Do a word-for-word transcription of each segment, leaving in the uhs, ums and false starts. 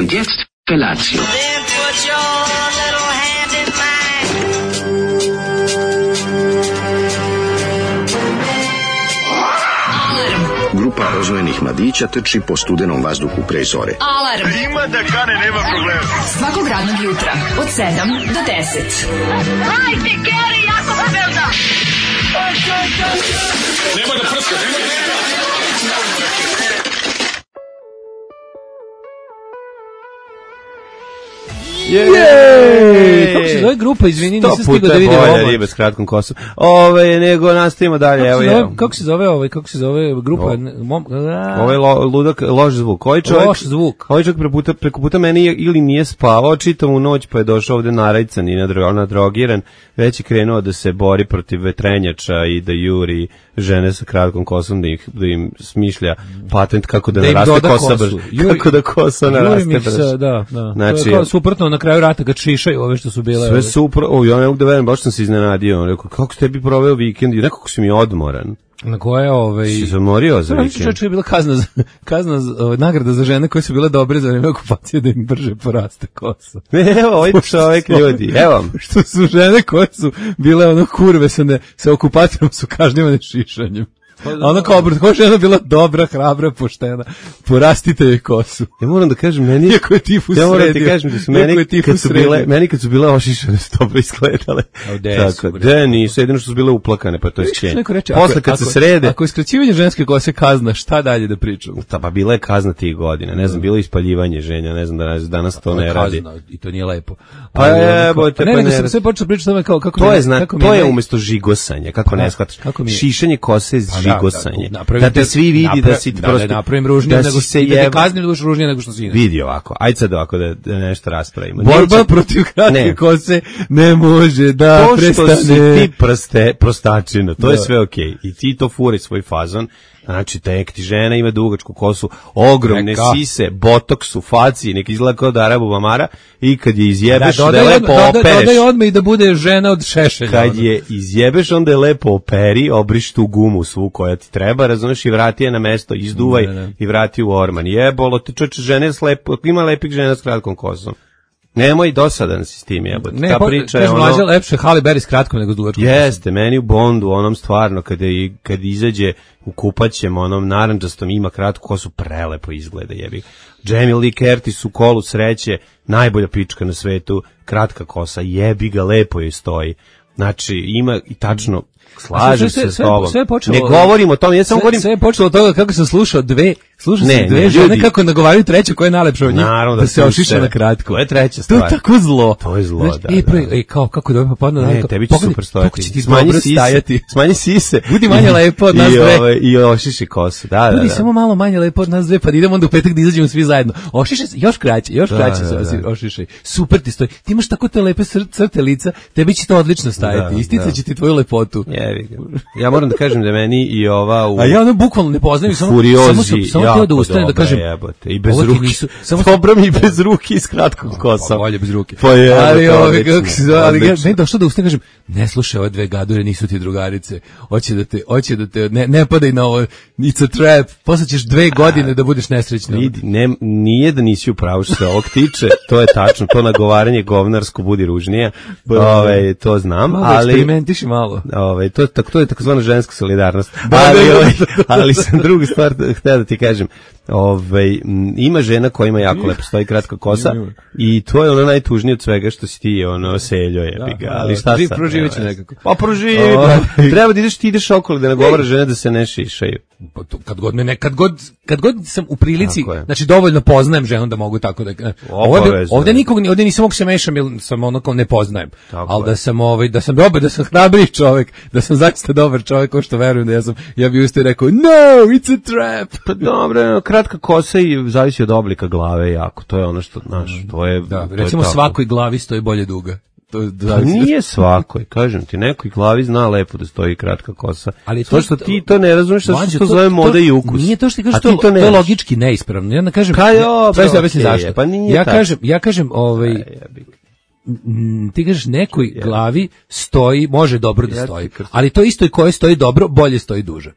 Und jetzt Felatio. Then put your little hand in mine. Grupa oznojenih mladića trči po studenom vazduhu pre zore. Alarm. Ima da kane, nema problema. Svakog radnog jutra od sedam do deset. Hajde, Geri, jako se velda. Nema da prska, nema da prska. Jej! Kako se zove grupa, izvini, nisam stigao da vidim ovo. Riba s kratkom kosom. Ove, nego nastavimo dalje, kako evo se zove, ja. kako se zove ovaj, kako se zove grupa? Ovo je lo, ludak, loš zvuk. Ovaj čovjek, loš zvuk. Ovaj čovjek preko puta, preko puta meni je, ili nije spavao čitavu noć, pa je došao ovde narajcan i nadrogiran, već je krenuo da se bori protiv vetrenjača i da juri žene sa kratkom kosom, da, ih, da im smišlja patent kako da, da naraste kosa brže. Kako da kosa naraste brže. Da, da. Znači, to je kao suprotno na kraju rata kad šišaju ove što su bile. Sve super, o, ja ne mogu da verujem, baš sam se iznenadio. Rekao, kako ste bi proveo vikend? I nekako si mi odmoran. Na koje ovaj si zamorio za vikend? Čovječe je bila kazna, za, kazna za, ovaj, nagrada za žene koje su bile dobre za vreme okupacije da im brže poraste kosa. Evo, ovaj čovjek ljudi, evo. Što su žene koje su bile ono kurve sa, ne, sa okupacijom su kažnjivane šišanjem. A ona kao obrt, koja žena bila dobra, hrabra, poštena. Porastite joj kosu. Ja moram da kažem, meni... Iako je tifus ja moram sredio. ti kažem da su meni, kad su bile, meni kad su bile ošišane, su dobro izgledale. Tako, da nisu, jedino što su bile uplakane, pa to je skenje. Posle kad ako, se srede... Ako je skraćivanje ženske kose kazna, šta dalje da pričamo? Ta, pa bila je kazna tih godina, ne znam, bilo je ispaljivanje ženja, ne znam, danas, danas to ne radi. I to nije lepo. Pa je, bojte, pa ne. Ne, nego sam sve počeo pričati tome kao, kako to mi je, zna, kako to je umjesto žigosanja, kako ne shvataš. Šišanje kose je žigosanje. Da te svi vidi napra- da si da, prosto... Da napravim ružnije, nego se da te kaznim duš ružnije nego što si. Vidi ovako, ajde sad ovako da, da nešto raspravimo. Borba Neće... protiv kratke kose ne može da prestane. To što si ti prste, prostačina, to da. Je sve okej. Okay. I ti to furi svoj fazon. Znači, tek ti žena ima dugačku kosu, ogromne neka. Sise, botoks u faci, nek izgleda kao da Arabu mamara, i kad je izjebeš, da, da je lepo doda, opereš. Dodaj odmah i da bude žena od šešelja. Kad je izjebeš, onda je lepo operi, obriš tu gumu svu koja ti treba, razumeš, i vrati je na mesto, izduvaj ne, ne. I vrati u orman. Jebolo, te čoče, žene s lepo, ima lepih žena s kratkom kosom. Nemoj dosadan si s tim jebote. Ne, ta po, priča je ono... mlađe lepše Halle Berry s kratkom nego s dugačkom. Jeste, meni u Bondu, onom stvarno, kada i, kad izađe u kupaćem, onom naranđastom ima kratku kosu, prelepo izgleda jebi. Jamie Lee Curtis u Kolu sreće, najbolja pička na svetu, kratka kosa, jebi ga, lepo joj stoji. Znači, ima i tačno... Slažem se s tobom. Ne govorim o tome, ja samo govorim... Sve je počelo od toga kako sam slušao dve, slušao sam dve žene ljudi, kako nagovaraju treću koja je najlepša od njih, naravno, da, da se ošiša na kratko. To je treća stvar. To je tako zlo. To je zlo, znaš, da, e, pre, da. E, kao, kako dobro, pa padno... Ne, tebi će super stojati. Smanji sise, smanji sise. Budi manje lepo od nas dve. Ove, I ošiši kosu, da, da, da. Budi samo malo manje lepo od nas dve, pa idemo onda u petak da izađemo svi zajedno. Ošišaj se, još kraće, još kraće se ošišaj. Super ti stoji. Ti imaš tako te lepe crte lica, tebi će to odlično stajati. Isticaće ti tvoju lepotu. Ja moram da kažem da meni i ova u... A ja ono bukvalno ne poznajem, samo furiozi, samo samo htio da ustanem da kažem jebote, i bez ruke. Nisu, samo dobro mi bez ruke i s kratkom kosom. Bolje bez ruke. Pa je, ali ove kako se zove, ali ne došlo da ustanem kažem, ne slušaj ove dve gadure, nisu ti drugarice. Hoće da te, hoće da te ne ne padaj na ovo. It's a trap. Posle ćeš dve godine da budeš nesrećna. Vidi, ne nije da nisi u pravu što se ovog tiče, to je tačno, to nagovaranje govnarsko budi ružnije. Ovaj to znam, ali eksperimentiši malo. Ovaj to tako to je takozvana ženska solidarnost. Ali, ali sam drugu stvar htio da ti kažem. Ovaj ima žena koja ima jako lepo stoji kratka kosa i to je ono najtužnije od svega što si ti ono seljo jebi ga. Ali šta sad? Proživeći nekako. Pa proživi. Treba da ideš ti ideš okolo da nagovara žene da se ne šišaju. Kad god me ne, kad god kad god sam u prilici, znači dovoljno poznajem ženu da mogu tako da ovdje ovdje nikog ovdje nisam mogu se mešam jer sam onako ne poznajem. Al da sam ovaj da sam dobar, da sam hrabri čovjek, da sam zaista dobar čovjek, ko što verujem da ja sam ja bih ustao i rekao no, it's a trap. Pa dobro, kratka kosa i zavisi od oblika glave jako. To je ono što znaš, to je da, recimo svakoj glavi stoji bolje duga. To pa nije svakoj, kažem ti, nekoj glavi zna lepo da stoji kratka kosa. Ali to što ti to ne razumeš, što se to zove moda i ukus. Nije to što ti kažeš, to, to je logički neispravno. Ja ne kažem, Kajo, bez da objasnim zašto. Pa ja kažem, ja kažem, ovaj ti kažeš nekoj glavi stoji, može dobro da stoji. Ali to isto i koje stoji dobro, bolje stoji duže.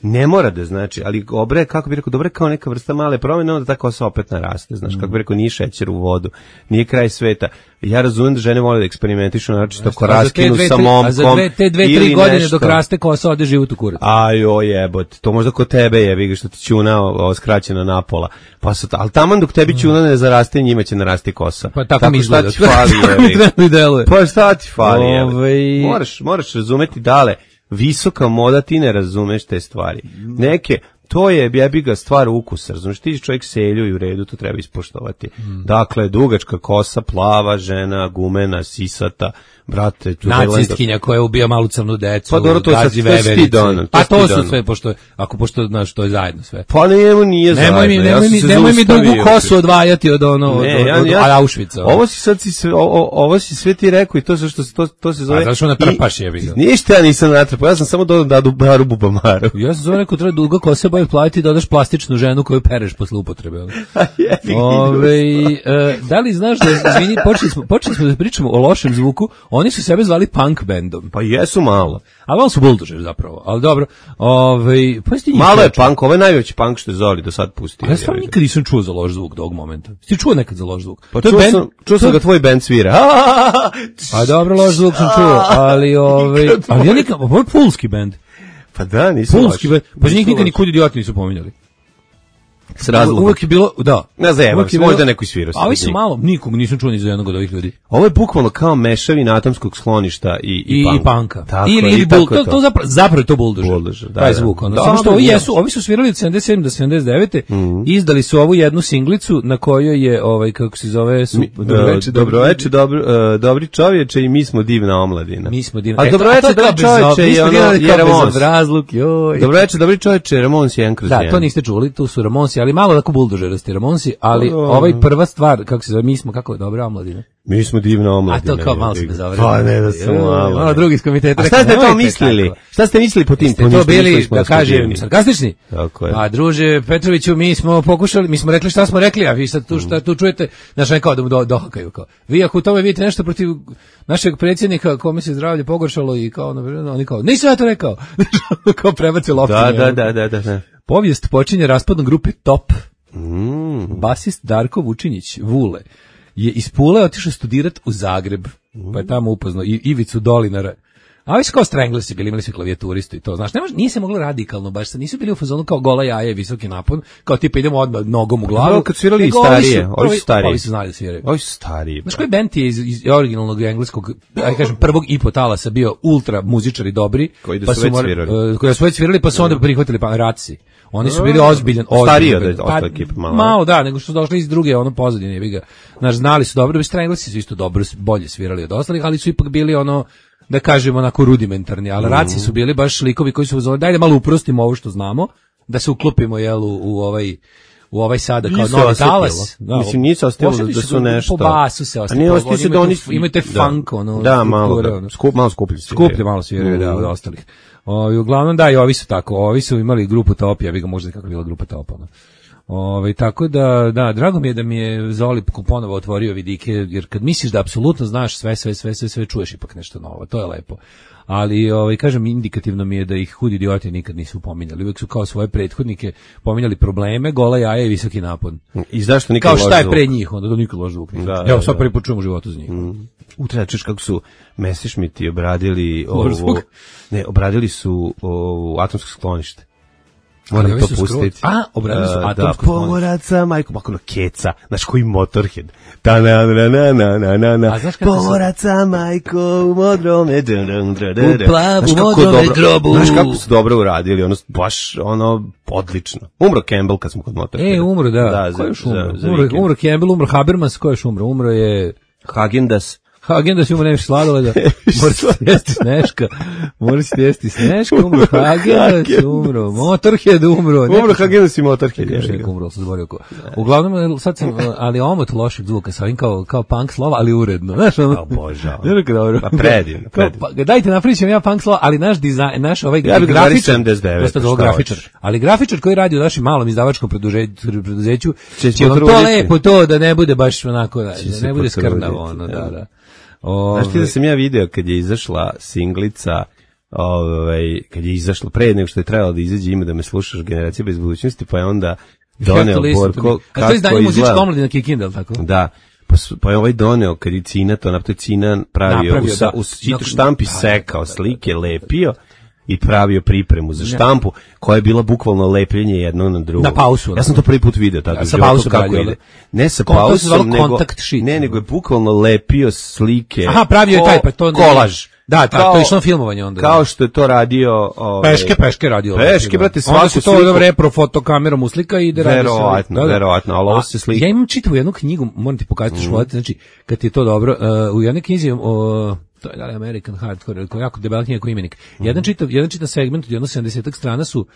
Ne mora da znači, ali obre, kako bi rekao, dobro kao neka vrsta male promjene, onda ta kosa opet naraste, znaš, kako bi rekao, nije šećer u vodu, nije kraj sveta. Ja razumem da žene vole da eksperimentišu, znači tako raskinu sa momkom. A za dve, te dve, tri godine nešto. Dok raste kosa, ode život u kurac. Ajo jebot, to možda kod tebe je, vidi što ti ćuna o, skraćena napola. Pa sa, ali taman dok tebi ćuna ne zaraste, njima će narasti kosa. Pa tako, tako mi izgleda. Šta ti fali, jebi? Pa šta ti fali, jebi? Ove... Moraš, moraš razumeti dale. Visoka moda, ti ne razumeš te stvari. Neke, to je jebi ga stvar ukusa, razumeš, ti čovjek selju i u redu, to treba ispoštovati. Mm. Dakle, dugačka kosa, plava, žena, gumena, sisata, brate, nacistkinja koja ubija malu crnu decu, pa dobro, to sad ti donan. Pa to su sve, pošto, ako pošto, znaš, to je zajedno sve. Pa njemu nije nemoj zajedno. Mi, nemoj mi, nemoj mi dugu kosu odvajati od ono, ne, od, ja, od, od, ja, od Auschwitza. Ovo si sad si sve, o, ovo si sve ti rekao i to se što to, to se zove. A zašto natrpaš je vidio? Ništa ja nisam natrpao, ja sam samo dodao da baru bubamaru. Ja sam zove neko treba duga kosa boje platiti da odaš plastičnu ženu koju pereš posle upotrebe. Ove, e, da li znaš da, izvini, počeli smo, počeli smo da pričamo o lošem zvuku, oni su sebe zvali punk bandom. Pa jesu malo. Ali on su buldožer zapravo, ali dobro. Ove, pa malo je punk, ovo je najveći punk što je Zoli do sad pustio. Ja stvarno nikad nisam čuo za loš zvuk do ovog momenta. Ti čuo nekad za loš zvuk? Pa čuo, band, sam, čuo sam ga tvoj band svira. Pa dobro, loš zvuk sam čuo, ali, ove, ali ja nikad, ovo je pulski band. Pa da, nisam pulski band, pa njih nikad nikud idioti nisu pominjali. S razlogom. Uvijek je bilo, da. Ne zajevam se, možda neko isvirao. A ovi su malo, nikog nisam čuo ni za jednog od ovih ljudi. Ovo je bukvalno kao mešavina atomskog skloništa i, i, I, punk. i panka. Tako, ili, ili bul, to, to zapravo, zapravo je to buldožer. Buldožer, da. Taj zvuk. Ono. Da, Samo što da, ovi da. jesu, ovi su svirali od sedamdeset sedme do sedamdeset devete Mm. izdali su ovu jednu singlicu na kojoj je, ovaj, kako se zove, su, Mi, dobroveče, dobroveče, dobro, uh, dobri čovječe i mi smo divna omladina. Mi smo divna. A dobroveče, dobri čovječe je ono, je Ramons. Razluk, joj. Dobroveče, dobri čovječe, Ramons je jedan kroz jedan. Da, to niste čuli, tu su Ramonsi, ali malo tako buldožerasti Ramonsi, ali ovaj prva stvar, kako se zove, mi smo, kako je, dobra omladina. Mi smo divna omladina. A to kao malo se bezavre. Pa ne da sam malo. Malo drugi iz komiteta. A šta ste to mislili? Tako. Šta ste mislili po tim? Ste to bili, da kažem, sarkastični? Tako je. A druže Petroviću, mi smo pokušali, mi smo rekli šta smo rekli, a vi sad tu, šta, tu čujete, znaš, ne kao da mu do, dohakaju. Kao. Vi ako u tome vidite nešto protiv našeg predsjednika, kome se zdravlje pogoršalo i kao, no, oni kao, nisam ja to rekao. Kao prebacio loptu. Da, da, da, da, da, da. Povijest počinje raspadom grupe Top. Mm. Basist Darko Vučinić, Vule, je iz Pule otišao studirat u Zagreb, mm. pa je tamo upoznao i Ivicu Dolinara. A ovi su kao Stranglesi bili, imali su klavijaturistu i to, znaš, ne može, nije se moglo radikalno, baš nisu bili u fazonu kao gola jaje, visoki napon, kao tipa idemo odmah nogom u glavu. No, kad svirali i starije, ovi su stariji. Ovi su znali da sviraju. Ovi su stariji. Znaš koji band je iz, iz originalnog engleskog, aj kažem, prvog i po talasa bio ultra muzičari dobri, koji da pa su su već svirali. Uh, koji su već svirali, pa su onda prihvatili pa Raci. Oni su bili ozbiljan, ozbiljan. Stariji od ostale ekipe, malo. Malo, da, nego što su došli iz druge, ono pozadine, jebi ga. Znaš, znali su dobro, Stranglesi su isto dobro, bolje svirali od ostalih, ali su ipak bili ono, da kažemo, onako rudimentarni, ali mm. Raci su bili baš likovi koji su uzeli, daj da malo uprostimo ovo što znamo, da se uklopimo, jel, u, u ovaj... u ovaj sada kao nisu novi talas. Da, mislim, nije se ostavilo da, da su nešto. Po basu se ostavilo. A nije ostavilo se da oni... Imate funk, ono. Da, malo, da, skup, malo skuplji sviraju. Skuplji malo sviraju, mm. da, od ostalih. O, i uglavnom, da, i ovi su tako. Ovi su imali grupu Top, ja bih ga možda kako je bila grupa Top, ono. Ove, tako da, da, drago mi je da mi je Zoli ponovo otvorio vidike, jer kad misliš da apsolutno znaš sve, sve, sve, sve, sve, čuješ ipak nešto novo, to je lepo. Ali, ovaj, kažem, indikativno mi je da ih hudi idioti nikad nisu pominjali. Uvijek su kao svoje prethodnike pominjali probleme, gola jaja i visoki napon. I zašto nikad kao šta je pre njih, onda to nikad loš zvuk. Da, evo, da, sad da. prvi put čujem u životu za njih. Mm. Utrećeš kako su Messerschmitti obradili ovo, ne, obradili su ovo, atomsko sklonište. Moram to pustiti. A, obradili su atomsko sklonište. Da, pomoraca, majko, makon keca, znaš koji Motorhead. Ta na na na na na na na. Pomoraca, majko, u modrome. U plavu, modrome grobu. Znaš kako su dobro uradili, ono, baš, ono, odlično. Umro Campbell kad smo kod Motorheada. E, umro, da. da ko je još umro? Umro, umro Campbell, umro Habermas, ko je još umro? Umro je... Hagendas. Hagendas umro, nemaš sladoleda. Moraš jesti Sneška. Moraš jesti Sneška, umro Hagendas, umro Motorhead, umro. Umro Hagendas i Motorhead. Još neko umro, sam zborio ko. Uglavnom, sad sam, ali omot lošeg zvuka, sa ovim kao, kao punk slova, ali uredno. Znaš, ono? Obožavam. Ne rekao dobro. Pa predivno, predivno. Pa, dajte napričam ja punk slova, ali naš dizajn, naš ovaj ja grafičar, dosta dobro grafičar, ali grafičar koji radi u našem malom izdavačkom preduzeću, će vam to lepo to da ne bude baš onako, da ne bude skrnavo, ono, da, da. O, znaš ti da sam ja video kad je izašla singlica ovaj, kad je izašlo pre nego što je trebalo da izađe Ima da me slušaš, Generacija bez budućnosti, pa je onda doneo Borko kako to izdanje muzička omladina Kikindel, tako? Da. Pa, pa je ovaj doneo, kad je Cina to napravio, Cina pravio, napravio, u, sa, da. u štampi da, sekao slike, lepio i pravio pripremu za štampu, koja je bila bukvalno lepljenje jedno na drugo. Na pausu. Ja sam to prvi put video tako. Ja, sa pausom kako ide. Ne sa Kon, pausom, nego, sheet, ne, nego je bukvalno lepio slike. Aha, pravio je taj, pa to kolaž. Da, ta, to je išlo filmovanje onda. Kao što je to radio... Ovaj, peške, peške radio. Peške, brate, svaku onda se to sliku... repro fotokamerom uslika i ide radi se. Verovatno, verovatno, ali ovo se slika. Ja imam čitavu jednu knjigu, moram ti pokazati što volite, znači, kad ti je to dobro, uh, u jednoj knjizi, uh, to je da li American Hardcore, koja je jako debela knjiga koji imenik. Mm. Jedan čitav, jedan čitav segment od jedno sedamdesetak strana su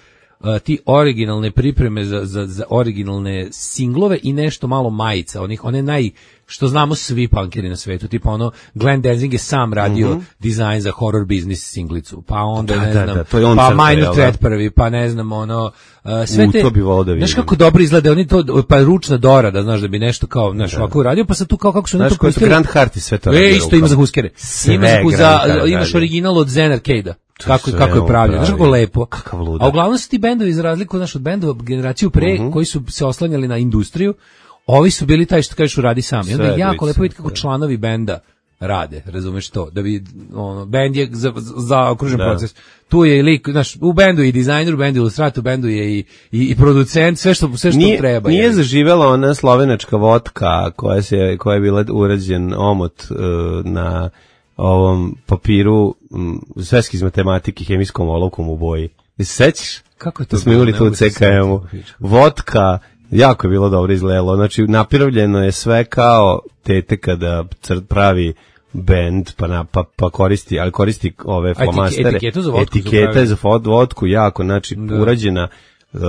Uh, ti originalne pripreme za, za, za originalne singlove i nešto malo majica, onih, one naj, što znamo svi punkeri na svetu, tipa ono, Glenn Danzig je sam radio mm-hmm. dizajn za Horror Business singlicu, pa onda, da, ne da, znam, da, to je on pa crta, Minor Threat prvi, pa ne znam, ono, uh, sve U, te, to bi volao da vidim. znaš kako dobro izgleda, oni to, pa ručna dorada, znaš, da bi nešto kao, znaš, ovako uradio, pa sad tu kao kako su znaš, ne to pustili. Grant Hart i sve to radio. E, isto ima za huskere. Ima za, za, imaš original od Zen Arcade-a. Kako, kako je pravljeno, znaš kako lepo. A uglavnom su ti bendovi, za razliku znaš, od bendova generaciju pre, uh-huh. koji su se oslanjali na industriju, ovi su bili taj što kažeš uradi sam. I onda je jako lepo vidjeti kako članovi benda rade, razumeš to, da bi, ono, bend je za, za okružen da. proces. Tu je i lik, znaš, u bendu je i dizajner, u bendu je ilustrator, u bendu je i, i, i producent, sve što, sve što nije, treba. Nije je. zaživela ona slovenačka vodka koja, se, koja je bila urađen omot uh, na ovom papiru m, sveski iz matematike hemijskom olovkom u boji. I se sećaš? Kako je to? Da smo imali tu u C K M-u. Vodka, jako je bilo dobro izgledalo. Znači, napravljeno je sve kao tete kada pravi bend, pa, na, pa, pa koristi, ali koristi ove flomastere. Etiketu za vodku. Etiketa za vodku, jako, znači, da. urađena uh,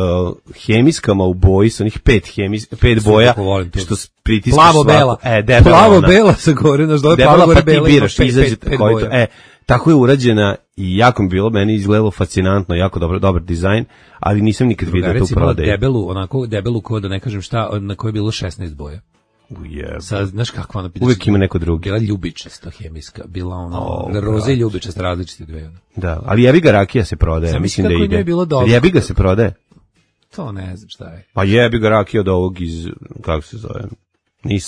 hemijskama u boji, sa onih pet, hemis, pet boja, što pritiskaš plavo-bela. E, debela plavo-bela sa gore, znaš, dole plavo gore pa bela. Ti biraš, pet, izađe, pet, pet koji to, e, tako je urađena i jako mi bilo, meni izgledalo fascinantno, jako dobro, dobar dizajn, ali nisam nikad vidio tu prodaju. Debelu, onako, debelu ko da ne kažem šta, na kojoj je bilo šesnaest boja. Ujeb. Sad, znaš kakva ona pita? Uvijek ima neko drugi. Bila ljubičasta hemijska, bila ona, oh, roze i ljubičasta, različite dve. Da, ali jebiga rakija se prodaje, sam mislim da ide. Bilo jebiga se prodaje. To ne znam šta je. Pa jebiga rakija od ovog iz, kako se zove, ni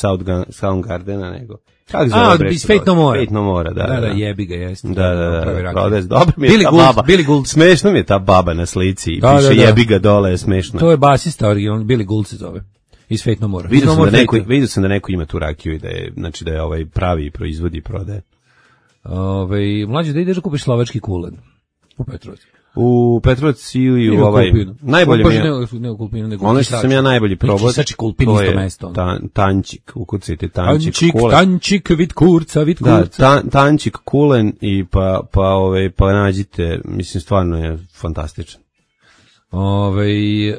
Soundgardena, nego... Kako zove? A, iz Fate No More. Fate No More, da. Da, da, jebiga jeste. Da, da, da, prodaje. Dobro mi je Billy ta Gould, baba. Billy Gould. Smešno mi je ta baba na slici i da, piše da, da. jebiga dole, je smešno. To je basista originalno, Billy Gould se zove. Iz Fate No More. Vidio sam, da neko, vidio sam da neko ima tu rakiju i da je, znači da je ovaj pravi proizvodi i prodaje. Ove, mlađe, da ideš da kupiš slovački kulen u Petrovcu. U Petrovcu ili u ovaj... Najbolje mi je... Ne, ne u Kulpinu, nego ono što sam ja najbolji probao... Čisači Kulpin isto mesto. Ta, tančik, ukucajte tančik, tančik kulen. Tančik, vid kurca, vid kurca. Da, ta, tančik, kulen i pa, pa, ove, pa nađite, mislim, stvarno je fantastičan. Ove, e,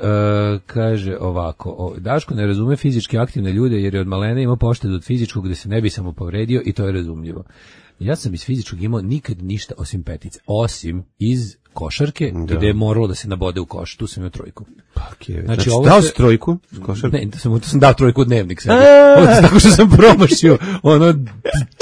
kaže ovako, o, Daško ne razume fizički aktivne ljude jer je od malena imao poštedu od fizičkog gde se ne bi samo povredio i to je razumljivo. Ja sam iz fizičkog imao nikad ništa osim petice, osim iz košarke, da. Gde je moralo da se nabode u koš, tu sam imao trojku. Pa, okay. Znači, znači dao si trojku? Košarku? Ne, to sam, to sam dao trojku u dnevnik sebi. Tako što sam promašio ono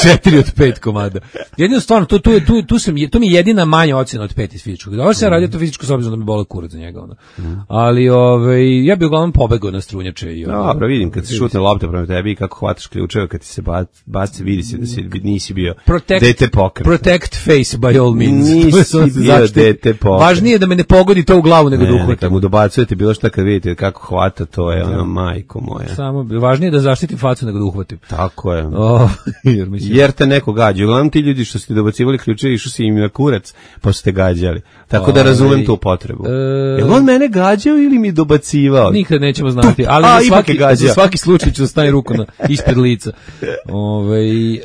četiri od pet komada. Jedino stvarno, tu, tu, tu, tu, sam, tu mi je jedina manja ocjena od pet iz fizičkog. Dobro sam mm. radio to fizičko s obzirom da mi bole kurac za njega. Ono. Mm. Ali ove, ja bih uglavnom pobegao na strunjače. I, ono, dobro, vidim, kad se šutne lopte prema tebi i kako hvataš ključeve, kad ti se baci, vidi se da si, nisi bio protect, dete pokret. Protect face by all means. Nisi bio dete pokret. Važnije je da me ne pogodi to u glavu nego ne, da uhvatim. Kad mu dobacujete bilo šta kad vidite kako hvata, to je ono, majko moja. Samo važnije je da zaštitim facu nego da uhvatim. Tako je. Oh, jer, mislim... jer te neko gađa. Uglavnom ti ljudi što ste dobacivali ključevi, išli su im na kurac, pa ste gađali. Tako da razumem tu potrebu. E... Jel on mene gađao ili mi dobacivao? Nikad nećemo znati, ali A, za, svaki, za svaki slučaj ću staviti ruku na, ispred lica. Ove, e,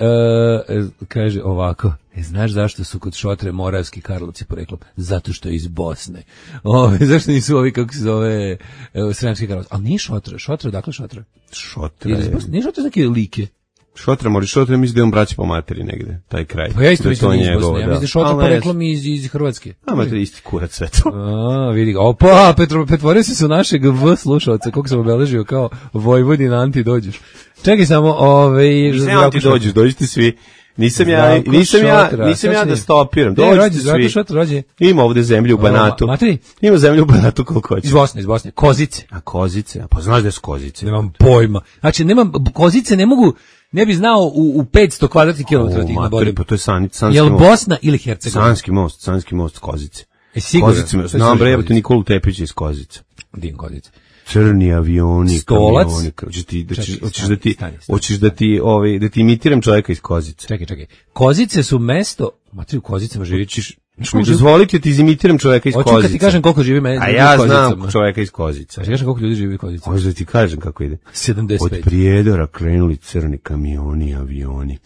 kaže ovako. E, znaš zašto su kod Šotre Moravski Karlovci poreklom? Zato što je iz Bosne. Ove, zašto nisu ovi, kako se zove, e, Sremski Karlovci? Ali nije Šotra. Šotra, dakle Šotra? Šotra je... Nije Šotra neke like? Šotra mori, Šotra mislim da je on braći po materi negde, taj kraj. Pa ja isto mislim da je iz Bosne. Ja mislim da je Šotra poreklom iz, iz Hrvatske. A, ma to je isti kurac sve to. A, vidi ga. Opa, Petro, pretvorio si se u našeg V slušalca, koliko sam obeležio kao Vojvodina anti dođeš. Čekaj samo, ove... Ne anti dođeš, dođete svi. Nisam ja, nisam ja, nisam ja da stopiram. Dođite svi. Šotra, rođe. Ima ovde zemlju u Banatu. Matri? Ima zemlju u Banatu koliko hoće. Iz Bosne, iz Bosne. Kozice. A kozice? Pa znaš da su kozice? Nemam pojma. Znači, nemam, kozice ne mogu, ne bi znao u, u petsto kvadratnih kilometara tih nabodim. Pa to je san, sanski Jel most. Bosna ili Hercegovina? Sanski most, sanski most kozice. E, sigurno. Kozice, znam bre, jebote Nikolu Tepića iz Kozice. Din Kozice. Crni avioni, Stolac. kamioni, hoćeš ti da Čekaj, hoćeš stani, da ti stani, stani. hoćeš da ti ovaj da ti imitiram čovjeka iz Kozice. Čekaj, čekaj. Kozice su mesto, matri u Kozicama živi. Ćeš mi dozvoliti da ti izimitiram čovjeka iz Kozice. Hoću kad ti kažem koliko živi meni. A ja znam čovjeka iz Kozice. A kažem koliko ljudi živi u Kozici. Možda da ti kažem kako ide. sedamdeset pet. Od Prijedora krenuli crni kamioni, avioni.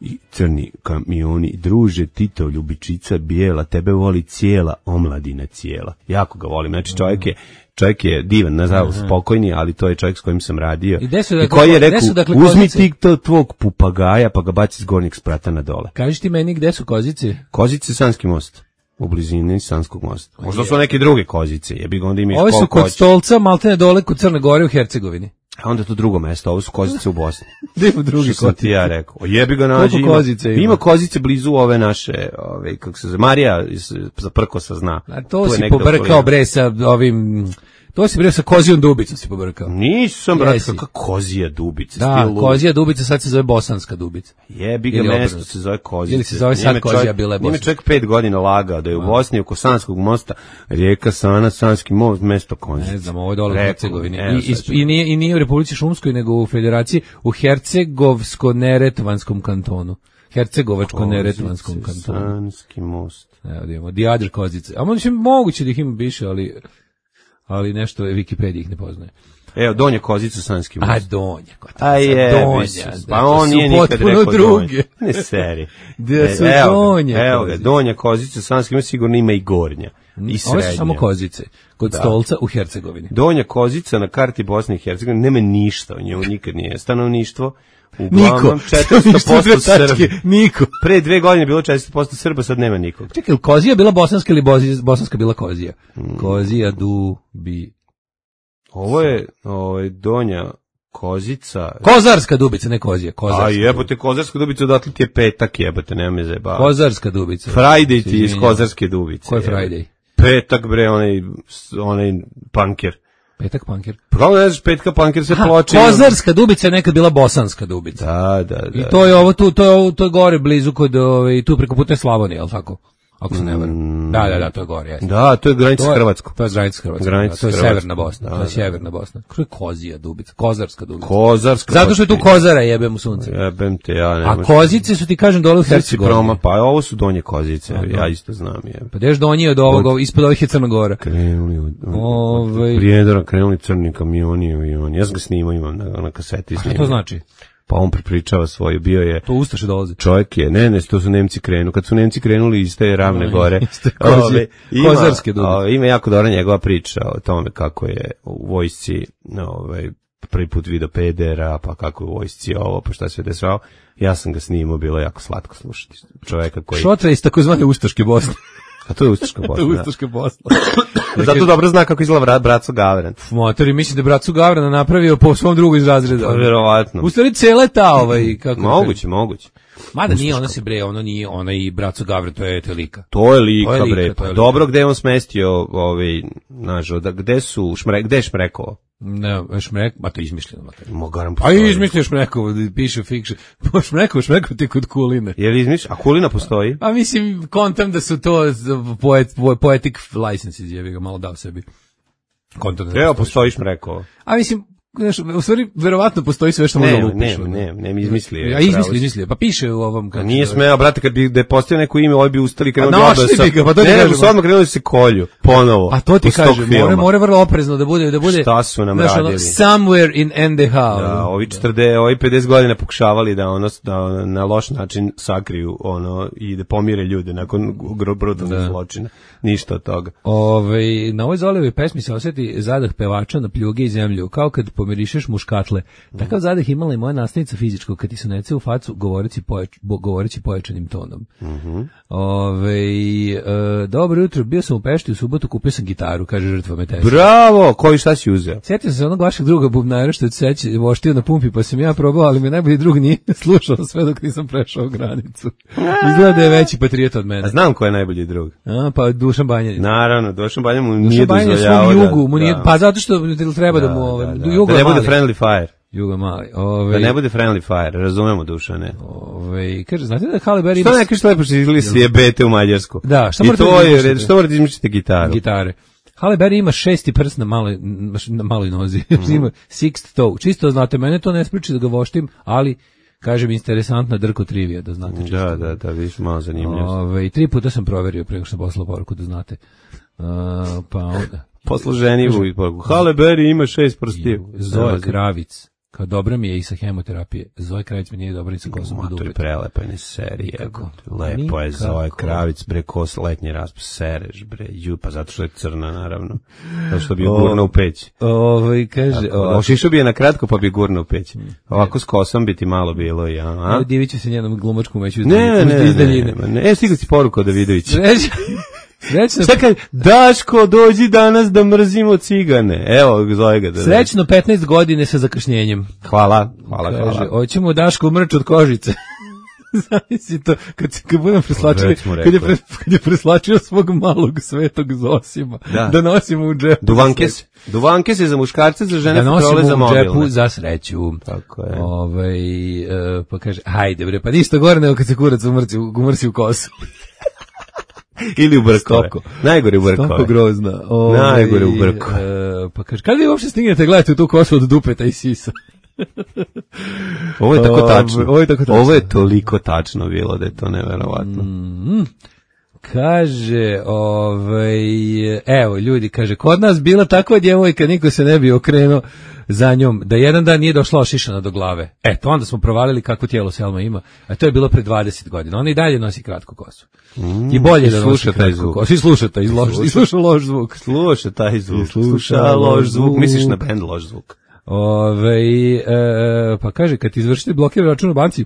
I crni kamioni, druže, Tito, ljubičica bijela, tebe voli cijela omladina cijela. Jako ga volim. Znači čovjek je čovjek je divan, nažalost spokojni, ali to je čovjek s kojim sam radio. I, desu, I dakle, koji je rekao, desu, dakle, uzmi kozice? ti to tvog pupagaja pa ga baci s gornjeg sprata na dole. Kažiš ti meni gde su Kozice? Kozice, Sanski most. U blizini Sanskog mosta. Možda su neke druge Kozice, jebi ga onda imaš Ovi su koliko kod hoćeš. Stolca, maltene dole kod Crne Gore u Hercegovini. A onda je to drugo mesto, ovo su Kozice u Bosni. Gde ima drugi Što sam ti ja rekao. O, jebi ga nađi. Koliko Kozice ima? Ima Kozice blizu ove naše, ove, kako se zove, Marija iz, za Prkosa zna. A to Tu je si negde pobrkao okolina. bre sa ovim... To si bre sa Kozijom Dubicom si pobrkao. Nisam, brate, Jesi. kakva Kozija Dubica. Da, stil lud. Kozija Dubica sad se zove Bosanska Dubica. Jebi ga, Ili mesto obrnuto. se zove Kozice. Ili se zove sad Nije me Kozija, čovjek- bila je nije me Bosanska. čovjek pet godina lagao da je u Bosni oko Sanskog mosta rijeka Sana, Sanski most, mesto Kozice. Ne znam, ovo je dole u Rekao, Hercegovini. evo, I, i, sad ću- i, nije, I nije u Republici Šumskoj, nego u Federaciji, u Hercegovsko-Neretvanskom kantonu. Hercegovačko-Neretvanskom Kozice, kantonu. Sanski most. Evo da imamo, The Other Kozice. A možda moguće da ih ima više, ali, ali nešto Wikipedia ih ne poznaje. Evo, Donja Kozica, Sanski most. A Donja, kod A je, Donja. pa on su nije nikad potpuno rekao druge. Donja. Ne seri. Da su E, evo ga, Donja Evo ga, Kozice. Donja Kozica, Sanski most sigurno ima i Gornja. I srednja. Ove su samo Kozice, kod Da. Stolca u Hercegovini. Donja Kozica na karti Bosne i Hercegovine nema ništa, u njemu nikad nije stanovništvo. Uglavnom Niko. četiristo posto Srbi. Niko. Pre dve godine je bilo četiristo posto Srba, sad nema nikog. Čekaj, Kozija bila bosanska ili bozi- bosanska bila Kozija? Kozija du bi... Ovo je ovaj, Donja Kozica. Kozarska Dubica, ne Kozija. Kozarska. A jebote, Kozarska Dubica, odatle ti je petak, jebote, nema me zajebava. Kozarska Dubica. Friday ti je iz Izvinjavam. Kozarske Dubice. Ko je jebote. Friday? Petak, bre, onaj, onaj punker. Petak Panker. Pa kako ne znaš, petka punker se Aha, ploče. Kozarska Dubica je nekad bila bosanska Dubica. Da, da, da. I to je ovo tu, to je ovo, to je gore blizu kod ovaj tu preko putne Slavonije, al tako? Ako se ne varam. Da, da, da, to je gore, jeste. Da, to je granica To s je- Hrvatskom. To je granica s Hrvatskom. Granica da, to je s Hrvatskom. severna Bosna, Da, to je da. sjeverna Bosna. Kako je Kozija Dubica, Kozarska Dubica. Kozarska. Zato što je tu Kozara jebem u sunce. Jebem te, ja ne A možem. Kozice su ti kažem dole u Srci Hercegovini. proma, pa ovo su Donje Kozice, ja isto znam. Je. Pa deš donji od ovog, ispod ovih je Crna Gora. Krenuli od, od, Ovaj- od Prijedora, krenuli crni kamioni, avioni. Ja sam ga snimao, imam na, na kaseti. A šta snimao. to znači? Pa on prepričava svoje, bio je... To Ustaše dolaze. Čovjek je, ne, ne, to su Nemci krenu. Kad su Nemci krenuli iz te ravne gore, iz te Kozije- ove, ima, Kozarske Dubice. ove, ima jako dobra njegova priča o tome kako je u vojsci, ove, prvi put video pedera, pa kako je u vojsci ovo, pa šta se je dešavao. Ja sam ga snimao, bilo je jako slatko slušati čovjeka koji... Šotra iz takozvane Ustaške Bosne. A to je Ustaška Bosna. da. Ustaške Bosne. Zato dobro zna kako izgleda brat, Braco Gavran. Motori, mislim da je Bracu Gavrana napravio po svom drugu iz razreda. Pa verovatno. U stvari cela ta ovaj kako Moguće, moguće. Mada nije ona se bre, ono nije, ona i Braco Gavran, to je to lika. To je lika, To je lika, bre. to Pa je lika. dobro, gde je on smestio, ovaj, znaš, da, gde su, šmre, gde je Šmrekova? Ne, Šmrek, ma to je izmišljeno. Mater. Mogaram A postoji. i izmislio Šmrekov, piše fiction. Pa Šmrekov, Šmrekov ti kod Kuline. Je li izmišljeno? A Kulina postoji? A mislim, kontam da su to poet, poetic licenses, je bi ga malo dao sebi. Kontam da Evo, postoji. postoji Šmrekova. A mislim, znaš, u stvari, verovatno postoji sve što Ne, može lupiš. ne, ne, ne, mi izmislio je. Ja izmislio, pravo. izmislio. Pa piše u ovom... Pa kako nije se zove. smeo, brate, kad bi da je postavio neko ime, ovaj bi ustali krenuli Pa našli odmah sa- bi ga, pa to ti Ne, nego kažem. su odmah krenuli da se kolju, ponovo. Pa to ti iz tog kažem, filma. more, more vrlo oprezno da bude, da bude, Šta su nam znaš, ono, radili? somewhere in N D H. Da, ono. ovi četrdeset, ovi pedeset godina pokušavali da ono da na loš način sakriju ono i da pomire ljude nakon brutalnih Da. zločina. Ništa od toga. Ove, na ovoj Zolijevoj pesmi se osjeti zadah pevača na pljuge i zemlju, kao kad pomirišeš muškatle. Takav zadah imala i moja nastavnica fizičkog, kad ti su nece u facu govoreći, pojač, bo, govoreći pojačanim tonom. Mhm. Ove, e, dobro jutro, bio sam u Pešti u subotu subotu kupio sam gitaru, kaže žrtva metesa. Bravo, koji šta si uzeo? Sjetio sam se onog vašeg druga bubnara što je seći voštio na pumpi, pa sam ja probao, ali me najbolji drug nije slušao sve dok nisam prešao granicu. Izgleda da je veći patriot od mene. A znam ko je najbolji drug. A, pa Dušan Banjanin. Naravno, Dušan Banjanin mu nije dozvoljavao. Dušan Banjanin svom jugu, mu nije, pa zato što treba da, da mu... Ovaj, da, da, da. da ne bude friendly fire. Jugo mali. Ove, da ne bude friendly fire, razumemo Dušane. Ove, kaže, znate da Halle Berry... Što ne kažeš lepo što izgledali svi jebete u Mađarsku? Da, što morate da izmišljate? Što morate izmišljati gitaru? Gitare. Halle Berry ima šesti prst na maloj, na maloj nozi. Mm. Ima sixth toe. Čisto znate, mene to ne spriči da ga voštim, ali... Kažem, interesantna Drko trivija, da znate čisto. Da, da, da, viš malo zanimljivo. Ove, tri puta sam proverio preko što sam poslao poruku, da znate. Uh, pa onda... Posluženivu i poruku. Halle Berry ima šest prstiju. Zoja Kravic. Kao dobra mi je i sa hemoterapije. Zoja Kravic mi nije dobra i sa kosom u dupe. To je prelepa je serija. Lepo je Zoja Kravic, bre, kos letnji raspust, sereš, bre, ju, pa zato što je crna, naravno. Zato što bi je gurna u peć. Ovo, kaže... Ošišao bi je na kratko, pa bi gurna u peć. Ovako s kosom bi ti malo bilo, ja. Evo, divit ću se njenom glumačkom veću iz daljine. Ne, ne, ne. E, stigli si poruku od Davidovića. Srećno. Čekaj, Daško, dođi danas da mrzimo cigane. Evo, zove ga. Da Srećno petnaest godine sa zakašnjenjem. Hvala, hvala, kaže, hvala. Hoćemo Daško mrč od kožice. Zavisi to, kad, kad budem preslačio, kad je, pre, kad je preslačio svog malog svetog Zosima, da, da nosimo u džepu. Duvanke se. Duvanke se za muškarce, za žene, da patrole za mobilne. Da nosimo u džepu za sreću. Tako je. Ove, uh, pa kaže, hajde bre, pa ništa gore nego kad se kurac umrci, umrci u kosu. Ili u brkove. Najgore u brkove. Stoko grozna. Ove, Najgore u brkove. Uh, pa kaže, kad vi uopšte stignete gledati u tu kosu od dupeta i sisa? Ovo je tako tačno. Ovo je, tako tačno. Ovo je toliko tačno bilo da je to neverovatno. Mm, kaže, ovaj, evo ljudi, kaže, kod nas bila takva djevojka, niko se ne bi okrenuo za njom, da jedan dan nije došla ošišana do glave. Eto, onda smo provalili kako tijelo Selma ima, a to je bilo pre dvadeset godina. Ona i dalje nosi kratku kosu. Mm, I bolje da nosi kratku kosu. I sluša taj loš, i sluša loš zvuk. Sluša taj zvuk. Sluša loš zvuk. Misliš na bend loš zvuk. Ove, e, pa kaže, kad ti izvršite blokira račun u banci,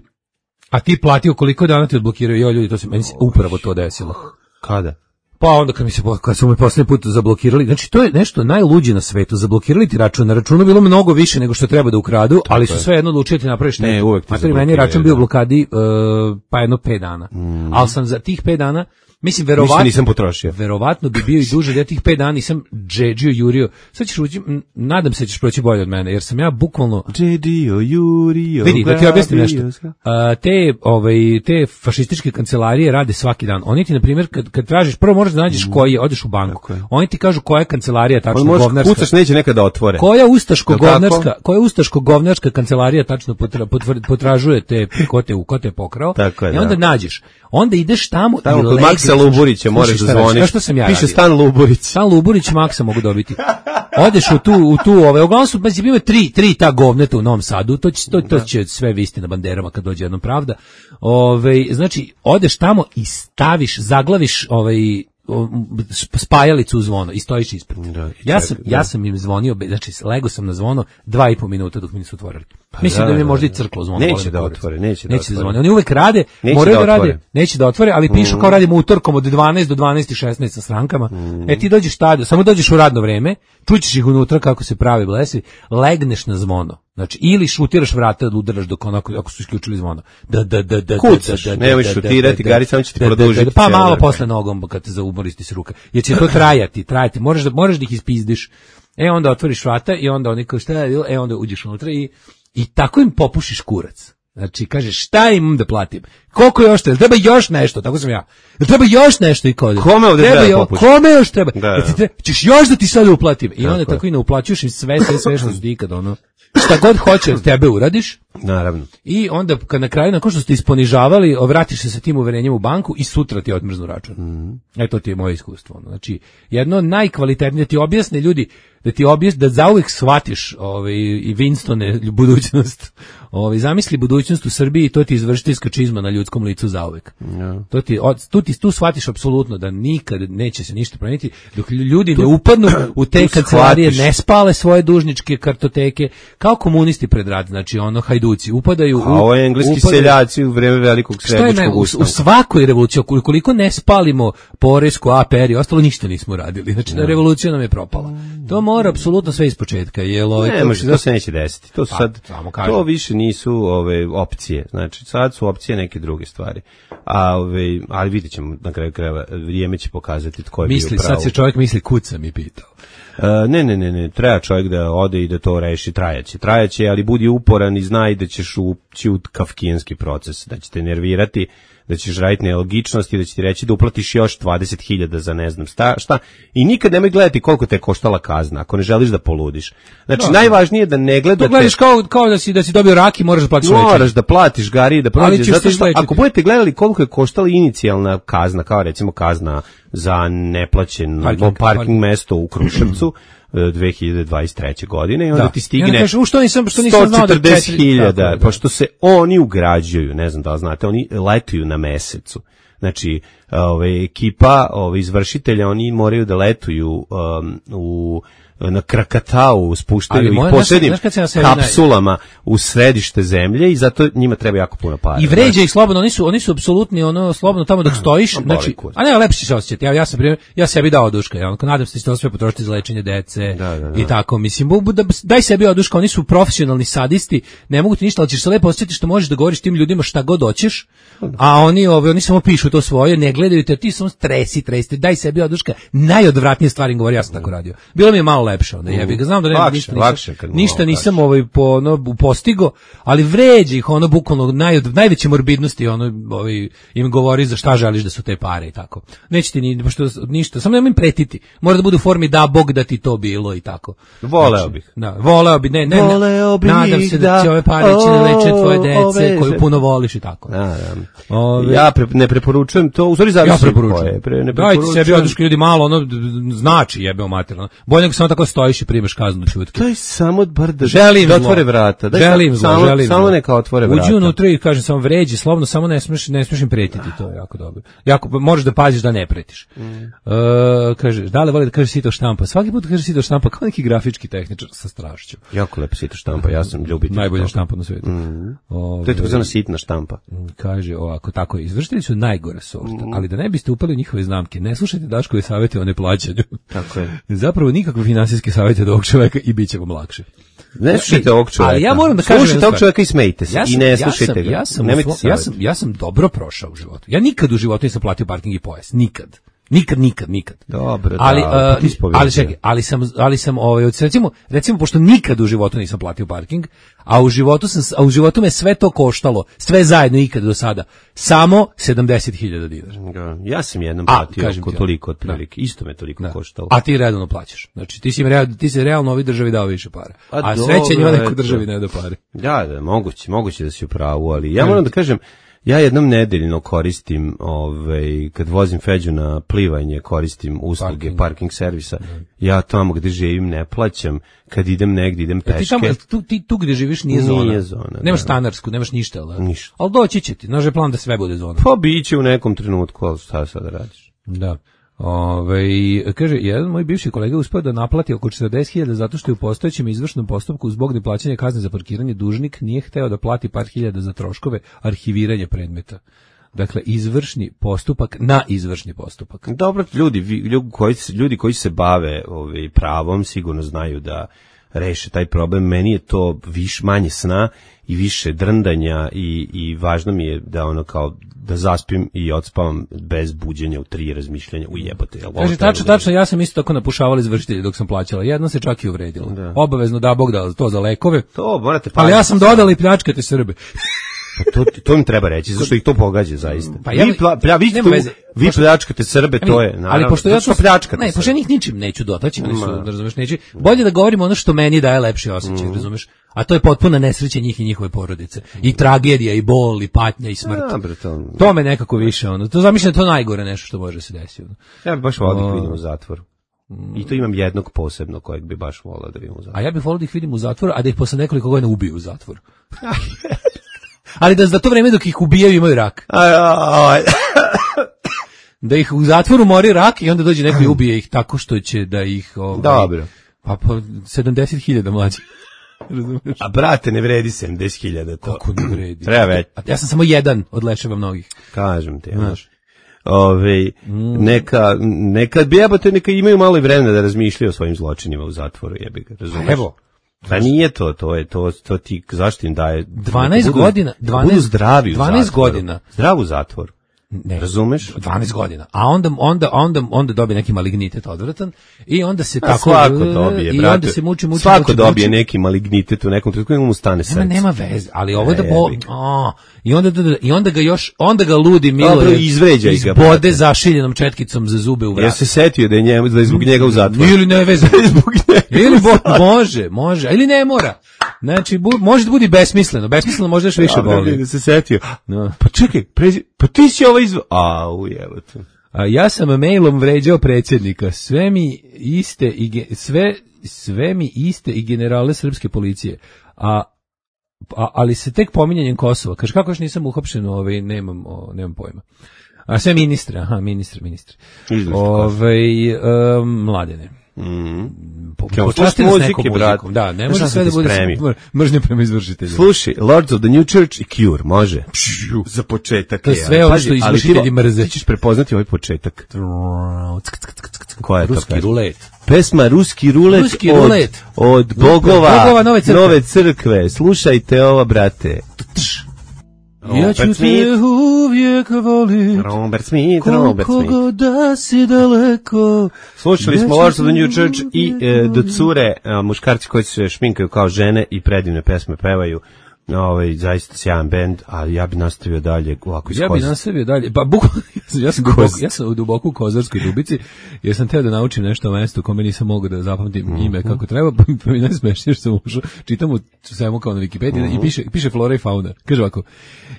a ti platio koliko dana ti odblokiraju, jo ljudi, to se meni se upravo to desilo. Kada? Pa onda kad mi se kad su me poslednji put zablokirali, znači to je nešto najluđe na svetu, zablokirali ti račun, na računu bilo mnogo više nego što treba da ukradu, tako ali su sve jedno odlučili ti napraviš ne, uvek ti zablokiraju. Meni račun bio u blokadi uh, pa jedno pet dana. Mm. Ali sam za tih pet dana mislim, verovatno, nisam potrošio. Verovatno bi bio i duže, da ja tih pet dana nisam džedžio, jurio. Sad ćeš ući, nadam se ćeš proći bolje od mene, jer sam ja bukvalno... Džedio, jurio... Vidi, da ti objasnim nešto. A, te, ovaj, te fašističke kancelarije rade svaki dan. Oni ti, na primjer, kad, kad tražiš, prvo moraš da nađeš koji je, odeš u banku. Oni ti kažu koja je kancelarija tačno možeš, govnarska. Kucaš, neće nekada otvore. Koja ustaško-govnarska, koja ustaško-govnarska kancelarija tačno potra, potvr, potražuje te, ko te, ko te pokrao. Tako je, i onda da. nađeš. Onda ideš tamo, tamo kod Maksa Luburića možeš da zvoniš. Što sam ja piše radio. Stan Luburić. Stan Luburić Maksa mogu dobiti. Odeš u tu u tu ove, uglavnom su znači bilo tri tri ta govneta u Novom Sadu. To će to, to će sve visti na banderama kad dođe jednom pravda. Ove, znači odeš tamo i staviš, zaglaviš ovaj spajalicu u zvono i stojiš ispred. Da, ja sam da. ja sam im zvonio, znači lego sam na zvono dva i po minuta dok mi nisu otvorili. Pa mislim da, da mi je možda i crklo zvono. Neće da otvore, neće da neće otvore. Zvone. Oni uvek rade, neće moraju da, da rade, neće da otvore, ali pišu mm. kao radimo utorkom od dvanaest do dvanaest i šesnaest sa strankama. Mm. E ti dođeš tada, samo dođeš u radno vreme, čućeš ih unutra kako se pravi blesevi, legneš na zvono. Znači ili šutiraš vrata da udaraš dok onako ako su isključili zvono. Da da da da kucaš, nemoj šutirati, Gari samo će ti produžiti. Pa malo posle nogom kad te zaumoristi se ruka. Jer će to trajati, trajati. Možeš da možeš da ih ispizdiš. E onda otvoriš vrata i onda oni kao šta je, e onda uđeš unutra i i tako im popušiš kurac. Znači kažeš šta imam da platim? Koliko još treba? Treba još nešto, tako sam ja. Treba još nešto i kod. Kome ovde treba, treba popušiti? Kome još treba? Da, da. Treba, ćeš još da ti sad uplatim. I tako onda tako i ne uplaćuješ im sve, sve, sve što ti ikad ono. Šta god hoće od tebe uradiš. Naravno. I onda kad na kraju nakon što ste isponižavali, vratiš se sa tim uverenjem u banku i sutra ti odmrznu račun. Mm. E to ti je moje iskustvo. Znači, jedno najkvalitetnije ti objasne ljudi, da ti objasni, da zauvek shvatiš ovaj, i Winstone budućnost. Ovaj, zamisli budućnost u Srbiji i to ti izvršiteljska čizma na ljudskom licu zauvek. Ja. To ti, od, tu, ti, tu shvatiš apsolutno da nikad neće se ništa promeniti, dok ljudi tu, ne upadnu u te kancelarije, ne spale svoje dužničke kartoteke, kao komunisti pred rat, znači ono hajduci, upadaju... A ovo je engleski upadaju, seljaci u vreme velikog srednjičkog ustanka. U svakoj revoluciji, koliko ne spalimo poresku, A P R i ostalo, ništa nismo radili. Znači, ja. revolucija nam je propala. To mora apsolutno sve ispočetka. Jel, ne, to, može, to se neće desiti. To, pa, sad, to više nisu ove opcije. Znači, sad su opcije neke druge stvari. A, ove, ali vidjet ćemo na kraju krajeva, vrijeme će pokazati tko je misli, bio pravo. Sad se čovjek misli, kuca mi pitao. Uh, ne, ne, ne, ne, treba čovjek da ode i da to reši, trajaće, trajaće, ali budi uporan i znaj da ćeš ući u kafkijanski proces, da će te nervirati, da ćeš raditi nelogičnosti, da će ti reći da uplatiš još dvadeset hiljada za ne znam šta, šta, i nikad nemoj gledati koliko te je koštala kazna, ako ne želiš da poludiš. Znači, no, najvažnije je da ne gledate... To gledaš kao, kao da si, da si dobio rak i moraš da platiš moraš veći. Da platiš gari, da prođeš, zato što ako budete gledali koliko je koštala inicijalna kazna, kao recimo kazna za neplaćen parking, parking mesto u Kruševcu, dve hiljade dvadeset treće godine i onda da. Ti stigne ja kažu, što nisam, što nisam sto četrdeset hiljada, pošto se oni ugrađuju, ne znam da li znate, oni letuju na mesecu. Znači, ove, ekipa ove, izvršitelja, oni moraju da letuju um, u na Krakatau, spuštaju ih posebnim kapsulama u središte zemlje i zato njima treba jako puno para. I vređa ih slobodno, oni su oni su apsolutni ono slobodno tamo dok stojiš, znači, a ne, lepše će se osjećati. Ja ja sam ja sebi dao oduška, ja nadam se da će to sve potrošiti za lečenje dece da, da, da. I tako, mislim, da, daj sebi oduška, oni su profesionalni sadisti, ne mogu ti ništa, ali ćeš se lepo osjetiti što možeš da govoriš tim ljudima šta god hoćeš, a oni ove oni samo pišu to svoje, ne gledaju te, ti samo stresi, tresi, daj sebi oduška. Najodvratnije stvari govori, ja sam tako radio. Bilo mi je malo lepše, onda jebi ga, znam da nema ništa, lakše, nisam, ništa nisam ovaj po ono postigo, ali vređi ih ono bukvalno naj, najveće morbidnosti, ono ovaj im govori za šta želiš da su te pare i tako. Neće ti ni pošto ništa, samo nemoj im pretiti. Mora da bude u formi da Bog da ti to bilo i tako. Voleo znači, bih. Da, voleo bih, ne, ne, voleo bih nadam se da, da će ove pare ići na lečenje tvoje dece koju puno voliš i tako. Da, da. Ove, ja pre, ne preporučujem to, u stvari zavisi ja preporučujem. Pre, ne preporučujem. Dajte sebi oduška ljudi malo, ono znači jebeo materijalno. Bolje nego samo tako stojiš i primeš kaznu čutke. To je samo bar da, želim da otvore vrata. Daj, želim zlo, samo, želim samo neka otvore vrata. Uđi unutra i kažem samo vređi, slobodno, samo ne smiješ, ne smiješ im pretiti, to je jako dobro. Jako, možeš da paziš da ne pretiš. Mm. Uh, kaže, da li voli da kaže sito štampa? Svaki put kaže sito štampa kao neki grafički tehničar sa strašću. Jako lepo sito štampa, ja sam ljubitelj. Najbolja štampa na svijetu. Mm. Ove, to je takozvana sitna štampa. Kaže ovako, tako, izvršitelji su najgore sorta, mm. ali da ne biste upali u njihove znamke, ne slušajte Daškove savjete o neplaćanju. Tako je. Zapravo nikakve finansijske savjete od ovog čoveka i bit će vam lakše. Ne slušajte ovog čoveka. Ali ja moram da kažem, slušajte ovog čoveka i smejte se. Ja sam, i ne ja slušajte sam, ga. Ja sam, ja, sam, ja, sam, ja sam dobro prošao u životu. Ja nikad u životu nisam platio parking i pojas. Nikad. Nikad, nikad, nikad. Dobro, ali, da, uh, ali čekaj, ali sam, ali sam ovaj, recimo, recimo, pošto nikad u životu nisam platio parking, a u životu sam, a u životu me sve to koštalo, sve zajedno ikad do sada, samo sedamdeset hiljada dinara. Ja sam jednom platio oko toliko otprilike, isto me toliko da. koštalo. A ti redovno plaćaš. Znači, ti si, real, ti si realno ovoj državi dao više para. A, a sreće njima neko državi ne da pare. Da, da, moguće, moguće da si u pravu, ali ja moram da kažem, ja jednom nedeljno koristim, ovaj, kad vozim Feđu na plivanje, koristim usluge parking, parking servisa. Ja tamo gde živim ne plaćam, kad idem negdje, idem peške. Ti, tamo, tu, ti tu gde živiš nije zona. Nije zona. Nemaš stanarsku, nemaš ništa. Ali, ništa. Ali doći će ti, naš je plan da sve bude zona. Pa biće u nekom trenutku, ali šta sada radiš? Da. Ove, kaže, jedan moj bivši kolega uspeo da naplati oko četrdeset hiljada zato što je u postojećem izvršnom postupku zbog neplaćanja kazne za parkiranje dužnik nije hteo da plati par hiljada za troškove arhiviranja predmeta. Dakle, izvršni postupak na izvršni postupak. Dobro, ljudi, ljudi, koji, ljudi koji se bave ovaj, pravom sigurno znaju da reše taj problem. Meni je to više manje sna i više drndanja i, i važno mi je da ono kao da zaspim i odspavam bez buđenja u tri razmišljanja u jebote. Kaže, tačno, tačno, ja sam isto tako napušavala izvršitelje dok sam plaćala. Jedno se čak i uvredilo. Da. Obavezno da Bog da to za lekove. To morate ali ja sam dodala i pljačkate Srbe. Pa to, to im treba reći, zašto ih to pogađa zaista. Pa ja, vi pla, plja, vi, tu, vi pljačkate Srbe, to je, naravno. Ali pošto ja to pljačkate ne, pošto ja njih ničim neću dotaći, oni su, da razumeš, neću. Bolje da govorimo ono što meni daje lepši osjećaj, mm. razumeš? A to je potpuna nesreća njih i njihove porodice. I tragedija, i bol, i patnja, i smrt. Ja, to, to me nekako više, ono. To zamišljam, to najgore nešto što može se desiti. Ja bih baš volio da vidim u zatvoru. I to imam jednog posebno kojeg bi baš volao da vidim u zatvoru. A ja bih volao da ih vidim u zatvoru, a da ih posle nekoliko godina ubiju u zatvoru. Ali da za to vreme dok ih ubijaju imaju rak. Da ih u zatvoru mori rak i onda dođe neko i ubije ih tako što će da ih... Ovaj, dobro. Pa po sedamdeset hiljada mlađi. A brate, ne vredi sedamdeset hiljada to. Kako ne vredi? Treba već. Ja sam samo jedan od leševa mnogih. Kažem ti, znaš. Ove, mm. neka, neka jebote, neka imaju malo i vremena da razmišljaju o svojim zločinima u zatvoru, jebi ga, razumiješ? Evo. Pa nije to, to je to, to ti, zašto im daje... dvanaest godina, dvanaest, budu zdravi u dvanaest zatvoru. godina. Zdrav u zatvoru. Ne, razumeš? dvanaest godina. A onda onda onda onda dobije neki malignitet odvratan i onda se A tako svako dobije, i brate. onda se muči muči. Svako muči, dobije muči. neki malignitet u nekom trenutku, mu stane srce. Nema nema veze, ali ovo da bo a, i onda i onda ga još onda ga ludi Milo dobro izvređa iz ga. Bode zašiljenom četkicom za zube u vrat. Ja se setio da je njemu da je zbog njega u zatvoru. Ili ne veze zbog njega. Ili bo, može, može, ili ne mora. Znači bu, može da bude besmisleno, besmisleno može još više boli. Da se setio. No. Pa čekaj, prezi, pa ti si ovo izv... A, ujevate. A ja sam mailom vređao predsjednika. Sve mi iste i ge, sve sve mi iste i generale srpske policije. A, a ali se tek pominjanjem Kosova. Kaže kako još nisam uhapšen, ovaj nemam o, nemam pojma. A sve ministre, aha, ministre, ministre. Ovaj um, Mladene. Mhm. Počasti nas nekom muzikom. Da, ne može sve da bude mržnja prema izvršitelju. Slušaj, Lords of the New Church i Cure, može. Za početak. To je sve ono što izvršitelji mrze. Ti ćeš prepoznati ovaj početak. Koja je to? Ruski rulet. Pesma Ruski rulet, Ruski od, rulet. od bogova, bogova nove, crkve. nove crkve. Slušajte ovo, brate. Ja ću te uvijek volit, Robert Smith, Robert Smith. Koliko da si daleko. Slušali smo Lords of the New Church i e, do cure, a, muškarci koji se šminkaju kao žene i predivne pesme pevaju. Ovaj zaista sjajan bend, a ja bih nastavio dalje ovako iz Ja bih nastavio dalje. Pa bukvalno ja sam duboko, ja sam u duboko u Kozarskoj Dubici, jer sam teo da naučim nešto o mestu kome nisam mogao da zapamtim mm-hmm. ime kako treba, pa mi najsmešnije što sam ušao. Čitam u svemu kao na Wikipediji mm-hmm. i piše piše flora i fauna. Kaže ovako: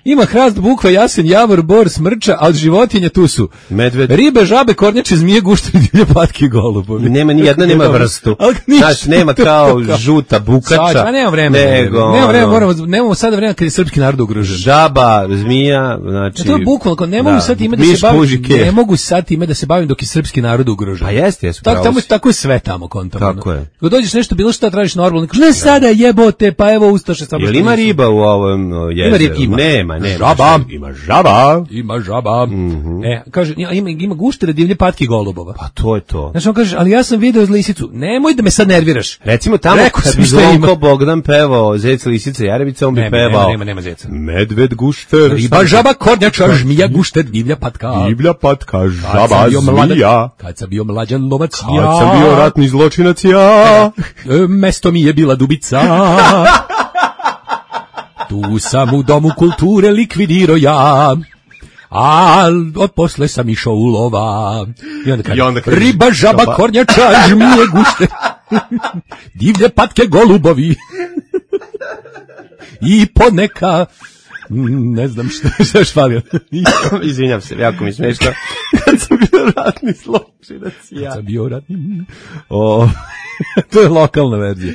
ima hrast, bukva, jasen, javor, bor, smrča, a od životinja tu su medved, ribe, žabe, kornjače, zmije, gušteri, divlje, patke i golubovi. Nema ni jedna nema vrstu. Znači nema kao žuta bukača. Pa nema vremena. Nego, nema vremena, moramo nemamo sada vremena kad je srpski narod ugrožen. Žaba, zmija, znači. Ja to je bukvalno, ne mogu da, sad time da se bavim, ne mogu sad time da se bavim dok je srpski narod ugrožen. Pa jeste, jesu. Tako tamo tako je sve tamo kontamo. Tako je. Kad dođeš nešto bilo šta tražiš normalno, kažeš ne sada jebote, pa evo ustaše samo. Jel ima riba u ovom jezeru? Ima, nema, nema. Žaba, ima žaba. Ima žaba. Mm-hmm. E, kaže ima ima guštere, divlje, patke i golubova. Pa to je to. Znači on kaže, ali ja sam video lisicu. Nemoj da me sad nerviraš. Recimo tamo kad bi Zvonko Bogdan pevao Zec, lisica, jarebica, on bi pevao. Nema, nema zeca. Medved, gušter, riba, žaba, kornjača, žmija, gušter, divlja patka. Divlja patka, žaba, zmija. Kad sam bio mlađan lovac, kad ja. Kad sam bio ratni zločinac, ja. E, mesto mi je bila Dubica. Tu sam u domu kulture likvidirao ja. A od posle sam išao u lova. I onda kaže, I onda kaže riba, žaba, žaba, kornjača, žmije, gušter. Divlje patke, golubovi. I poneka ne znam što što je švalio. Izvinjam se, jako mi smešno. Kad sam bio ratni zločinac, ja. Kad sam bio ratni... O, to je lokalna verzija.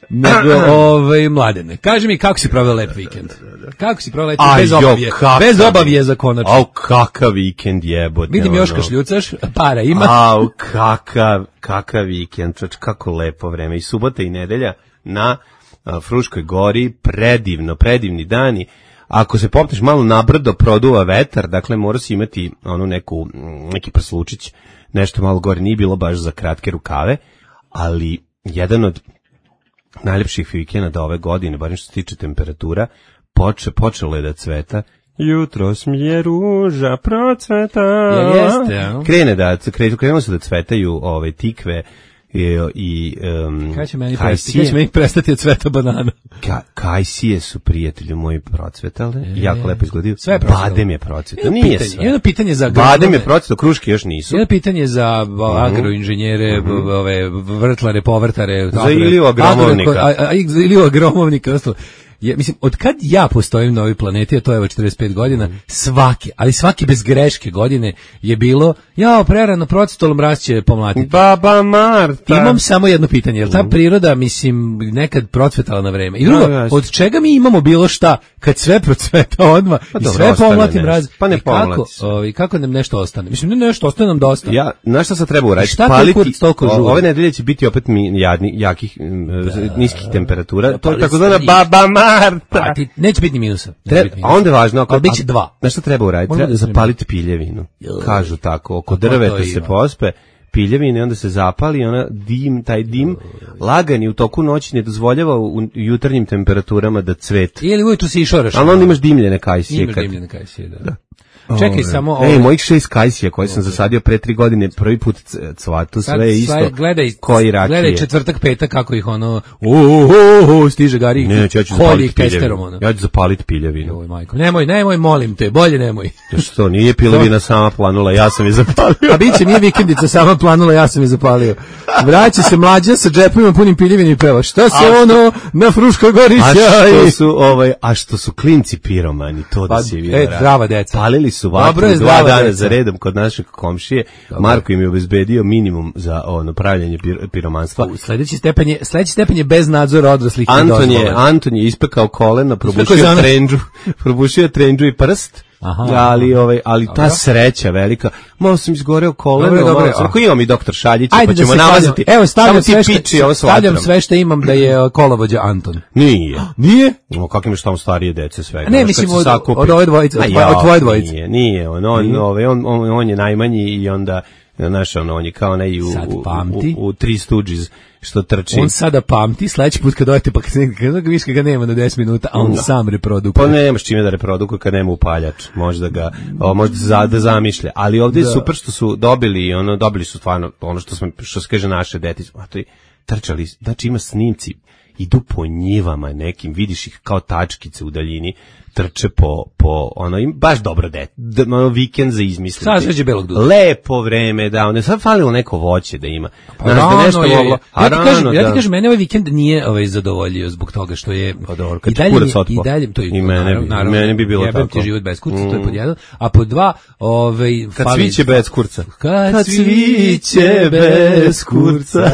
Nego, ovaj, Mladene, kaži mi kako si proveo lep vikend? Kako si proveo lep vikend? Bez obavije, bez obavije za konačno. Au, kakav vikend jebote. Vidim još kašljucaš, para ima. Au, kakav, kakav vikend, čač, kako lepo vreme. I subota i nedelja na Fruškoj gori, predivno, predivni dani. Ako se popneš malo nabrdo, produva vetar, dakle mora si imati onu neku, neki prslučić, nešto malo gore, nije bilo baš za kratke rukave, ali jedan od najljepših vikenda ove godine, barem što se tiče temperatura, poče, počelo je da cveta. Jutros mi je ruža procveta. Ja, jeste, ja. Krene da, krenuo se da cvetaju ove tikve, i, i um, kada će meni prestati, kada će meni prestati od cveta banana? Ka, kajsije su prijatelji moji procvetale, e, jako lepo izgledaju. Sve badem je procvetao, nije pitanje, sve. Jedno pitanje za badem je procvetao, kruške još nisu. Jedno pitanje za agroinženjere, mm-hmm. ove vrtlare, povrtare, za Iliju agromovnika. Za Iliju agromovnika, je, mislim, od kad ja postojim na ovoj planeti, a to je evo četrdeset pet godina, svaki, ali svaki bez greške godine je bilo, jao, prerano procetolom rasće pomlatiti. Baba Marta. Imam samo jedno pitanje, je li ta priroda, mislim, nekad procvetala na vreme? I drugo, no, od čega mi imamo bilo šta, kad sve procveta odmah pa i sve pomlatim raz? Pa ne kako, o, kako nam nešto ostane? Mislim, ne nešto, ostane nam dosta. Ja, znaš šta sad treba uraditi? Šta paliti, ove nedelje će biti opet mi jadni, jakih, da, niskih temperatura. Da, to je takozvana baba Marta. Pa, ti, neće biti ni minusa. Treba, biti a onda je važno, ali bit će dva. Znaš šta treba uraditi? Treba zapaliti piljevinu. Kažu tako, oko drveta se pospe piljevine, onda se zapali, ona dim, taj dim lagani u toku noći ne dozvoljava u jutarnjim temperaturama da cvet. Ili ujutru se išoraš. Ali onda imaš dimljene kajsije. Imaš dimljene kajsije, da. da. Čekaj Ove. samo... Ej, mojih šest kajsija koje sam zasadio pre tri godine, prvi put cvatu, sve je isto. Gledaj, koji rakije. Gledaj četvrtak, petak, kako ih ono, uhuhu, stiže gari, ne, ja ću zapaliti piljevinu. Ja ću zapaliti piljevinu. Joj, majko, nemoj, nemoj, molim te, bolje nemoj. Ja što, nije piljevina sama planula, ja sam je zapalio. A biće, nije vikendica sama planula, ja sam je zapalio. Vraća se mlađa sa džepovima punim piljevini i peva, šta se a, ono na Fruškoj gori sjaj? A što su, ovaj, a što su klinci piromani, to da pa, si vidio. E, zdrava deca. Palili su vatru dva dana za redom kod našeg komšije. Dobre. Marko im je obezbedio minimum za ono pravljenje pir, piromanstva. U, sledeći stepen je, sledeći stepen je bez nadzora odraslih. Anton je, Anton je ispekao koleno, probušio trendžu, probušio trendžu i prst. Aha, ali ovaj ali ta sreća velika, malo sam izgoreo koleno, dobro, dobro, malo, ako imam i doktor Šaljića, pa ćemo namazati. Evo stavljam sve što stavljam sve što imam da je kolovođa Anton. Nije. Nije? No kakvim je što tamo starije dece svega. Ne, mislim od, od ove dvojice, od tvoje dvojice. Nije, nije, on on ovaj on, on on je najmanji i onda znaš, ono, on je kao ne i u, u, u, u Three Stooges što trči. On sada pamti, sledeći put kad dojete pa kad, kad viš ga nema na deset minuta, a on no. sam reprodukuje. Pa nemaš čime da reprodukuje kad nema upaljač, možda ga, o, možda se za, da zamišlja. Ali ovdje da. je super što su dobili, ono, dobili su stvarno ono što, smo, što se kaže naše dete, a to je trčali, znači ima snimci, idu po njivama nekim, vidiš ih kao tačkice u daljini, trče po, po ono, im baš dobro dete, ono vikend za izmisliti. Sad sveđe belog duda. Lepo vreme, da, ono je sad falilo neko voće da ima. Pa znaš, rano da nešto je, moglo, ja, ti kažem, rano, ja ti kažem, mene ovaj vikend nije ovaj, zadovoljio zbog toga što je, pa dobro, kad i dalje, kurac otpo. I dalje, to je, I mene, naravno, naravno, mene bi bilo jebem tako. Ti život bez kurca, mm. to je pod jedan, a pod dva, ovaj, kad fali, cviće bez kurca. Kad, kad cviće bez kurca.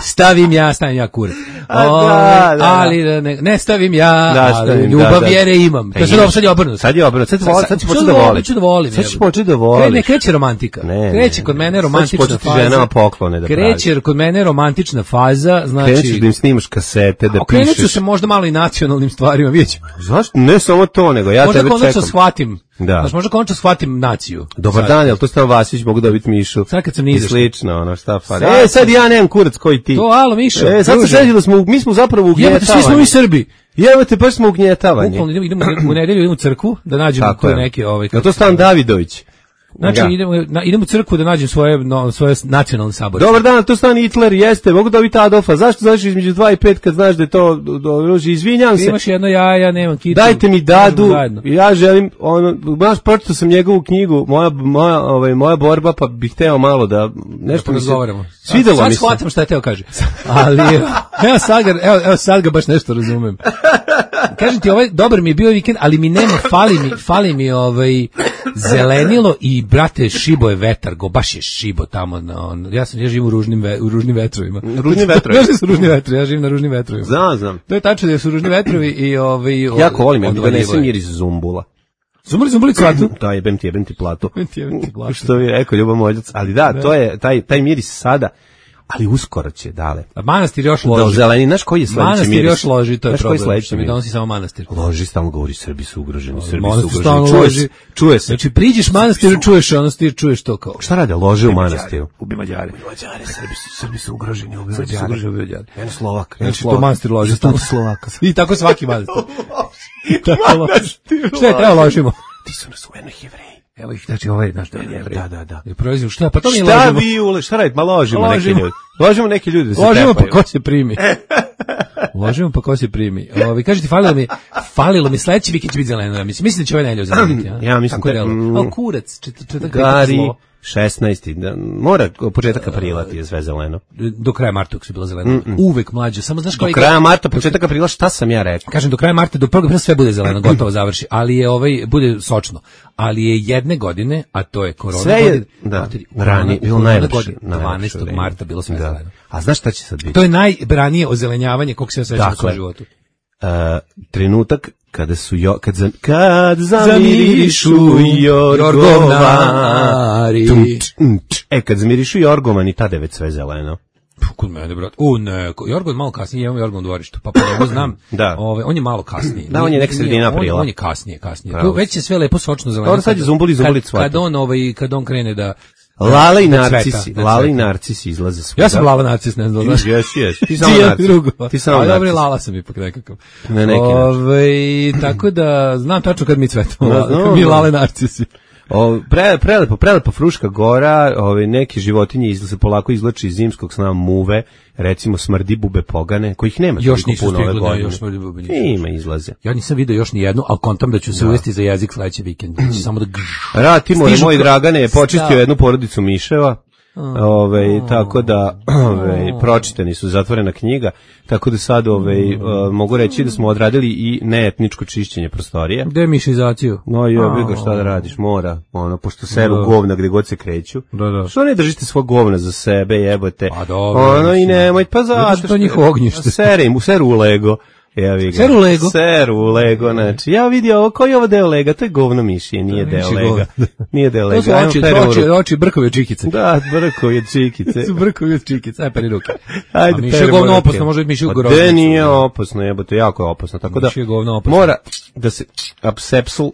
Stavim ja, stavim ja kurac. O, da, da, ali ne, ne stavim ja, da, stavim, ljubav da, da. Vjere imam. To sad, sad je obrnuto. Sad je obrnuto. Sad, sad, sad ću početi da volim. Sad ću da volim. Sad ću početi da volim. Ne, kreće romantika. Ne, kreće kod mene romantična faza. Sad ću ženama poklone da pravi. Kreće kod mene romantična faza, znači... Krećeš da im snimaš kasete, da pišeš. Kreću se možda malo i nacionalnim stvarima, vidjet ćemo. Zašto? Ne samo to, nego ja možda tebe čekam. Možda konačno shvatim. Da. Znači, možda konačno shvatim naciju. Dobar sad. Dan, jel to Stan Vasić mogu dobiti Mišu? Sad kad sam nizašto. Slično, ono, šta fali. E, sad ja nemam kurac koji ti. To, alo, Mišo. E, sad se sreći da smo, mi smo zapravo ugnjetavani. Jebate, svi smo mi Srbi. Jebate, baš smo ugnjetavani. Bukvalno, idemo, idemo u nedelju, idemo u crkvu, da nađemo tu neke... Ovaj, je to Stan Davidović? Znači, ja. idemo, na, idemo u crkvu da nađem svoje, no, svoje nacionalne sabore. Dobar dan, to Stan Hitler, jeste, mogu dobiti Adolfa. Zašto znaš između dva i pet kad znaš da je to, do, do, izvinjam se. Imaš jedno ja, ja nemam kitu. Dajte mi Dadu, ja želim, ono, baš pročitao sam njegovu knjigu, moja, moja, ovaj, moja borba, pa bih hteo malo da, nešto da mi se, svidelo mi se. Sad shvatam šta je teo kaže. Ali, evo sad ga, evo, evo sad ga baš nešto razumem. Kažem ti, ovaj, dobar mi je bio vikend, ali mi nema, fali mi, fali mi ovaj, zelenilo i, brate, šibo je vetar, go, baš je šibo tamo, na, on, ja sam, ja živim u ružnim, ve, u ružnim vetrovima. Ružni vetrovi? Znaš da su ružni vetrovi, ja živim na ružnim vetrovima. Znam, znam. To je tačno da su ružni vetrovi i ovaj... Jako volim, ja mi donesem miris zumbula. Zumbuli, zumbuli cvatu? Da, jebem ti, jebem ti platu. Jebem ti, jebem ti platu. Što bi rekao Ljubo Moljac, ali da, da, to je, taj, taj miris sada, ali uskoro će, dale. A manastir još loži. Da, zeleni, znaš koji je sledeći miris? Manastir još loži, to je problem, sledeći što mi donosi samo manastir. Loži, stalno govori, Srbi su ugroženi, Srbi manastir su ugroženi. Čuje se, čuje se. Znači, priđeš manastiru, čuješ manastir, čuješ to kao. Šta rade, lože u manastiru? Ubi Mađare. Ubi Mađare, Srbi su, Srbi su ugroženi, ubi Mađare. Srbi su ugroženi, Jedan Slovak. Znači, to manastir loži. Stano Slovaka. I tako svaki manastir. Manastir. Šta je, evo ložimo. Ti su nas ujedno Jevreji. Evo ih, znači ovaj naš da je Jevrej. Da, da, da. I proizvod šta? Pa to mi šta ložimo. Vi ule, šta radite? Ma ložimo, ložimo neki ljudi. Ložimo neki ljudi da se ložimo tepaju. Pa ko se primi. Ložimo pa ko se primi. Ovi kažete falilo mi, falilo mi sledeći vikend će biti zeleno. Mislim, mislim da će ovaj nedelju zeleniti, ja. Ja mislim da. Mm, al kurac, četvrtak gari, šesnaesti Da, mora, početak aprila ti je sve zeleno. Do kraja marta se bilo zeleno. Mm-mm. Uvek mlađe. Samo znaš do kraja marta, početak aprila, šta sam ja rekao? Kažem, do kraja marta, do prvog aprila sve bude zeleno, gotovo završi. Ali je ovaj, bude sočno. Ali je jedne godine, a to je korona sve je, godine. Da, materi, rani, bilo najlepše. dvanaestog marta bilo sve da. zeleno. A znaš šta će sad biti? To je najranije ozelenjavanje kog se ja sećam u svom životu. Uh, trenutak kada su jo, kad, za, kad zamirišu jorgovani. E, kad zamirišu jorgovani, tada je već sve zeleno. Kod mene, brat. U, ne, Jorgon malo kasnije, imamo Jorgon u dvorištu, pa po njemu znam, da. Ove, on je malo kasnije. Da, on je neka sredina aprila. On, on je kasnije, kasnije. To već je sve lepo sočno zeleno. Dobro, sad je zumbuli, zumbuli kad, kad on, ovaj, kad on krene da... Lala i narcisi, Lala i narcisi izlaze svuda. Ja sam Lala narcis, ne znam, znaš. Jesi, jesi. Ti samo narcis. Ti samo narcis. Dobro, Lala sam ipak nekakav. Ne, neki Ove, tako da, znam tačno kad mi cvetamo, no, no, mi Lale narcisi. O, pre, prelepo, prelepo Fruška gora, ove, neke životinje izla, se polako izlači iz zimskog sna, muve, recimo smrdi bube pogane, kojih nema još toliko puno ove godine. Još smrdi bube nisu. Ima izlaze. Ja nisam vidio još ni jednu, ali kontam da ću se da. uvesti za jezik sledeći vikend. Samo da Ratimo, moj Dragane je počistio jednu porodicu miševa. Ove, tako da ove, pročitani su, zatvorena knjiga, tako da sad ove, uh, mogu reći da smo odradili i neetničko čišćenje prostorije. Demišizaciju. No jebi ga, šta da radiš, mora, ono, pošto seru govna gde god se kreću. Da, da. Što ne držite svog govna za sebe, jebote. A dobro. Ono i nemoj, pa zato što to njihovo ognjište. Sere im, seru u Lego. Ja vi ga. Seru Lego. Seru Lego, znači. Ja vidio ovo, koji je ovo deo Lega? To je govno mišije, nije deo Lega. Nije deo Lega. To su oči, oči, oči brkovi od čikice. Da, brkovi od čikice. su brkovi od čikice, aj peri ruke. Ajde, a mišije je govno opasno, može biti mišije u groznicu. De nije opasno, jebote, jako je opasno. Tako da, mora da se apsepsul...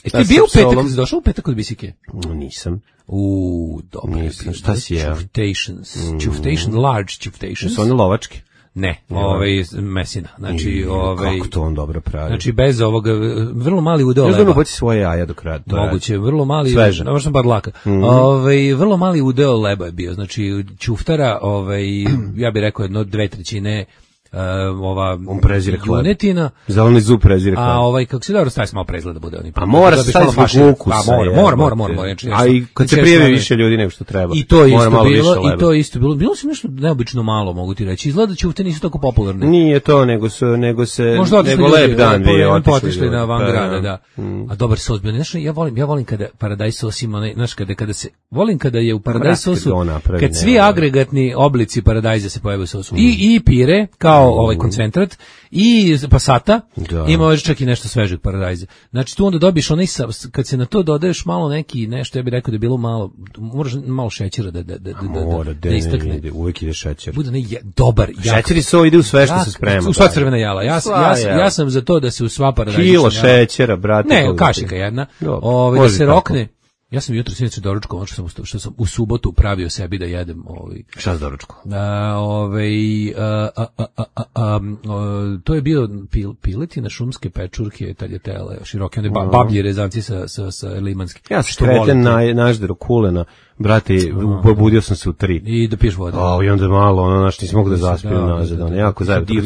E ti bio u petak, kad si došao u petak od Bisike? Nisam. Uuu, dobro. Nisam, šta si jeo? Čuftations. Čuftation, large čuftations. Su one lovačke? Ne, ovaj mesina. Znači, ovaj kako to on dobro pravi. Znači bez ovoga vrlo mali udeo leba. Ja znam poći svoje jaja do kraja. Moguće, vrlo mali, možda sam bar laka. Mm-hmm. Ovaj vrlo mali udeo leba je bio. Znači ćuftara, ovaj ja bih rekao jedno dve trećine Uh, ova on prezire junetina, zeleni zub prezire hleb. A ovaj kako se dobro stavi malo prezgleda da bude oni. A mora se staviti zbog ukusa. A mora, mora, mora, mora, mora. A i kad se prijavi više ljudi nego što treba. I to je isto bilo, i to je isto bilo. Bilo se nešto neobično malo, mogu ti reći. Izgleda ćufte nisu tako popularne. Nije to, nego su nego se možda nego lep dan bio, otišli na van grada, da. A dobar sos bio. Znaš, ja volim, ja volim kada paradajz sos ima, znaš, kada kada se volim kada je u paradajz sosu, kad svi agregatni oblici paradajza se pojave u sosu. I i pire kao ovaj koncentrat i pasata, da. Ima još čak i nešto svežeg paradajza. Znači tu onda dobiješ onaj, kad se na to dodaješ malo neki, nešto, ja bih rekao da je bilo malo, moraš malo šećera da, da, da, da, Mora, da, da istakne. Ide, uvijek ide šećer. Bude ne, dobar. Šećer i so ide u sve što ja, se sprema. U sva crvena jela. Ja, ja, ja, ja sam za to da se u sva paradajza. Kilo šećera, brate. Ne, kašika jedna. Ove, da se rokne. Ja sam jutro sinoć doručkovao, što sam što sam u subotu pravio sebi da jedem, ovaj. Šta s doručkom? A, ovaj a, a, a, a, a, a, to je bio pil, piletina, šumske pečurke, taljatele, široke, one bablje rezanci sa sa sa limanski. Ja sam kreten na nažderu kulena. Brate, probudio sam se u tri. I da piješ vodu. A, i onda malo, ono, znaš, nisam mogu da zaspijem nazad, ono, jako zajebano.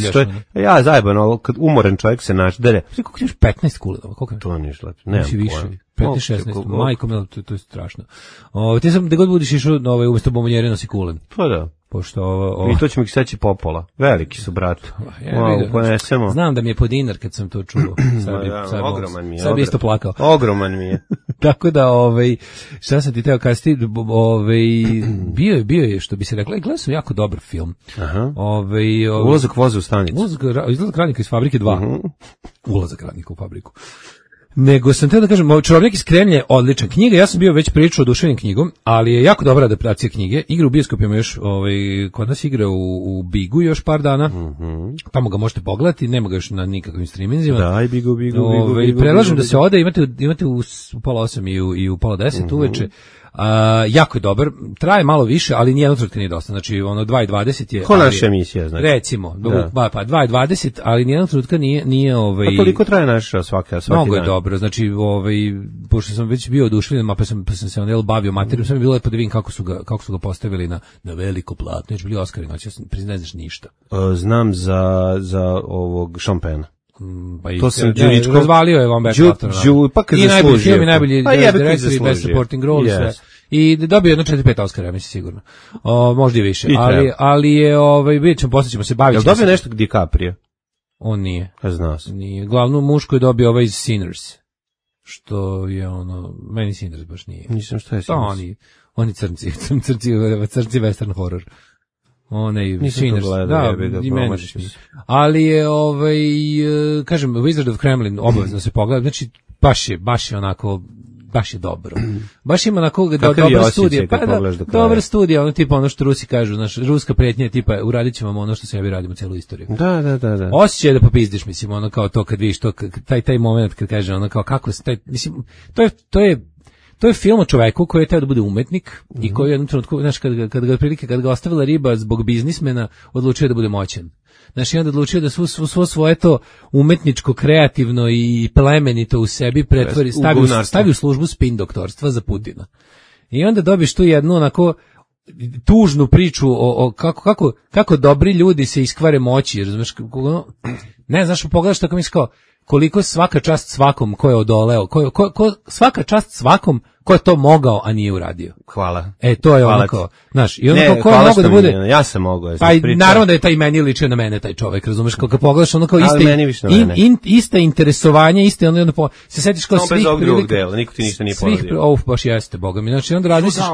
Ja, zajebano, kad umoran čovjek se naždere. Koliko imaš petnaest kulena? Koliko? To nije šlepo, nemam pojma. petnaest šesnaest, majko mila, to, to je strašno. O, ti sam, da god budiš išao, ovaj, umjesto bombonjere nosi kulen. Pa da. Pošto ovo, ovo... I to ćemo ih seći popola. Veliki su, brat. Ja, wow, ponesemo. Znam da mi je po dinar kad sam to čuo. Sad bi, ja, sad ogroman mi je. Sad bi isto plakao. Ogroman mi je. Tako da, ovaj, šta sam ti teo kazati, ovaj, bio je, bio je, što bi se rekla, gledao sam jako dobar film. Aha. Ovaj, ovaj, ulazak voza u stanicu. Ulazak, izlazak radnika iz fabrike dva. Uh-huh. Ulazak radnika u fabriku. Nego sam teo da kažem, Čarobnjak iz Kremlja je odlična knjiga, ja sam bio već pričao o oduševljen knjigom, ali je jako dobra adaptacija knjige, igra u bioskopima još, ovaj, kod nas igra u, u Bigu još par dana, mm-hmm. Tamo ga možete pogledati, nema ga još na nikakvim streamingima. Da, i Bigu, Bigu, Ove, Bigu, Prelažem Bigu, da se ode, imate, imate u, u pola osam i u, i u pola deset mm-hmm. uveče. Uh, jako je dobar, traje malo više, ali nijedno trenutka nije dosta, znači ono dva i dvadeset je... Ko naša emisija, znači? Recimo, ba, pa dva i dvadeset, ali nijedno trenutka nije... nije ovaj, pa koliko traje naša svaka, svaki mnogo dan? Je dobro, znači, ovaj, pošto sam već bio oduševljen, pa sam, pa sam se on bavio materijom, sam mi bilo lepo da vidim kako su ga, kako su ga postavili na, na veliko platno, znači bili Oskari, znači ja sam priznajem znaš ništa. Uh, znam za, za ovog Šampena. Pa i to sam ne, Đuričkov razvalio je Van Beck. Pa kad i najbolji film i najbolji pa direktor i best supporting role yes. sve. I dobio jedno četiri pet Oscara, mislim sigurno. O, možda i više, I ali ali je ovaj vidjet ćemo, posle ćemo se baviti. Jel dobio nešto DiCaprio? On nije. Ja znao sam. Nije. Glavnu mušku je dobio ovaj iz Sinners. Što je ono, meni Sinners baš nije. Nisam što je Sinners. To oni, oni crnci, crnci, crnci western horror. One i Sinners, da, i meni ali je, ovaj, kažem, Wizard of Kremlin obavezno se pogleda, znači, baš je, baš je onako, baš je dobro. Baš ima onako do, dobra studija, pa da, dobra studija, ono tipa ono što Rusi kažu, naš ruska pretnja tipa uradit ćemo ono što sebi radimo celu istoriju. Da, da, da, da. Osjećaj da popizdiš, mislim, ono kao to kad vidiš to, taj, taj moment kad kaže ono kao kako se, taj, mislim, to je, to je, To je film o čoveku koji je teo da bude umetnik mm -hmm. i koji je u jednom trenutku, znaš, kad ga, kad ga prilike, kad ga ostavila riba zbog biznismena, odlučio da bude moćan. Znaš, i onda odlučio da svo, svo svoje to umetničko, kreativno i plemenito u sebi pretvori, stavi, u, stavi u službu spin doktorstva za Putina. I onda dobiš tu jednu onako tužnu priču o, o kako, kako, kako dobri ljudi se iskvare moći, razumeš, ne, znaš, pogledaš tako misliš kao, koliko svaka čast svakom ko je odoleo, ko, ko, ko, svaka čast svakom ko je to mogao, a nije uradio. Hvala. E, to je ono kao, znaš, i ono ne, kao ko je mogao da bude... Ja sam mogao. Ja pa naravno da je taj meni ličio na mene, taj čovek, razumeš, kao kad pogledaš ono kao iste, in, in, iste interesovanje, iste ono, ono se setiš kao no, svih prilika... Dela, niko ti ništa nije poradio. Svih, uf, baš jeste, boga mi, znači onda razmisliš...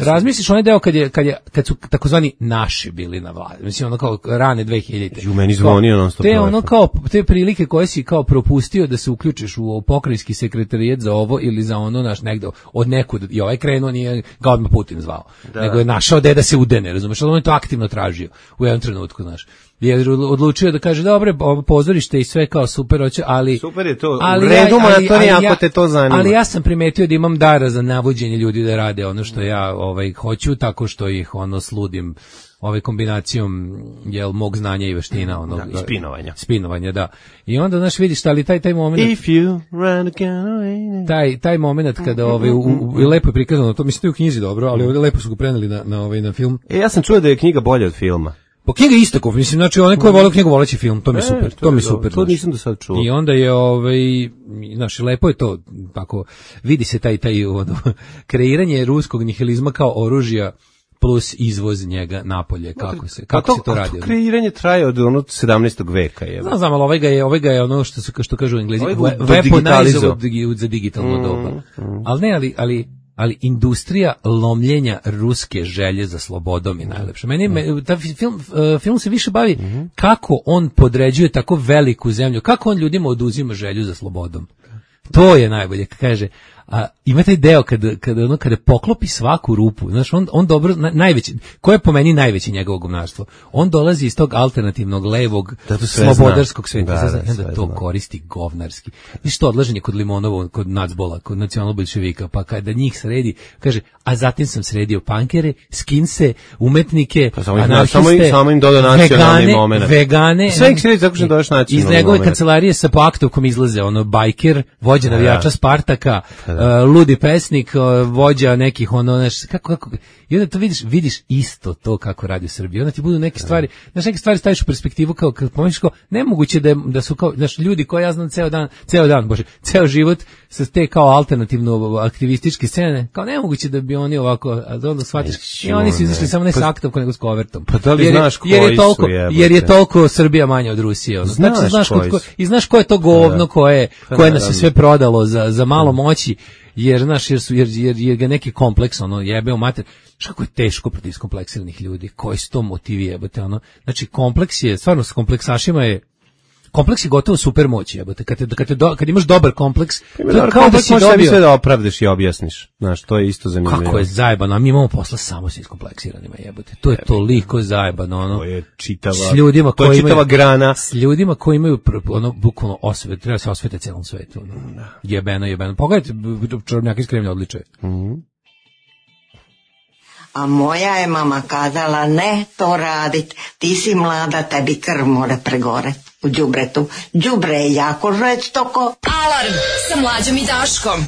Razmisliš onaj deo kad, je, kad, je, kad su takozvani naši bili na vladi, mislim, ono kao rane dve hiljadite. Ju, meni zvonio non stop. Te ono kao, te prilike koje si kao propustio da se uključiš u pokrajinski sekretarijat za ovo ili za ono, naš negde, od nekud, i ovaj krenuo, nije ga odmah Putin zvao, da. Nego je našao gde da se udene, razumeš, ali on je to aktivno tražio u jednom trenutku, znaš. Je odlučio da kaže, dobre, pozorište i sve kao super, hoće, ali... Super je to, ali u redu moratorij ako te to zanima. Ali ja sam primetio da imam dara za navođenje ljudi da rade ono što ja ovaj, hoću, tako što ih ono sludim ovaj kombinacijom jel mog znanja i veština onog da, i spinovanja. Spinovanja, da. I onda znaš vidiš ali taj taj momenat If you run away. Taj taj momenat kada ovaj u, u, u lepo je prikazano, to mislim da je u knjizi dobro, ali ovdje lepo su ga preneli na na ovaj na film. E ja sam čuo da je knjiga bolja od filma. Po knjiga isto, mislim, znači onaj ko je voleo knjigu voleći film, to mi je super, e, to, to mi je super. To nisam do sad čuo. I onda je ovaj znači lepo je to tako vidi se taj taj ono, kreiranje ruskog nihilizma kao oružja plus izvoz njega napolje, kako se kako to, se to radi. To kreiranje traje od onog sedamnaestog veka, je. Znam, znam, ali ovaj ga je, ovaj ga je ono što se što kažu Englezi, weaponized za digitalno mm, doba. Mm. Ali ne, ali ali ali industrija lomljenja ruske želje za slobodom je najlepša. Meni mm. ta film uh, film se više bavi mm. kako on podređuje tako veliku zemlju, kako on ljudima oduzima želju za slobodom. To je najbolje, kaže. A ima taj deo kada kada ono kada poklopi svaku rupu, znaš, on on dobro na, najveći, ko je po meni najveći njegovo govnarstvo. On dolazi iz tog alternativnog levog slobodarskog sveta, da, da, da, da to zna. Koristi govnarski. I što odlaženje kod Limonovo, kod Nacbola, kod nacionalno-boljševika, pa kada njih sredi, kaže, a zatim sam sredio pankere, skinse, umetnike, pa samo anarhiste, samo im dodao nacionalni momenat. Vegane, sve ih sredi tako što dodaš nacionalni iz njegove kancelarije sa paktovkom izlaze ono bajker, vođa navijača Spartaka, Uh, ludi pesnik, uh, vođa nekih ono, znaš, kako, kako, i onda to vidiš, vidiš isto to kako radi u Srbiji, onda ti budu neke stvari, znaš, neke stvari staviš u perspektivu kao, kad pomeniš kao, nemoguće da, je, da su kao, znaš, ljudi koji ja znam ceo dan, ceo dan, bože, ceo život sa te kao alternativno aktivističke scene, kao nemoguće da bi oni ovako, a onda shvatiš, i oni su izašli samo ne sa aktovkom, nego s kovertom. Pa da li jer, znaš koji jer je toliko, su jebote? Jer je toliko Srbija manja od Rusije, ono. Znaš, znači, znaš koji ko, i znaš ko je to govno koje, koje nas je sve prodalo za, za malo moći, jer znaš, jer su jer, jer, jer ga neki kompleks ono jebe u mater. Šta kako je teško protiv iskompleksiranih ljudi, koji su to motivi jebote ono. Znači kompleks je stvarno s kompleksašima je kompleks je gotovo super moć jebote. Kad te, kad te do, kad imaš dobar kompleks, to je kao da si dobio sve da opravdaš i objasniš. Znaš, to je isto zanimljivo. Kako je zajebano, a mi imamo posla samo sa iskompleksiranima jebote. To je toliko zajebano ono. To je čitava. S ljudima koji imaju čitava grana, s ljudima koji imaju ono bukvalno osvet, treba se osvete celom svetu. Ono. Jebeno, jebeno. Pogledajte, čarobnjak iz Kremlja odličuje. Mhm. A moja je mama kazala, ne to radit, ti si mlada, tebi krv mora pregore u đubretu. Đubre je jako žveć toko. Alarm sa Mlađom i Daškom.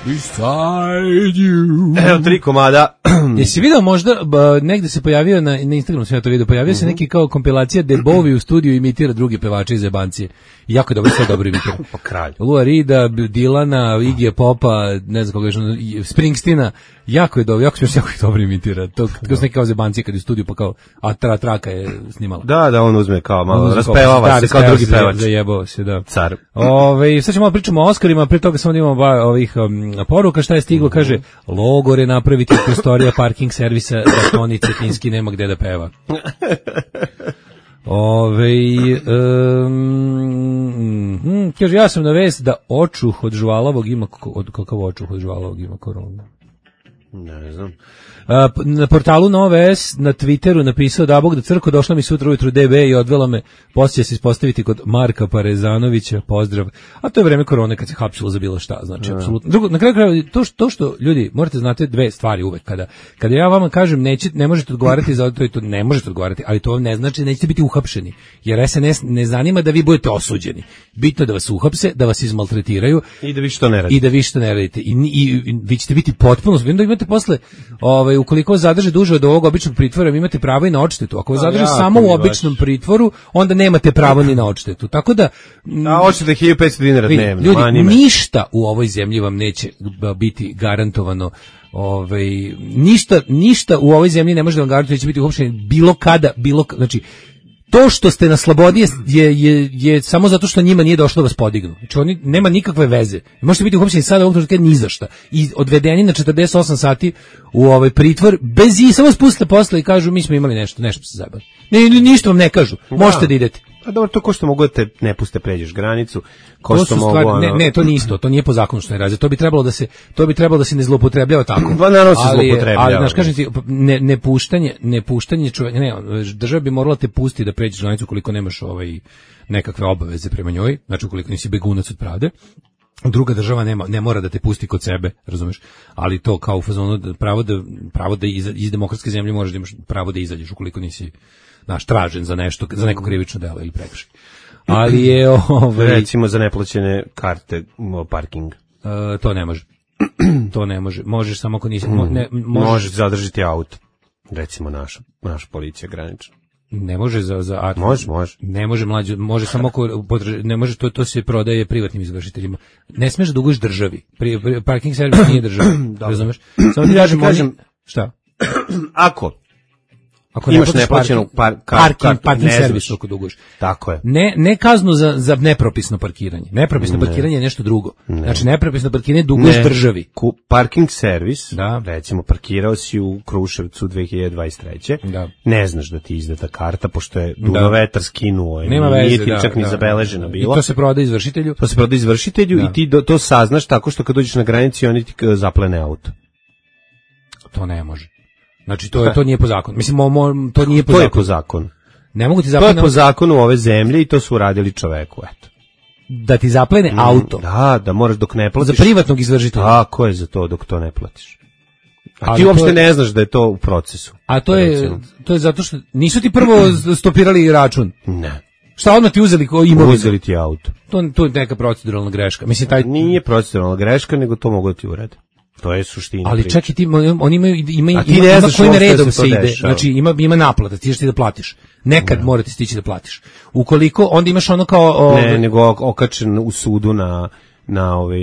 Beside you. Evo tri komada. Jesi vidio možda, ba, negde se pojavio na, na Instagramu, sam ja to vidio, pojavio mm-hmm. se neki kao kompilacija gde Bowie u studiju imitira druge pevače iz jebancije. Jako je dobro, sve dobro imitira. Pa kralj. Lua Rida, Dilana, Iggy Popa, ne znam koga je, Springsteena, jako je dobro, jako se jako je dobro imitira. To kako se neki kao zebancije kad je u studiju, pa kao, a tra, traka je snimala. Da, da, on uzme kao malo, raspevava se kao drugi pevač. Zajebao se, da. Car. Ove, sad ćemo pričamo o Oscarima, pre toga samo imamo ba, ovih um, poruka, šta je stiglo, mm-hmm. kaže, logore napraviti prostorija parking servisa da Toni Cetinski nema gde da peva. Ove, um, kaže, ja sam na vest da očuh od žvalavog ima, od kakav očuh od žvalavog ima koronu? Ne znam. A, na portalu Nove S na Twitteru napisao da Bog da crko došla mi sutra ujutru D B i odvela me, poslije se ispostaviti kod Marka Parezanovića, pozdrav. A to je vreme korone kad se hapsilo za bilo šta, znači ja. Apsolutno. Drugo, na kraju krajeva to što, to što ljudi morate znati dve stvari uvek kada kada ja vama kažem neće ne možete odgovarati za to i to ne možete odgovarati, ali to vam ne znači da nećete biti uhapšeni. Jer S N S ne zanima da vi budete osuđeni. Bitno da vas uhapse, da vas izmaltretiraju i da vi što ne radite. I da vi što ne radite. I, i, i vi ćete biti potpuno, onda imate posle ovaj ukoliko zadrže duže od ovog običnog pritvora, vi imate pravo i na odštetu. Ako vas zadrže samo u običnom pritvoru, onda nemate pravo ni na odštetu. Tako da a odšteta hiljadu petsto dinara dnevno. Ljudi, ništa u ovoj zemlji vam neće biti garantovano. Ovaj ništa ništa u ovoj zemlji ne može da vam garantuje da će biti uhapšeni bilo kada, bilo znači to što ste na slobodi je, je, je, je samo zato što njima nije došlo da vas podignu. Znači oni nema nikakve veze. Možete biti uhapšeni sada ovog trenutka ni za šta. I odvedeni na četrdeset osam sati u ovaj pritvor bez i samo spuste posle i kažu mi smo imali nešto, nešto se zajebali. Ne, ništa vam ne kažu. Možete da idete. A dobro, to ko što mogu da te ne puste pređeš granicu, ko to što mogu stvari, ono... ne, ne, to nije isto, to nije po zakonu što ne radi. To bi trebalo da se to bi trebalo da se ne zloupotrebljava tako. Dva naravno se zloupotrebljava. Ali znaš, kažem ti, ne ne puštanje, ne puštanje čovjeka, ne, država bi morala te pustiti da pređeš granicu koliko nemaš ovaj nekakve obaveze prema njoj, znači ukoliko nisi begunac od pravde. Druga država nema ne mora da te pusti kod sebe, razumeš? Ali to kao u fazonu pravo da pravo da iz, iz demokratske zemlje možeš da imaš pravo da izađeš ukoliko nisi naš tražen za nešto, za neko krivično delo ili prekršaj. Ali je ovaj recimo za neplaćene karte parking. Uh, to ne može. To ne može. Možeš samo ako nisi mo, ne možeš, možeš zadržati auto. Recimo naša naša policija granična. Ne može za za a, može, može. Ne može mlađe, može samo ako ne može to to se prodaje privatnim izvršiteljima. Ne smeš da duguješ državi. Pri, pri, parking servis nije država. Razumeš? Samo ti kažem, kažem šta? Ako Ako imaš neplaćenu par, kar, parking, kar, parking ne servis ako duguješ. Tako je. Ne, ne kaznu za, za nepropisno parkiranje. Nepropisno ne. parkiranje je nešto drugo. Ne. Znači nepropisno parkiranje duguješ ne. državi. Ku, parking servis, da. recimo parkirao si u Kruševcu dve hiljade dvadeset treće Da. Ne znaš da ti izdata karta, pošto je dunovetar skinuo. Nema veze, nije ti da, čak da, ni zabeleženo da, bilo. I to se prodaje izvršitelju. To se prodaje izvršitelju da. I ti do, to saznaš tako što kad dođeš na granici oni ti zaplene auto. To ne može. Znači to je to nije po zakonu. Mislim mo, mo, to nije po to zakonu. je po zakonu. Ne mogu ti zaplene. To je po zakonu ove zemlje i to su uradili čoveku, eto. Da ti zaplene mm, auto. Da, da moraš dok ne platiš. Za privatnog izvršitelja. Tako je za to dok to ne platiš. A ali ti uopšte je, ne znaš da je to u procesu. A to je recimo. To je zato što nisu ti prvo stopirali račun. Ne. Šta odmah ti uzeli ko imovinu? Uzeli ti auto. To to je neka proceduralna greška. Mislim taj nije proceduralna greška, nego to mogu da ti urede. To je suština. Ali čak i ti, oni imaju, ima, ima, ima, ima kojim redom se, se ide. Dešava. Znači ima, ima naplata, ti ćeš ti da platiš. Nekad ne. morate stići da platiš. Ukoliko, onda imaš ono kao... O, ne, nego okačen u sudu na... na ovaj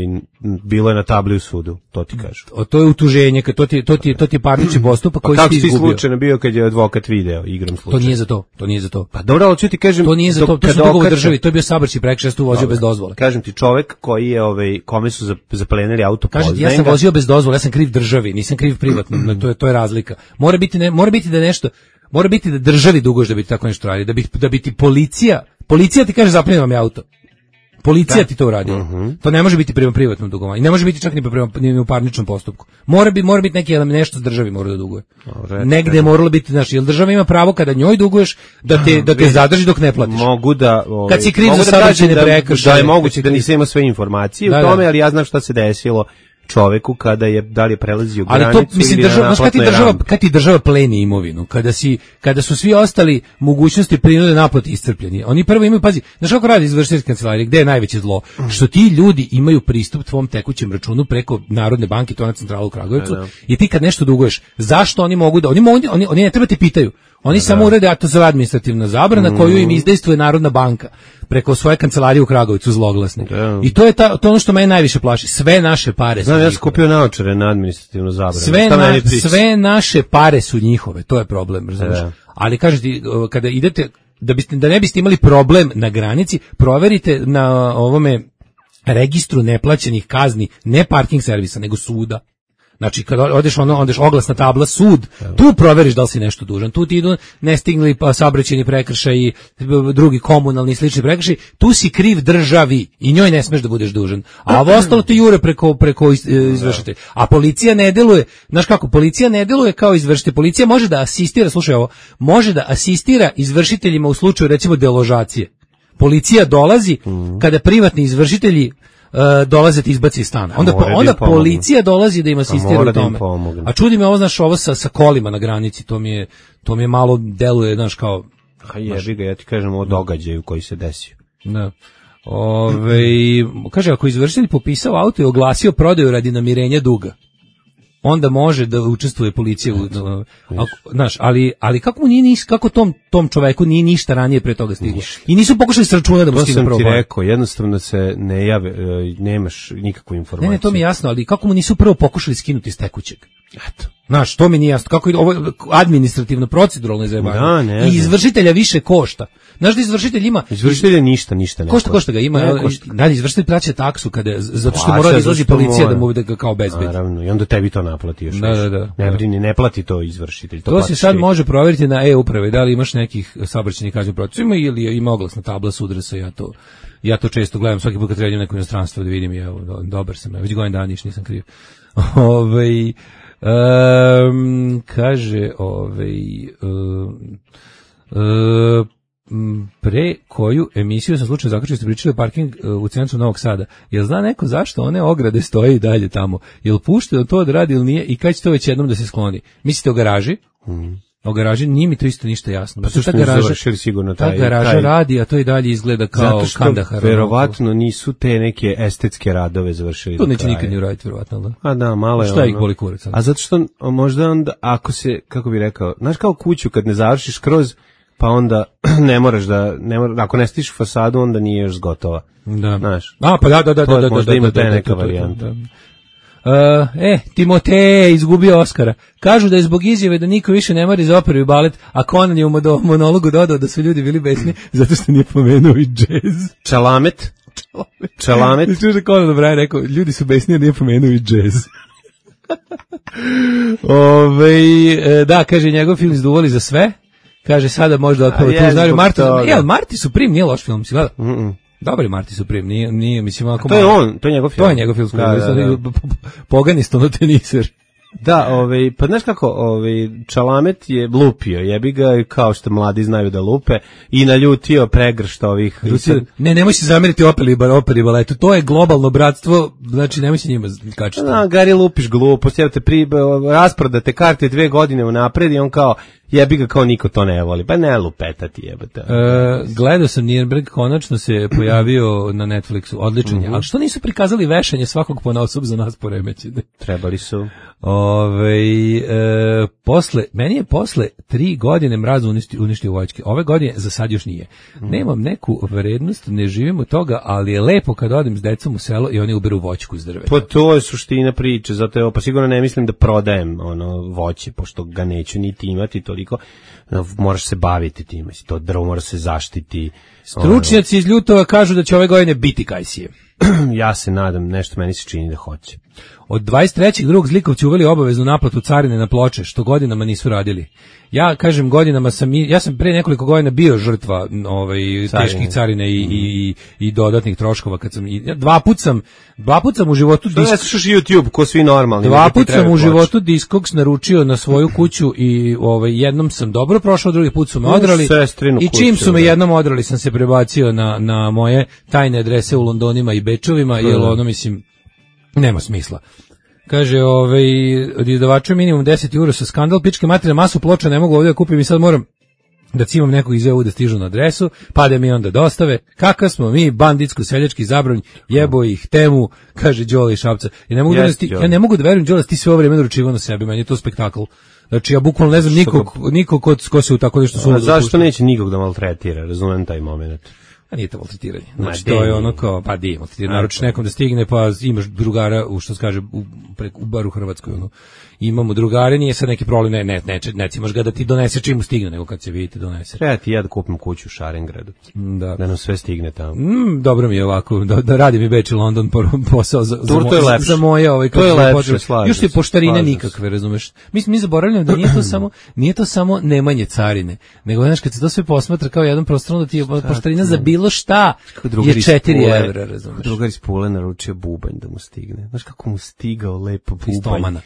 bilo je na tabli u sudu, to ti kažu. O, to je utuženje, to ti to ti to ti je parnični postupak koji ti izgubio. Kako si slučajno bio kad je advokat video igram slučaj? To nije za to, to nije za to. Pa dobro, ali ću ti kažem, to nije za to, to su dugovi državi, to je bio saobraćajni prekršaj, tu vozio bez dozvole. Kažem ti, čovjek koji je ovaj kome su zaplenili auto, kažem ti, ja sam vozio bez dozvole, ja sam kriv državi, nisam kriv privatnom, to je to je razlika. Mora biti ne, mora biti da nešto, mora biti da državi duguješ da bi tako nešto radi, da bi da bi ti policija, policija ti kaže zaplenio vam je auto. Policija da. ti to uradila. Uh-huh. To ne može biti prema privatnom dugovanju. I ne može biti čak ni prema ni u parničnom postupku. Mora bi mora biti neki nešto s državi mora da duguje. No, negde je moralo biti, znači, jel država ima pravo kada njoj duguješ da te da te zadrži dok ne platiš. Mogu da, ovaj, kad si kriv za saobraćajne prekršaje, da je moguće da nisam imao sve informacije da, u tome, da. ali ja znam šta se desilo čoveku kada je da li je prelazio granicu. Ali to mislim država, kad ti država, kad ti država pleni imovinu, kada si kada su svi ostali mogućnosti prinude naplate iscrpljeni. Oni prvo imaju, pazi, znaš kako radi izvršiteljska kancelarija, gde je najveće zlo? Što ti ljudi imaju pristup tvom tekućem računu preko Narodne banke, to na centralu u Kragujevcu, da, da. I ti kad nešto duguješ, zašto oni mogu da oni mogu, oni, oni ne treba ti pitaju. Oni da, samo urede, a to zove administrativna zabrana mm. koju im izdejstvuje Narodna banka preko svoje kancelarije u Kragujevcu zloglasne. Da. I to je ta, to ono što mene najviše plaši. Sve naše pare Znam, su ja sam kupio naočare na administrativnu zabranu. Sve, na, sve naše pare su njihove, to je problem, da. Ali kažete, kada idete, da, biste, da ne biste imali problem na granici, proverite na ovome registru neplaćenih kazni, ne parking servisa, nego suda. Znači, kad odeš ono, odeš oglasna tabla sud, tu proveriš da li si nešto dužan. Tu ti idu nestigli pa saobraćajni prekršaji, drugi komunalni i slični prekršaji. Tu si kriv državi i njoj ne smeš da budeš dužan. A ovo ostalo ti jure preko preko izvršitelja. A policija ne deluje. Znaš kako, policija ne deluje kao izvršitelj. Policija može da asistira, slušaj ovo, može da asistira izvršiteljima u slučaju recimo deložacije. Policija dolazi kada privatni izvršitelji Uh, dolaze ti izbaci iz stana. Onda, po, onda policija dolazi da im asistira u tome. A čudi me ovo, znaš, ovo sa, sa kolima na granici, to mi je, to mi je malo deluje, znaš, kao... Ha jebi ga, ja ti kažem o događaju koji se desio. Da. Ove, kaže, ako izvršitelj popisao auto i oglasio prodaju radi namirenja duga, onda može da učestvuje policija u, znaš, ali ali kako mu nije niš, kako tom tom čoveku nije ništa ranije pre toga stiglo. I nisu pokušali s računa da mu stigne prvo. To sam ti rekao, jednostavno se ne jave, nemaš nikakvu informaciju. Ne, ne, to mi je jasno, ali kako mu nisu prvo pokušali skinuti s tekućeg? Eto. Znaš, to mi nije jasno. Kako je ovo administrativno, proceduralno izjebano. I izvršitelja više košta. Znaš da izvršitelj ima... Izvršitelja ništa, ništa ne košta. Košta ga ima. Ne, košta. Da, izvršitelj plaća taksu kada, zato što mora da izlazi policija da mu da ga kao bezbedi. Naravno, i onda tebi to naplati još. Da, da, da. Ne brini, ne plati to izvršitelj. To, to se sad ti. Može proveriti na e-upravi, da li imaš nekih saobraćajnih kazni protiv. Ima ili ima oglasna tabla sudresa, ja to... Ja to često gledam, svaki put kad trebam neko inostranstvo da vidim, ja, dobar sam, ja već godin dana niš, nisam kriv. Ove, um, kaže, ove, um, um, pre koju emisiju sam slučajno zaključio, ste pričali o parking u centru Novog Sada. Jel zna neko zašto one ograde stoje i dalje tamo? Jel pušteno to da radi ili nije i kad će to već jednom da se skloni? Mislite o garaži? Mm. O garaži nije mi to isto ništa jasno. Pa što ta garaža, sigurno taj, ta garaža taj, radi, a to i dalje izgleda kao Kandahar. Zato što verovatno nisu te neke estetske radove završili. To neće nikad ni uraditi, verovatno. Da? A da, malo je šta ono. Ih boli kurac? A zato što možda onda, ako se, kako bi rekao, znaš kao kuću kad ne završiš kroz, pa onda ne moraš da, ne moraš, ako ne stiš fasadu, onda nije još gotova. Da. Znaš. A, pa da, da, da. To da, možda da, ima da, te da, neka da, da, varijanta. Da, da. Uh, e, Timotej izgubio Oskara. Kažu da je zbog izjave da niko više ne mari za operu i balet, a Conan je u monologu dodao da su ljudi bili besni zato što nije pomenuo i džez. Čalamet. Čalamet. I čuš da Conan dobro rekao, ljudi su besni jer nije pomenuo i džez. Ove, da, kaže, njegov film izduvali za sve. Kaže, sada možda otpava tu znaju Marti. E, Marti su prim, nije loš film, si gleda? Mm -mm. Dobar je Marti Supreme, nije, nije, mislim, ako to je on, to je njegov film. To je njegov film, da, da, da. Poganistono teniser. Da, ovaj, pa znaš kako, ovaj, Čalamet je lupio, jebi ga, kao što mladi znaju da lupe, i naljutio pregršt ovih... Ljutio, ne, nemoj se zameriti operi, operi baletu, to je globalno bratstvo, znači nemoj se njima kačiti. Da, Gari lupiš glupost, jer te pri, rasprodate karte dve godine unapred i on kao, jebi ga kao niko to ne voli, pa ne lupetati jebate. E, gledao sam Nürnberg, konačno se pojavio na Netflixu, odličan je, mm -hmm. Ali što nisu prikazali vešanje svakog ponaosob za nas poremećene? Trebali su. Ove, e, posle, meni je posle tri godine mraz uništio, uništio voćke. Ove godine za sad još nije. Nemam neku vrednost, ne živim od toga, ali je lepo kad odem s decom u selo i oni uberu voćku iz drveta. Pa to je suština priče, zato je, pa sigurno ne mislim da prodajem ono voće, pošto ga neću niti imati toliko, moraš se baviti time, to drvo mora se zaštiti. Stručnjaci iz Ljutova kažu da će ove godine biti kajsije. Ja se nadam, nešto meni se čini da hoće. Od dvadeset trećeg drugog Zlikovci uveli obaveznu naplatu carine na ploče, što godinama nisu radili. Ja kažem godinama sam, ja sam pre nekoliko godina bio žrtva ovaj, teških carine i, mm. i, i dodatnih troškova. Kad sam, ja, dva put sam, dva put sam u životu... Što disk... ne slušaš YouTube, ko svi normalni? Dva put sam u životu Discogs naručio na svoju kuću i ovaj, jednom sam dobro prošao, drugi put su me odrali. I čim su me jednom odrali sam se prebacio na, na moje tajne adrese u Londonima i Bečovima, mm. jer ono mislim... Nema smisla. Kaže, ovaj, od izdavača minimum deset eura sa skandal, pičke materije, masu ploča ne mogu ovdje da kupim i sad moram da cimam nekog iz E U da stižu na adresu, pa da mi onda dostave. Kakav smo mi, banditsko-seljački zabranj, jebo ih, temu, kaže Đole iz Šapca. Ja ne mogu, yes, da, ti, ja ne mogu da verujem, Đole, ti sve ovo vreme naručivao na sebe, meni je to spektakl. Znači, ja bukvalno ne znam nikog, nikog ko, ko se u tako nešto suda. Zašto neće nikog da maltretira, razumem taj moment. A nije to maltretiranje. Znači, to je ono kao, pa di, maltretiranje. Naručiš nekom da stigne, pa imaš drugara, u što se kaže, u, u bar u Hrvatskoj, ono. Imamo drugare, nije sad neki problem, ne, ne, ne, ne cimaš ga da ti donese čim mu stigne, nego kad se vidite donese. Treba ti ja da kupim kuću u Šarengradu, da, da nam sve stigne tamo. Mm, dobro mi je ovako, da, da radi mi Beč i London posao za, za, to je lepše. za moje ovaj, to je lepše, slažem. Još ti poštarine nikakve, razumeš. Mi, mi zaboravljamo da nije to samo, nije to samo nemanje carine, nego znaš kad se to sve posmatra kao jedan prostorno da ti je poštarina za bilo šta je četiri evra, razumeš. Drugar iz Pule naručio bubanj da mu stigne. Znaš kako mu stigao lepo bubanj.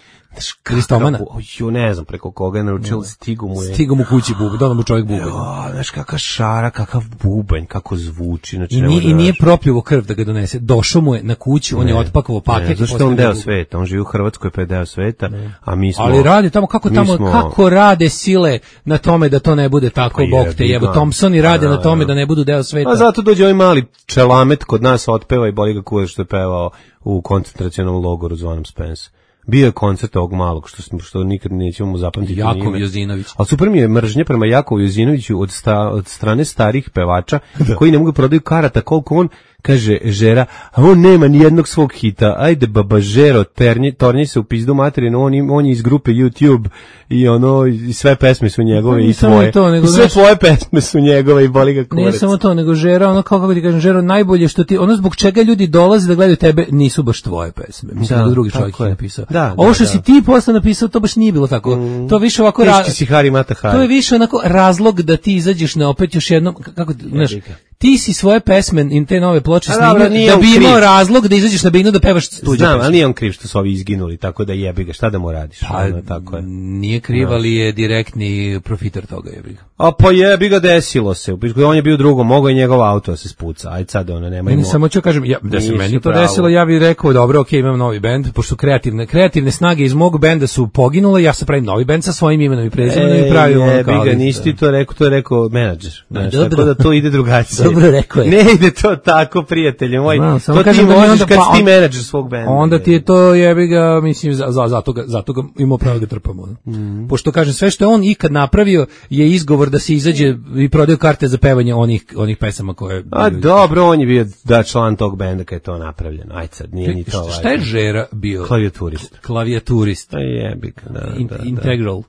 Kristomana. Jo, ne znam preko koga je naručio, stigu mu je. Stigu mu kući bubanj, dono mu čovjek bubanj. Jo, znaš kakva šara, kakav bubanj, kako zvuči. Znači, I, nije, i nije propljuvo krv da ga donese. Došao mu je na kuću, on ne, je otpakovao paket. Ne, zašto on deo sveta, on živi u Hrvatskoj pa je deo sveta, ne. A mi smo... Ali radi tamo, kako tamo, smo, kako rade sile na tome da to ne bude tako, pa bog te jebo. Thompsoni rade na tome da ne budu deo sveta. A zato dođe ovaj mali čelamet kod nas otpeva i boli ga kuda što je pevao u koncentracionom logoru zvanom Spence. Bio je koncert ovog malog, što, smo, što nikad nećemo mu zapamtiti. Jakov Jozinović. Ali super mi je mržnje prema Jakovu Jozinoviću od, sta, od strane starih pevača koji ne mogu prodaju karata koliko on, kaže Žera, a on nema ni jednog svog hita, ajde baba Žero, ternji, tornji se u pizdu materinu, on, on je iz grupe YouTube i ono, i sve pesme su njegove i tvoje. To, nego, I sve tvoje pesme su njegove i boli ga kurac. Nije samo to, nego Žera, ono kao kako ti kažem, Žero, najbolje što ti, ono zbog čega ljudi dolaze da gledaju tebe, nisu baš tvoje pesme. Mislim da, da drugi čovjek je napisao. Da, ovo što da, si ti posle napisao, to baš nije bilo tako. Mm, to više ovako ra- si Hari Mata Hari. To je više onako razlog da ti izađeš na opet još jednom, kako, znaš, ti si svoje pesme i te nove ploče snimio da bi imao razlog da izađeš na binu da pevaš tuđe. Znam, ali nije on kriv što su ovi izginuli, tako da jebi ga, šta da mu radiš? Pa, ono, tako je. Nije kriv, ali je direktni profiter toga, jebi ga. A pa jebi ga, desilo se. On je bio drugo, mogao i njegov auto da se spuca. Ajde sad, ono, nema imao. Samo ću kažem, ja, da se meni to desilo, ja bih rekao, dobro, okej, okay, imam novi bend, pošto kreativne, kreativne snage iz mog benda su poginule, ja se pravim novi bend sa svojim imenom i prezimenom i pravim ono kao. Jebi ga, nisi ti to rekao, to je rekao menadžer. Tako da to ide drugačije. Dobro rekao je. Ne ide to tako, prijatelji moji. No, to ti možeš kad pa, ti menadžer svog benda. Onda ti je to, jebi ga, mislim, za, za, zato, ga, zato ga imao pravo da trpamo. Mm. Pošto, kažem, sve što je on ikad napravio je izgovor da se izađe i prodaju karte za pevanje onih, onih pesama koje... A dobro, on je bio da član tog benda kad je to napravljeno. Ajde sad, nije ni to važno. Šta je Žera bio? Klavijaturist. Klavijaturist. A jebi ga, da, In, da, da. Integral.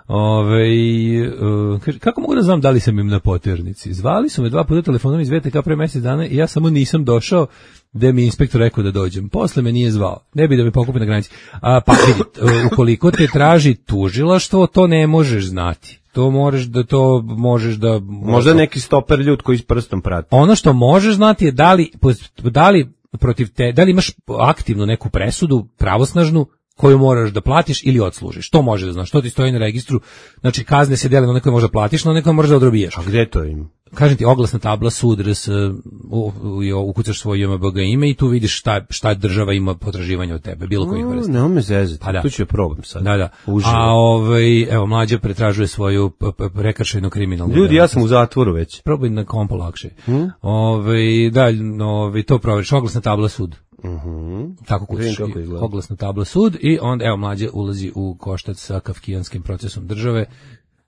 Ove, uh, kaže, kako mogu da znam da li sam im na poternici? Zvali su me dva puta telefonom iz V T K pre mjesec dana i ja samo nisam došao gde mi inspektor rekao da dođem. Posle me nije zvao. Ne bi da me pokupi na granici. A, pa vidi, ukoliko te traži tužilaštvo, to ne možeš znati. To možeš da to možeš da... Možda neki stoper ljud koji s prstom prati. Ono što možeš znati je da li, da li protiv te, da li imaš aktivnu neku presudu, pravosnažnu, koju moraš da platiš ili odslužiš. To može da znaš, to ti stoji na registru. Znači, kazne se dele na one koje možeš da platiš, na one koje možeš da odrobijaš. A gde to im? Kažem ti, oglasna tabla, sud, rs, ukucaš svoje J M B G ime i tu vidiš šta, šta država ima potraživanja od tebe, bilo kojih vrsta. Ne, me zezati, pa da. Tu ću je problem sad. Da, da. Uživo. A ovaj, evo, Mlađa pretražuje svoju prekršajnu kriminalnu. Ljudi, ja sam u zatvoru već. Probaj na kompo lakše. Hmm? Ovaj, da, ovaj, to proveriš, oglasna tabla, sud. Uh-huh. Tako kućiš, oglasna tabla, sud i onda, evo, Mlađa ulazi u koštac sa kafkijanskim procesom države.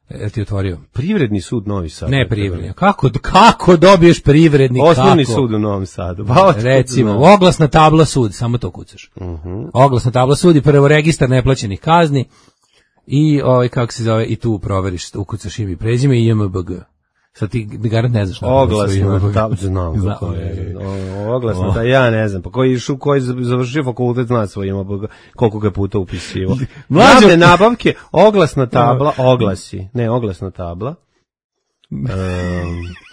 E, ti otvorio. Privredni sud Novi Sad. Ne privredni. Kako, kako dobiješ privredni? Osnovni kako? Sud u Novom Sadu. Ba, recimo, oglasna tabla sud, samo to kucaš. Uh-huh. Oglasna tabla sud i prvo registar neplaćenih kazni i, ovaj, kako se zove, i tu proveriš, ukucaš ime i prezime i J M B G. Sad ti garant ne znaš. Oglasna tabla, znam. Oglasna tabla, ja ne znam. Pa koji šu, koji završio fakultet zna svoj J M B G, koliko ga puta upisivo. Mlađe nabavke, oglasna tabla, oglasi. Ne, oglasna tabla. Um,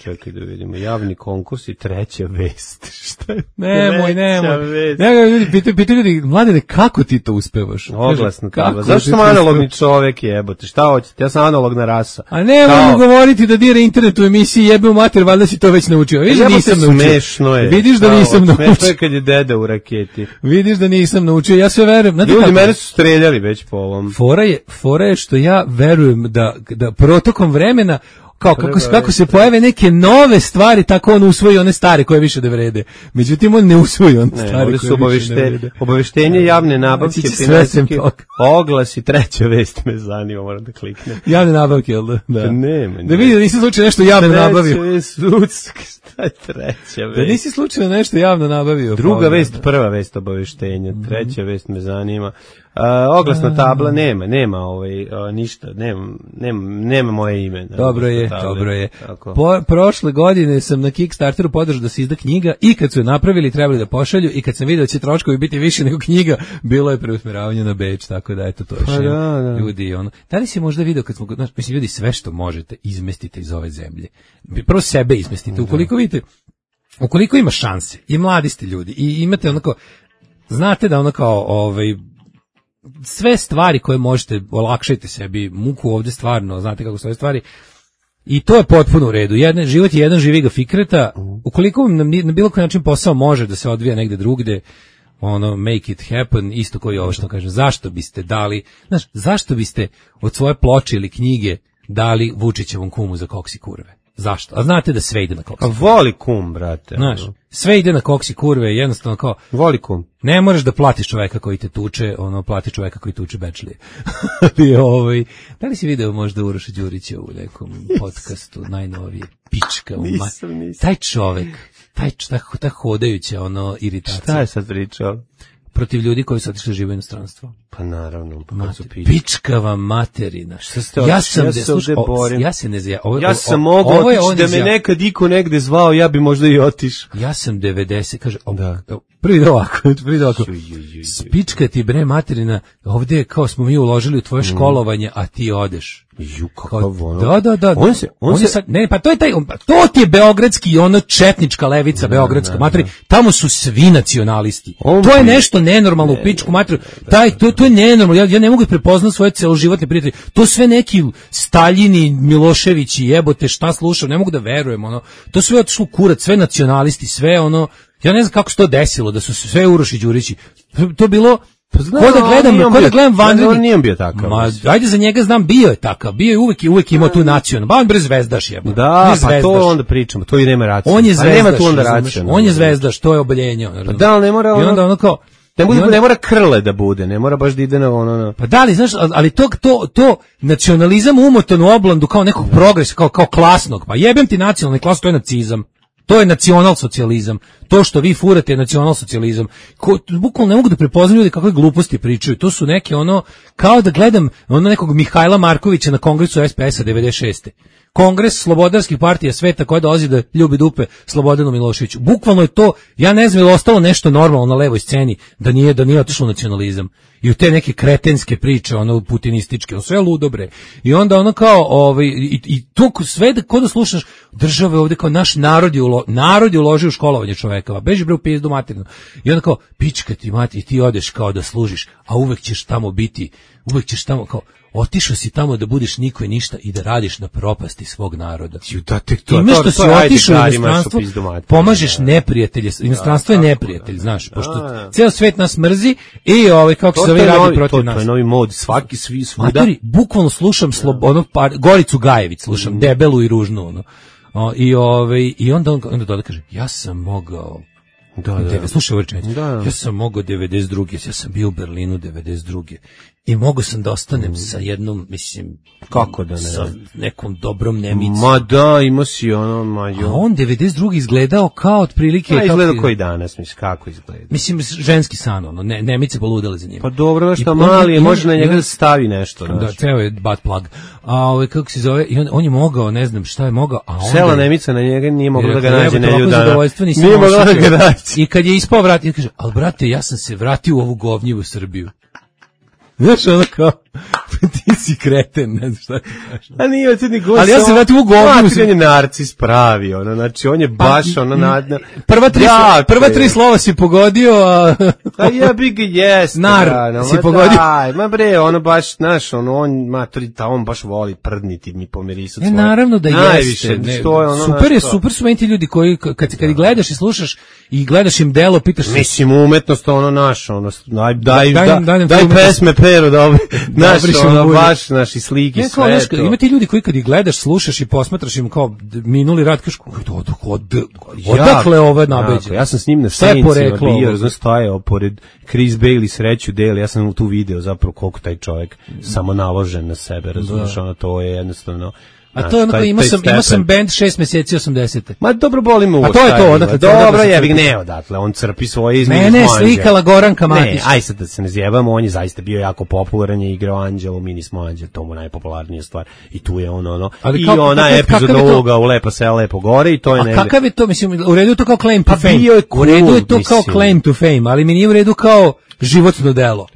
čekaj da vidimo, javni konkurs i treća vest. Šta je? Nemoj, nemoj. Nemoj, ljudi, pitaju, pitaju ljudi, Mladene, kako ti to uspevaš? Oglasno tabla. Zašto sam analogni čovek, jebote? Šta hoćete? Ja sam analogna rasa. A nemoj mu govoriti da dira internet u emisiji, jebe u mater, valjda si to već naučio. Vidiš da nisam naučio. Smešno je. Vidiš da nisam naučio. Smešno je kad je deda u raketi. Vidiš da nisam naučio, ja sve verujem. Znate ljudi, kako? mene su streljali već po ovom. Fora je, fora je što ja verujem da, da protokom vremena kao kako, kako se pojave neke nove stvari, tako on usvoji one stare koje više ne vrede. Međutim, on ne usvoji one ne, stvari koje obavešte, više ne vrede. Obaveštenje javne nabavke, finansijske oglasi, treća vest me zanima, moram da kliknem. Javne nabavke, jel da? Da, ne, ne. Da vidi da nisi slučajno nešto javno nabavio. Treća sudska, šta je treća vest? Da nisi slučajno nešto javno nabavio. Druga pa, vest, prva vest obaveštenja, treća mm-hmm. vest me zanima. Uh, oglasna tabla nema, nema ovaj uh, ništa, nema, nema, nema moje ime. Dobro je, table. dobro je. Po, prošle godine sam na Kickstarteru podržao da se izda knjiga i kad su je napravili trebali da pošalju i kad sam vidio da će troškovi biti više nego knjiga, bilo je preusmeravanje na Beč, tako da eto to je pa še, da, da. Ljudi ono. Da li si možda video kad smo, znaš, mislim ljudi sve što možete izmestite iz ove zemlje. Prvo sebe izmestite, ukoliko vidite, ukoliko ima šanse i mladi ste ljudi i imate onako, znate da ono kao ovaj sve stvari koje možete, olakšajte sebi muku ovdje stvarno, znate kako su ove stvari i to je potpuno u redu. Jedne, život je jedan, živi ga Fikreta, ukoliko vam na, na bilo koji način posao može da se odvija negde drugde, ono, make it happen, isto koji ovo što kažem, zašto biste dali, znaš, zašto biste od svoje ploče ili knjige dali Vučićevom kumu za koksi kurve? Zašto? A znate da sve ide na koksi kurve. A voli kum, brate. Znaš, sve ide na koksi kurve, jednostavno kao... Voli kum. Ne možeš da platiš čoveka koji te tuče, ono, plati čoveka koji tuče bečlije. Ali, ovaj, da li si video možda Uroša Đurića u nekom podcastu, najnovije, pička u nisam, nisam. Taj čovek, taj, ta, ta hodajuća, ono, iritacija. Šta je sad pričao? Protiv ljudi koji su otišli živo u inostranstvo. Pa naravno, pa kad su pička. Pičkava materina. Šta ste ja sam ja, de, sluš, o, ja se ne zja, ovo, ja sam mogao otići da me nekad iko negde zvao, ja bi možda i otišao. Ja sam devedeset, kaže, o, da. Prvi ide ovako, prvi ide ovako. Spička ti bre materina, ovdje kao smo mi uložili u tvoje školovanje, a ti odeš. Ju, kakav ono. Da, da, da. On se, on, on se, sad, ne, pa to je taj, to ti je beogradski, ono četnička levica, beogradska materi, tamo su svi nacionalisti. On to je nešto nenormalno ne, u pičku materiju. Taj, to, to je nenormalno, ja, ja ne mogu da prepoznam svoje celoživotne prijatelje. To sve neki Staljini, Miloševići, jebote, šta slušam, ne mogu da verujem, ono. To sve otišlo kurac, sve nacionalisti, sve ono, ja ne znam kako se to desilo, da su sve Uroši Đurići. To bilo... Pa znam, ko da gledam, ko da gledam vanredni. On nije bio takav. Ma, ajde za njega znam, bio je takav. Bio je uvek i uvek imao tu nacionalnu. Ba on bre zvezdaš je. Da, pa to onda pričamo, to i nema racije. On je zvezdaš. Nema tu onda racije. On je zvezdaš, to je oboljenje. Pa da, ali ne mora ono. I onda ono kao ne, bude, onda, ne mora krle da bude, ne mora baš da ide na ono. Na... Pa da li, znaš, ali to, to, to nacionalizam umotan u oblandu kao nekog progresa, kao, kao klasnog. Pa jebem ti nacionalni klas, to je nacizam. To je nacionalsocijalizam. To što vi furate je nacionalsocijalizam. Bukvalno ne mogu da prepoznam ljudi kakve gluposti pričaju. To su neke ono, kao da gledam ono nekog Mihajla Markovića na kongresu es pe es a devedeset šeste. Kongres slobodarskih partija sveta koja dolazi da ljubi dupe Slobodanu Miloševiću. Bukvalno je to, ja ne znam je li ostalo nešto normalno na levoj sceni da nije, da nije otišlo nacionalizam. I u te neke kretenske priče, ono putinističke, ono sve ludo bre. I onda ono kao, ovaj, i, i to sve da, ko da slušaš, države ovde kao naš narod je, ulo, narod je uložio u školovanje čovekova, beži bre u pizdu materinu. I onda kao, pička ti mati, ti odeš kao da služiš, a uvek ćeš tamo biti, uvek ćeš tamo kao, otišao si tamo da budeš niko i ništa i da radiš na propasti svog naroda. Da, tek to, time što to, si otišao u inostranstvo, pomažeš neprijatelje. Inostranstvo je neprijatelj, znaš, pošto ceo svet nas mrzi i ovaj kako se ovi radi protiv nas. To je novi mod, svaki svi svuda. Matori, bukvalno slušam slobodno par Goricu Gajević, slušam debelu i ružnu ono. O, i ovaj i onda on onda doda kaže ja sam mogao Da, da. Slušaj ovo rečenicu. Da, da. Ja sam mogao devedeset druge ja sam bio u Berlinu devedeset druge i mogu sam da ostanem mm. sa jednom, mislim, kako da ne, sa nekom dobrom Nemicom. Ma da, ima si ono, ma jo. A on devedeset druge izgledao kao otprilike... Pa izgledao koji danas, mislim, kako izgleda? Mislim, ženski san, ono, ne, Nemice poludele za njim. Pa dobro, što mali je, može na njega da stavi nešto. Da, ceo je butt plug. A ovaj, kako se zove, i on, on je mogao, ne znam šta je mogao, a onda... Sela Nemica na njega nije mogla da ga nađe nelju dana. Nije mogla da ga nađe. I kad je ispao vrat, i kaže, ali brate, ja sam se vratio u ovu govnjivu Srbiju. Znaš, ono kao, Ti si kreten, ne znam šta ti kažeš. A nije ti ni gost. Ali ja se vratim u govnu. On je narcis pravi, ono, znači on je baš pa, ono nadna. Prva tri, ja, prva tri slova si pogodio, a... A ja bi ga jest. Nar da, no, si pogodio. Daj, ma bre, ono baš, znaš, ono, on, maturi, ta, on baš voli prdniti mi pomirisati svoje. Ne, naravno da najviše, jeste. Ne, što je ono, super je, super su meni ti ljudi koji, kad, kad ih gledaš i slušaš i gledaš im delo, pitaš se... Mislim, umetnost, ono, naš, ono, daj, daj, daj, daj, daj, daj pesme Pero, da ovi, naš, ono, baš, naši slike, ne, sve naš, to. Ima ti ljudi koji kad ih gledaš, slušaš i posmatraš im kao minuli rad, kažeš, od, od, odakle ove nabeđe? Ja sam s njim na Saincima bio, znaš, stajao pored Chris Bailey sreću deli, ja sam tu video zapravo koliko taj čovjek samo naložen na sebe, razumiješ, ono, to je jednostavno... A to je onako, imao sam, ima sam band šest mjeseci osamdesete. Ma dobro boli me uvo. A to je to, odakle. Dobro je, bih ne odatle, on crpi svoje iz Mene je slikala Goranka Matić. Ne, aj sad da se ne zjebamo, on je zaista bio jako popularan, je igrao Anđelo, Mini smo Anđel, to mu najpopularnija stvar. I tu je on ono, ali i kao, ona epizoda uloga u Lepa sela, Lepo gore i to je negde. A kakav je to, mislim, u redu je to kao claim to fame. U redu je to kao claim to fame, ali mi nije u redu kao životno delo.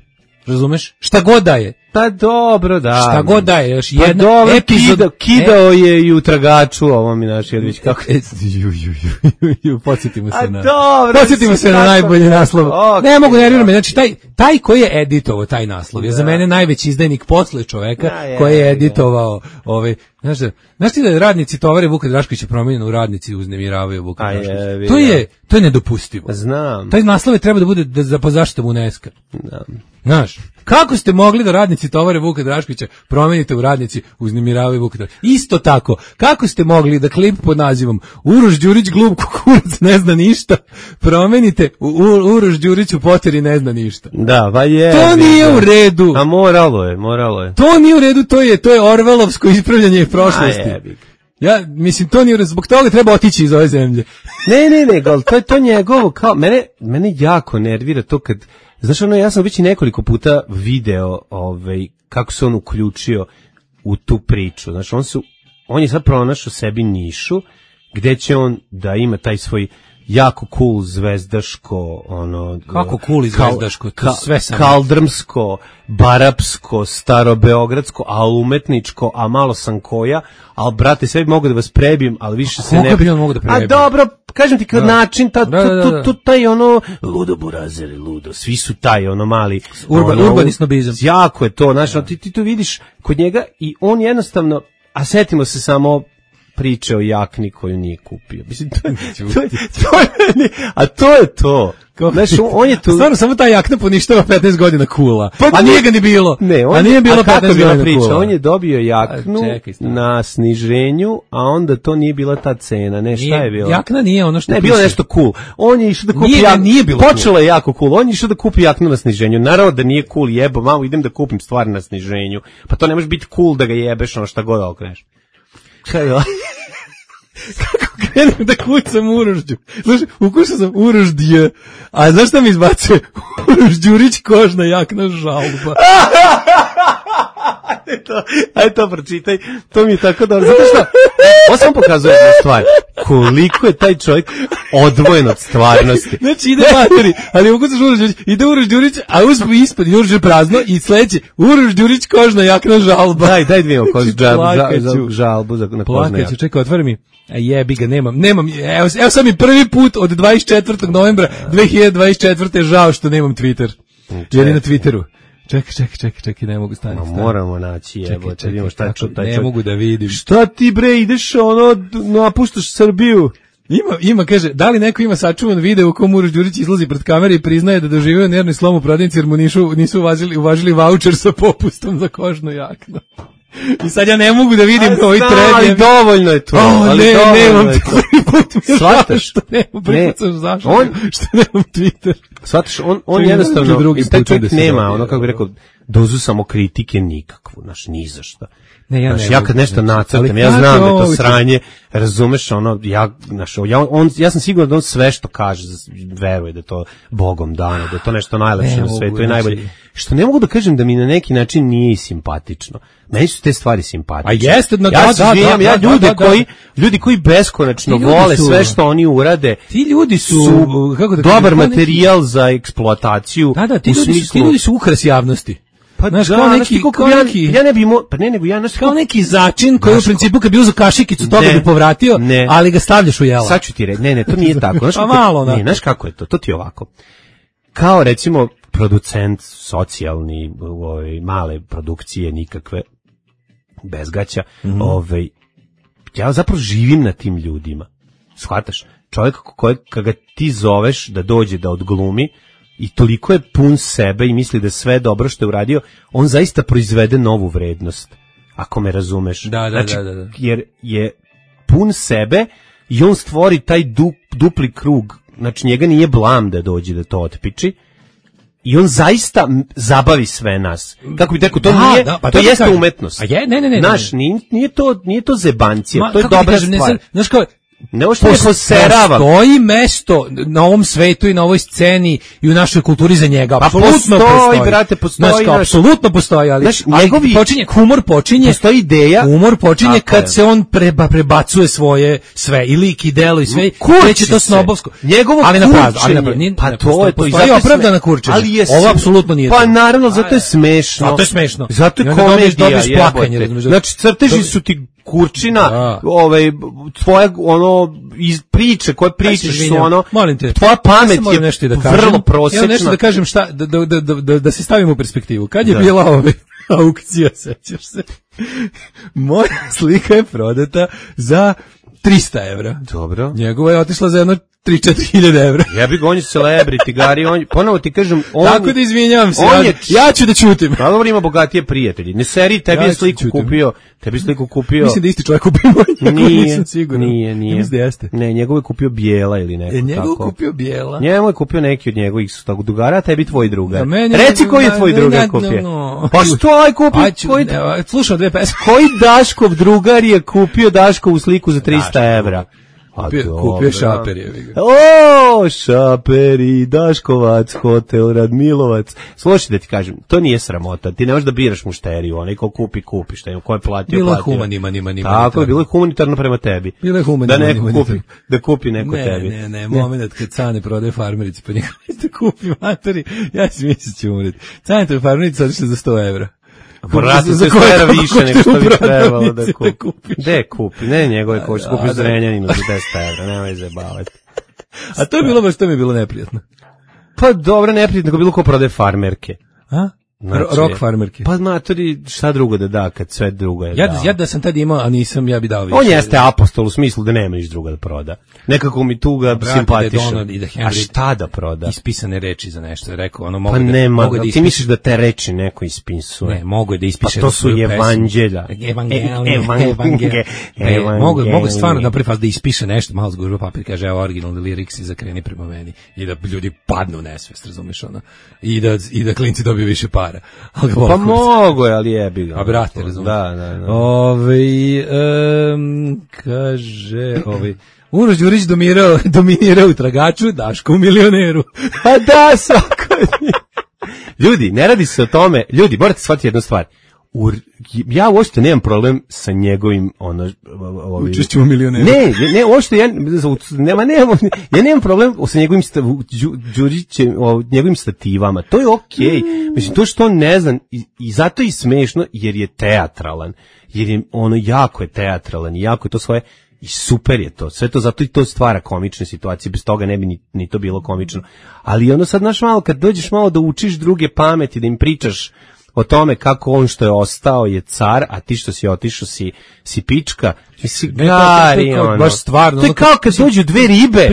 Razumeš? Šta god da je. Pa dobro, da. Šta god da je, još pa jedna dobro, epizod... Kida, kidao e... je i u tragaču, ovo mi naš Jedvić, kako... E, ju, ju, ju, ju, podsjetimo se A na... dobro, podsjetimo se na najbolji naslov. Okay, ne mogu nervirati me, znači taj, taj koji je editovao taj naslov je za mene najveći izdajnik posle čoveka da, je, koji je editovao ovaj... Znaš, da, znaš ti da radnici tovare Vuka Draškovića promijenjeno u radnici uznemiravaju Vuka Draškovića? To je, to je nedopustivo. Znam. Taj naslov je treba da bude da, za pozaštitom UNESCO. Da. Znaš, kako ste mogli da radnici tovare Vuka Draškovića promenite u radnici uznemiravaju Vuka Draškovića? Isto tako, kako ste mogli da klip pod nazivom Uroš Đurić glup kukurac ne zna ništa promenite u Uroš Đurić u poteri ne zna ništa? Da, pa je. To nije da. u redu. A moralo je, moralo je. To nije u redu, to je, to je Orvelovsko ispravljanje prošlosti. Ja, mislim, to nije, zbog toga treba otići iz ove zemlje. Ne, ne, ne, gal, to je to njegovo, kao, mene, mene jako nervira to kad, znaš, ono, ja sam već i nekoliko puta video, ovaj, kako se on uključio u tu priču, znaš, on su, on je sad pronašao sebi nišu, gde će on da ima taj svoj jako cool zvezdaško, ono... Kako cool i zvezdaško, to ka, sve sam... Kaldrmsko, barapsko, starobeogradsko, a umetničko, a malo sam koja, ali, brate, sve bi mogu da vas prebijem, ali više se ne... Kako bi on mogu da prebijem? A dobro, kažem ti, kad da. način, ta, da, da, da. Tu, tu, taj ono, ludo burazeri, ludo, svi su taj, ono mali... Urban, ono, urbani snobizam. Jako je to, znaš, ti, ti tu vidiš kod njega i on jednostavno, a setimo se samo... priče o jakni koju nije kupio. Mislim, to, to, to, to je, a to je to. Znaš, on je tu... Stvarno, samo ta jakna poništava petnaest godina kula. Pa, a nije ga ni bilo. Ne, on, a nije bilo petnaest godina priča? Kula. On je dobio jaknu a, čekaj, na sniženju, a onda to nije bila ta cena. Ne, šta nije, je bilo? Jakna nije ono što ne, bilo nešto cool. On je išao da kupi nije, jaknu. Nije bilo Počelo je jako cool. On je išao da kupi jaknu na sniženju. Naravno da nije cool, jebo, malo idem da kupim stvari na sniženju. Pa to ne može biti cool da ga jebeš, ono šta god okreneš. Šta je ovo? Kako krenem da kucam Urožđu? Znaš, ukušao sam Uroždje, a znaš šta mi izbacuje? Uroš Đurić kožna jakna žalba. Ajde to, ajde to pročitaj, to mi je tako dobro. Zato što, ovo sam pokazuje jednu stvar, koliko je taj čovjek odvojen od stvarnosti. Znači ide materi, ali ukucaš Uroš Đurić, ide Uroš Đurić, a uzme ispod Uroš je prazno i sledeće, Uroš Đurić kožna jakna žalba. Daj, daj dvijemo kožnu žalbu, žalbu za na kožna jakna. Čekaj, otvori mi. A jebi ga, nemam, nemam, evo, evo sam mi prvi put od dvadeset četvrtog novembra dve hiljade dvadeset četvrte žao što nemam Twitter. Jer je na Twitteru. Čekaj, čekaj, čekaj, čekaj, ne mogu stati. Ma moramo naći, jebo, čekaj, čekaj, šta ču, taj ne čovjek. Mogu da vidim. Šta ti bre, ideš ono, napuštaš Srbiju? Ima, ima, kaže, da li neko ima sačuvan video u kom Uroš Đurić izlazi pred kamere i priznaje da doživio nervni slom u prodavnici jer mu nisu, nisu uvažili, uvažili vaučer sa popustom za kožnu jaknu. I sad ja ne mogu da vidim koji trend. Ali dovoljno je to. Oh, ali ne, nemam Twitter. Svataš što nemam prikucaš zašto on, što nemam Twitter. Svataš, on, on jednostavno, taj čovjek nema, ono kako bi rekao, dozu samokritike nikakvu, znaš, ni za šta. Ne, ja, znaš, ne ja kad nešto nacrtam, ja znam da je to sranje, razumeš, ono, ja, znaš, ja, on, ja sam siguran da on sve što kaže, veruje da je to Bogom dano, da je to nešto najlepše ne, na svetu i najbolje. Što ne mogu da kažem da mi na neki način nije i simpatično. Meni su te stvari simpatične. A jeste, no, ja da, se da, živim, da, ja da, ljude da, da, koji, ljudi koji beskonačno vole su, sve što oni urade. Ti ljudi su, su kako da dobar kažem, materijal neki... za eksploataciju. Da, da, ti ljudi, smislu... su, ti ljudi su ukras javnosti. Pa znaš, da, kao neki, kao ja, neki, ja ne bi mo, pa ne nego ja znaš, kao neki začin koji u principu kad bi uzeo kašikicu toga ne, bi povratio, ne. Ali ga stavljaš u jela. Sad ću ti reći, ne, ne, to nije tako. Znaš, pa malo, ne, znaš kako je to? To ti je ovako. Kao recimo producent socijalni, ovaj, male produkcije nikakve, bez gaća, mm-hmm. ovaj, ja zapravo živim na tim ljudima. Shvataš? Čovjek kojeg kada ti zoveš da dođe da odglumi i toliko je pun sebe i misli da sve dobro što je uradio, on zaista proizvede novu vrednost. Ako me razumeš. Da, da, znači, da, da, da. Jer je pun sebe i on stvori taj du, dupli krug. Znači njega nije blam da dođe da to otpiči. I on zaista zabavi sve nas. Kako bi rekao, to da, nije, da, pa to, to jeste kažem. Umetnost. A je, ne, ne, ne. Naš, nije, nije to, nije to zebancija, Ma, to je dobra kažem, stvar. Ne, znaš kao, ne ovo što je poserava. Postoji mesto na ovom svetu i na ovoj sceni i u našoj kulturi za njega. Pa apsolutno postoji, postoji, brate, postoji. Znaš, kao, apsolutno postoji, ali, znaš, ali njegovi, počinje, humor počinje, postoji ideja, humor počinje tako kad je. se on preba, prebacuje svoje sve, i lik i delo i sve, kreće to snobovsko. Njegovo ali kurčenje, na ali na nije, pa to je to. Postoji opravdana kurčenje, ali je ovo apsolutno nije pa to. naravno, zato je smešno. Zato je smešno. Zato je komedija, jebote. Znači, crteži su ti kurčina, da. Ovaj tvoja ono iz priče koje pričaš su ono, molim te, tvoja pamet ja je nešto da kažem, vrlo prosječna. Ja nešto da kažem šta da da da da, da se stavimo u perspektivu. Kad je da. bila ovaj aukcija, sećaš se? Moja slika je prodata za trista evra. Dobro. Njegova je otišla za jedno tri do četiri hiljade evra. Ja bih on je celebrity, Gari, on, ponovo ti kažem, on... Tako da izvinjavam se, on ja, je, ja ću da ćutim. Pa dobro, ima bogatije prijatelji. Ne seri, tebi ja je sliku kupio, tebi je sliku kupio... Mislim da isti čovjek kupio moj, nije, nisam siguran. Nije, nije. Mislim da jeste. Ne, njegov je kupio Bijela ili neko e, njegov tako. kupio Bijela. Njemu je kupio neki od njegovih su tako dugara, a tebi tvoj drugar. Meni, reci koji je tvoj drugar kupio. No. Pa što aj kupio? Koji... Slušam dve pesme. Koji Daškov drugar je kupio Daškovu sliku za trista evra? Kupio, kupio Šaperi. O, Šaperi, Daškovac, hotel Radmilovac. Slušaj da ti kažem, to nije sramota. Ti ne možeš da biraš mušteriju, onaj ko kupi, kupi, šta je, ko je platio, bilo platio. Bilo je humanitarno, nima, tako je, bilo je humanitarno prema tebi. Bilo je humanitarno. Da neko kupi, da kupi neko ne, tebi. Ne, ne, ne, moment kad Cane prodaje farmerici, pa njega da kupi materi, ja si mislim ću umreti. Cane to je farmerici odlično za sto evra. Vrati se stara više nego što bi trebalo da kupi. Gde kupi? Ne njegove koši, kupi u Zrenjaninu za deset evra, nemoj zajebavati. A to je bilo baš, to mi je bilo neprijatno. Pa dobro, neprijatno, bilo ko prodaje farmerke. A? Znači, rock farmerke. Pa matori, šta drugo da da, kad sve drugo je ja, dao. Ja da sam tad imao, a nisam, ja bi dao više. On jeste apostol u smislu da nema niš druga da proda. Nekako mi tu ga simpatiša. A šta da proda? Ispisane reči za nešto, rekao, ono mogu pa da... nema, mogu da ti misliš da te reči neko ispisuje? Ne, mogu da ispiše. Pa to su evanđelja. Evangelije. Mogu, mogu stvarno da prvi da ispiše nešto, malo zgužba papir, kaže, evo originalni lyrics i zakreni prema meni. I da ljudi padnu u nesvest, razumeš ono. I da, i da klinci dobiju više para. Pa mogo je, ali jebi ga. A brate, razumiješ. Da, da, da. Ove, um, kaže, ove, Uroš Đurić dominirao, dominirao u tragaču, Daško u milioneru. A da, svako ljudi, ne radi se o tome, ljudi, morate shvatiti jednu stvar. U, ja uopšte nemam problem sa njegovim ono ovaj učešćem u milioneru. Ne, ne, uopšte ja nema nemam ja nemam problem sa njegovim Đurićem, njegovim stativama. To je okej. Okay. Mislim to što on ne znam i, i zato je i smešno jer je teatralan. Jer je ono jako je teatralan i jako je to svoje i super je to. Sve to zato i to stvara komične situacije. Bez toga ne bi ni, ni to bilo komično. Ali ono sad znaš malo kad dođeš malo da učiš druge pameti, da im pričaš o tome kako on što je ostao je car, a ti što si otišao si, si pička. Si gari, ono. Baš stvarno. To je kao kad dođu dve ribe,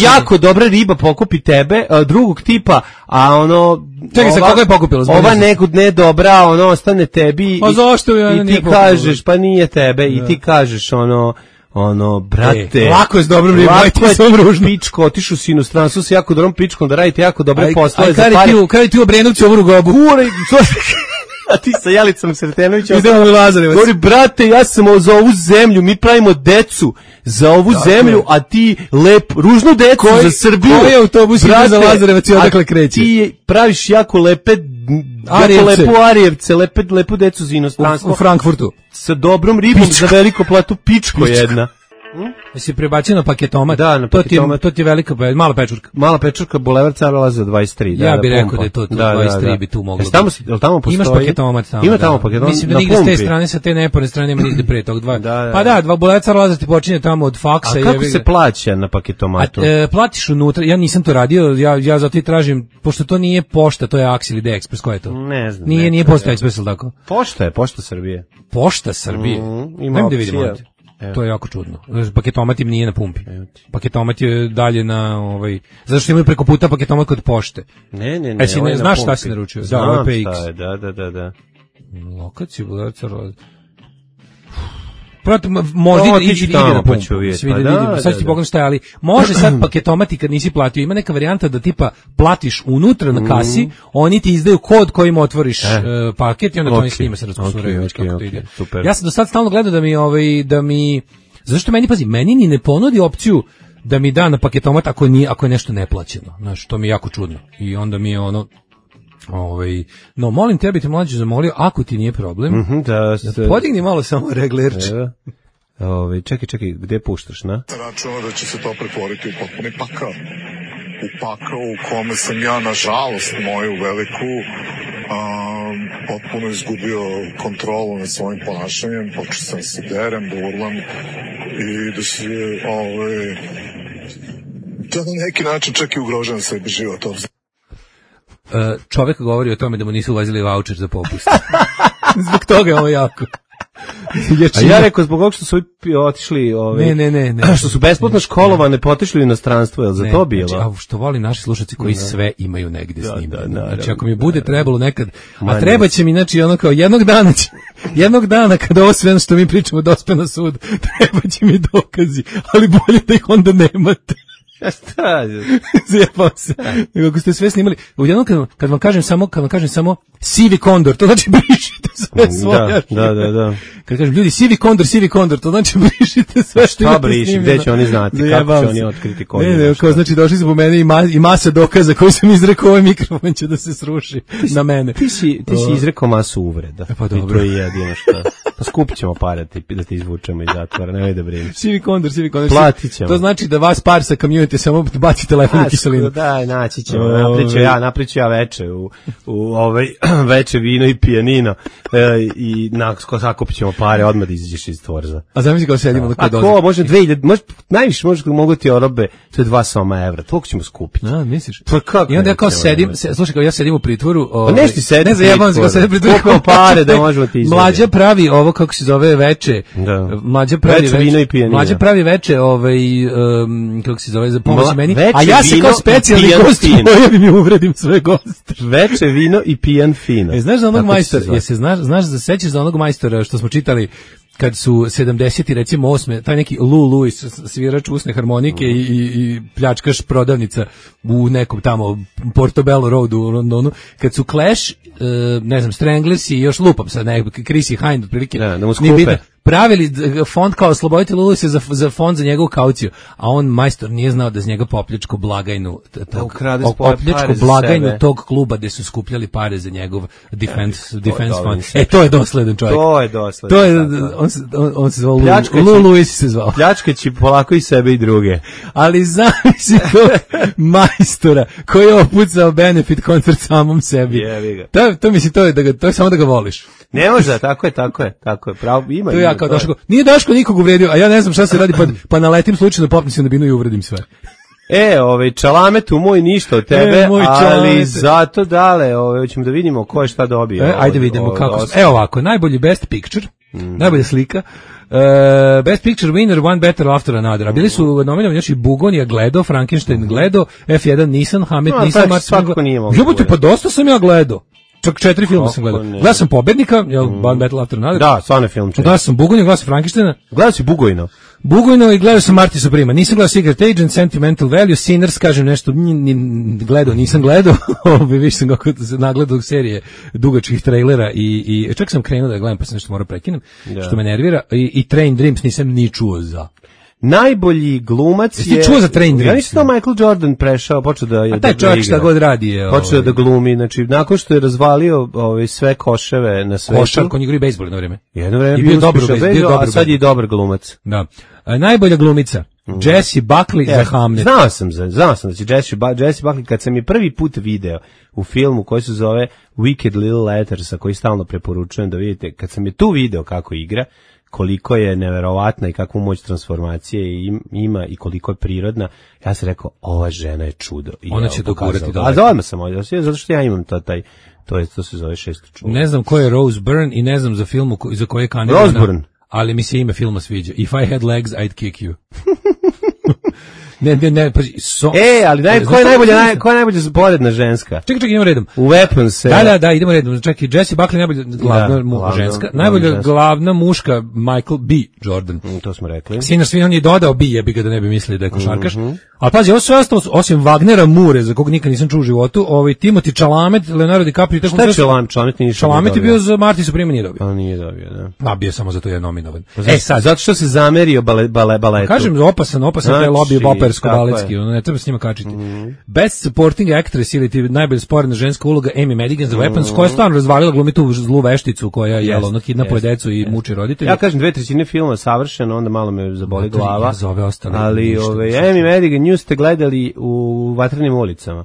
jako dobra riba pokupi tebe, a drugog tipa, a ono... Čekaj, sa koga je pokupila? Ova nekud ne dobra, ono, ostane tebi. A zašto je i ti kažeš, pa nije tebe, i ti kažeš, ono... ono, brate, e, lako je s dobrom ribom, aj ti sam ružno. Pičko, otišu si inostranstvu s jako dobrom pičkom da radite jako dobre poslove za pare. Aj, kada ti u Obrenovcu ovu gobu? Kure, a ti sa Jalicom Sretenovićem. Idemo u Lazarevac. Govori, brate, ja sam za ovu zemlju, mi pravimo decu za ovu dakle. zemlju, a ti lep, ružnu decu Koj, za Srbiju. Koji autobus ide za Lazarevac i odakle kreće? Ti praviš jako lepe, jako lepu Arijevce, lepe, lepu decu za inostranstvo. U, u Frankfurtu. Sa dobrom ribom pičko. Za veliko platu, pičko, pičko jedna. Jesi prebacio na paketomat? Da, na paketomat. To ti je, to ti je velika, mala pečurka. Mala pečurka, Bulevar Cara Laza dvadeset tri. Ja bih rekao da je to, to da, dvadeset tri da, da. Bi tu moglo. Jesi tamo, jel tamo postoji? Imaš paketomat tamo. Ima tamo paketomat. Mislim da nigde s te strane, sa te neporne strane nema nigde pre tog dva. Da, da, pa da, dva Bulevar Cara Laza ti počinje tamo od faksa. A kako je, se plaća na paketomatu? A, e, platiš unutra, ja nisam to radio, ja, ja zato i tražim, pošto to nije pošta, to je Ax ili D-Express, ko je to? Ne znam. Nije, nije Pošta Express, ili tako? Pošta je, Pošta Srbije. Pošta Srbije? Mm, ima opcija. Da vidimo. Evo. To je jako čudno. Paketomat im nije na pumpi. Paketomat je dalje na ovaj, zato što imaju preko puta paketomat kod pošte. Ne, ne, ne. E, si ne znaš šta si naručio? Znam da, P X. Je, da, da, da, da. Lokaciju, Bulevar Cara Laza. Proto, možda ide, ide, ide na pumpu. Pa da, da, sad ću ti pogledam šta je, ali može sad paketomati kad nisi platio. Ima neka varijanta da tipa platiš unutra na kasi, mm. oni ti izdaju kod kojim otvoriš eh. uh, paket i onda okay. to s njima se raskusuraju. Okay, okay, okay, okay. Ja sam do sad stalno gledao da mi, ovaj, da mi, zašto meni, pazi, meni ni ne ponudi opciju da mi da na paketomat ako, nije, ako je nešto neplaćeno. Znaš, to mi je jako čudno. I onda mi je ono, ovaj, no molim te, bi te mlađe zamolio, ako ti nije problem, mm -hmm, da, ste... da podigni malo samo reglerč. Ove, čekaj, čekaj, gde puštaš, na? Računam da će se to pretvoriti u potpuni pakao. U pakao u kome sam ja, nažalost, moju veliku, um, potpuno izgubio kontrolu nad svojim ponašanjem, počeo sam se derem, da urlam i da se, ovaj, da na neki način čak i ugrožavam sebi život. Uh, čovek govori o tome da mu nisu ulazili vaučer za popust. Zbog toga je ovo jako. A ja rekao zbog ovog što su otišli, ove, ne, ne, ne, ne, što su besplatno školovane, potišli u inostranstvo, je li za ne, to bilo? Znači, a što voli naši slušalci koji da. Sve imaju negde da, snimljeno. Da, da, znači, ako mi bude trebalo nekad, a treba će mi, znači, ono kao, jednog dana će, jednog dana kada ovo sve što mi pričamo dospe na sud, treba će mi dokazi, ali bolje da ih onda nemate. Ja šta? Zjebam se. Nego ako ste sve snimali, ujedno kad, kad vam kažem samo, kad vam kažem samo sivi kondor, to znači brišite sve svoje. Da, da, da, da. Kad kažem ljudi sivi kondor, sivi kondor, to znači brišite sve što imate snimljeno. Šta briši, gde će oni znati, kako će oni otkriti koji je. Ne, ne, kao znači došli su po mene i, ma, i masa dokaza koji sam izrekao, ovaj mikrofon će da se sruši ti, na mene. Ti si, ti si izrekao masu uvreda. E pa dobro. I to je jedino što. Pa skupit ćemo pare da te izvučemo iz zatvora, nemoj da brineš. Sivi kondor, sivi kondor. Platit ćemo. To znači da vas par sa community samo baci telefon u kiselinu. Daj, naći ćemo. Napriču ja, napriču ja veče u, u ovaj veče vino i pijanino e, i nakon sakupit ćemo pare, odmah da izađeš iz tvorza. A zamisli kao sedimo. A ko, može dve hiljade, može, najviše može mogu ti orobe, to je dva soma evra, toliko ćemo skupiti. A, misliš? Pa kako? I onda ja kao sedim, se, slušaj, kao ja sedim u pritvoru. Pa nešto ti sedim. Ne zajebam se, kao sedim u pritvoru. Koliko pare da možemo ti izvedi. Mlađa pravi ovo, kako se zove, veče. Da. Mlađa pravi veče. Vino i pijanina. Mlađa pravi veče, ovaj, um, kako se zove, za pomoć meni. A ja se vino, kao specijalni gost pojavim i uvredim sve goste. Veče vino i pijan fino. E, znaš za onog majstora, je se znaš, znaš da sećaš za onog majstora što smo čitali kad su sedamdeseti recimo osme taj neki Lou Lewis, svirač usne harmonike mm. i, i pljačkaš prodavnica u nekom tamo Portobello Road u Londonu, kad su Clash, uh, ne znam, Stranglers i još lupam sad, ne, Chrissy Hind otprilike, da, da mu skupe. Pravili fond kao oslobodite Lulusa za, za fond za njegovu kauciju, a on majstor nije znao da z njega popljačko blagajnu tog, popljačko blagajnu tog kluba gde su skupljali pare za njegov defense, ja, defense fund. E, to je dosledan čovjek. To je dosledan. To je, on, se, on, on se zvao Lou Lewis se zvao. Pljačkaći polako i sebe i druge. Ali zamisli tog majstora koji je opucao benefit koncert samom sebi. To, to misli, to je, da ga, to je samo da ga voliš. Ne može, tako je, tako je, tako je. Pravo, ima. To ja kao Daško. Nije Daško nikog uvredio, a ja ne znam šta se radi, pa, pa naletim slučajno, popnem se na binu i uvredim sve. E, ovaj čalametu moj ništa od tebe, e, ali čalamete. Zato dale, ovaj hoćemo da vidimo ko je šta dobio. E, ajde vidimo ovaj, kako. Ovaj, evo ovako, najbolji best picture, mm. najbolja slika. Uh, best picture winner, One Better After Another. A bili su nominovani znači Bugonija gledao, Frankenstein gledao, F jedan Nissan, Hamet no, Nissan, Martin. Jebote, pa dosta sam ja gledao. Čak četiri filma sam gledao. Gledao sam Pobednika, jel, mm. One Battle After Another. Da, stvarno film. Gledao sam Bugojno, gledao sam Frankensteina. Gledao si Bugojno? Bugojno i gledao sam Marty Suprema. Nisam gledao Secret Agent, Sentimental Value, Sinners, kažem nešto, gledao, nisam gledao. Više sam kako nagledao serije dugačkih trailera i, i čak sam krenuo da gledam, pa sam nešto morao prekinem, da. Što me nervira. I, i Train Dreams nisam ni čuo za. Najbolji glumac Jesi je... čuo za Train Dreams? Ja nisam to Michael Jordan prešao, počeo da... A taj da čovjek šta god radi je... Počeo da glumi, znači, nakon što je razvalio ove, sve koševe na svetu... Košar, ko njegori bejsbol jedno vreme. Jedno vreme I bio dobar uspješan bejsbol, bejsbol, bio dobar a sad je i dobar glumac. Da. A, najbolja glumica, mm. Jessie Buckley ja, za Hamlet. Znao sam, za, znao sam da će Jessie, ba, Jessie Buckley, kad sam je prvi put video u filmu koji se zove Wicked Little Letters, koji stalno preporučujem da vidite, kad sam je tu video kako igra, koliko je neverovatna i kakvu moć transformacije ima i koliko je prirodna, ja sam rekao, ova žena je čudo. I ona će dogurati daleko. A za odmah sam ovdje, zato što ja imam to, taj, to, je, to se zove šesto čudo. Ne znam ko je Rose Byrne i ne znam za filmu ko, za koje je kandidirana. Rose Byrne. Ali mi se ime filma sviđa. If I had legs, I'd kick you. Ne, ne, ne, pa so, e, ali naj, ko je najbolja, naj, ko je najbolja sporedna ženska? Čekaj, čekaj, idemo redom. U Weapons se... Da, da, da, idemo redom. Čekaj, Jessie Buckley najbolja glavna da, mu, ženska, glavno, najbolja ženska. Glavna muška Michael B. Jordan. Mm, to smo rekli. Sinar svi on je dodao B, jebi ga da ne bi mislili da je košarkaš. Mm -hmm. Ali pazi, ovo sve ostalo, osim Wagnera Mure, za kog nikad nisam čuo u životu, ovaj Timothy Chalamet, Leonardo DiCaprio... Šta je Chalamet? Chalamet nije Chalamet je bio za Marty Supreme, nije dobio. A nije dobio, da. A bio samo zato je nominovan. Pa e sad, zato što se zamerio bale, bale, baletu. Kažem, opasan, opasan znači, taj lobby opersko-baletski, ono ne treba s njima kačiti. Mm -hmm. Best Supporting Actress ili ti najbolja sporedna ženska uloga Amy Madigan za Weapons, mm -hmm. koja je stvarno razvalila glumi tu zlu vešticu koja je ono kidnapuje decu i muči roditelje. Ja kažem dve trećine filma savršeno, onda malo me zaboli glava. Ja za ove ostale. Ali ove Amy Madigan nju ste gledali u Vatrenim ulicama.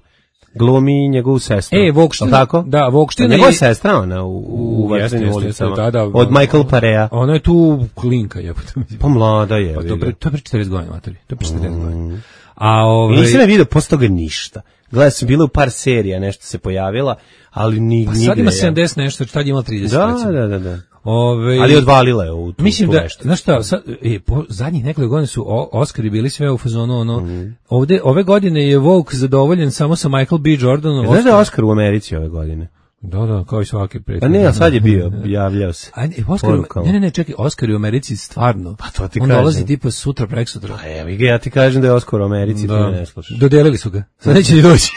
Glumi njegovu sestru. E, Vokština. Tako? Da, Vokština. Njegova je sestra ona u, u Vatrenim ulicama. Da, da, od Michael Parea. Ona je tu klinka, jebote. Pa mlada je. Pa to pre, to pre četrdeset godina, materi. To pre četrdeset godina. A ove... Nisam ne vidio posle toga ništa. Gledao sam, bila u par serija, nešto se pojavila, ali ni, pa sad ima sedamdeset nešto, tad je imala trideset. Da, recimo. da, da, da. Ove, ali odvalila je u tu, mislim tu da, nešto. znaš šta, sad, e, po zadnjih nekoliko godina su o, Oscari bili sve u fazonu, ono, mm. ovde, ove godine je Vogue zadovoljen samo sa Michael B. Jordanom. Znaš da je Oscar u Americi ove godine? Da, da, kao i svaki prethodni. Pa ne, a sad je bio, javljao se. A ne, Oscar, ne, ne, ne, čekaj, Oscar u Americi stvarno. Pa to ti on kažem. On dolazi tipa sutra, preksutra. Pa evo ga, ja ti kažem da je Oscar u Americi, da. ti ne slušaš. Dodelili su ga. Sad neće ni doći.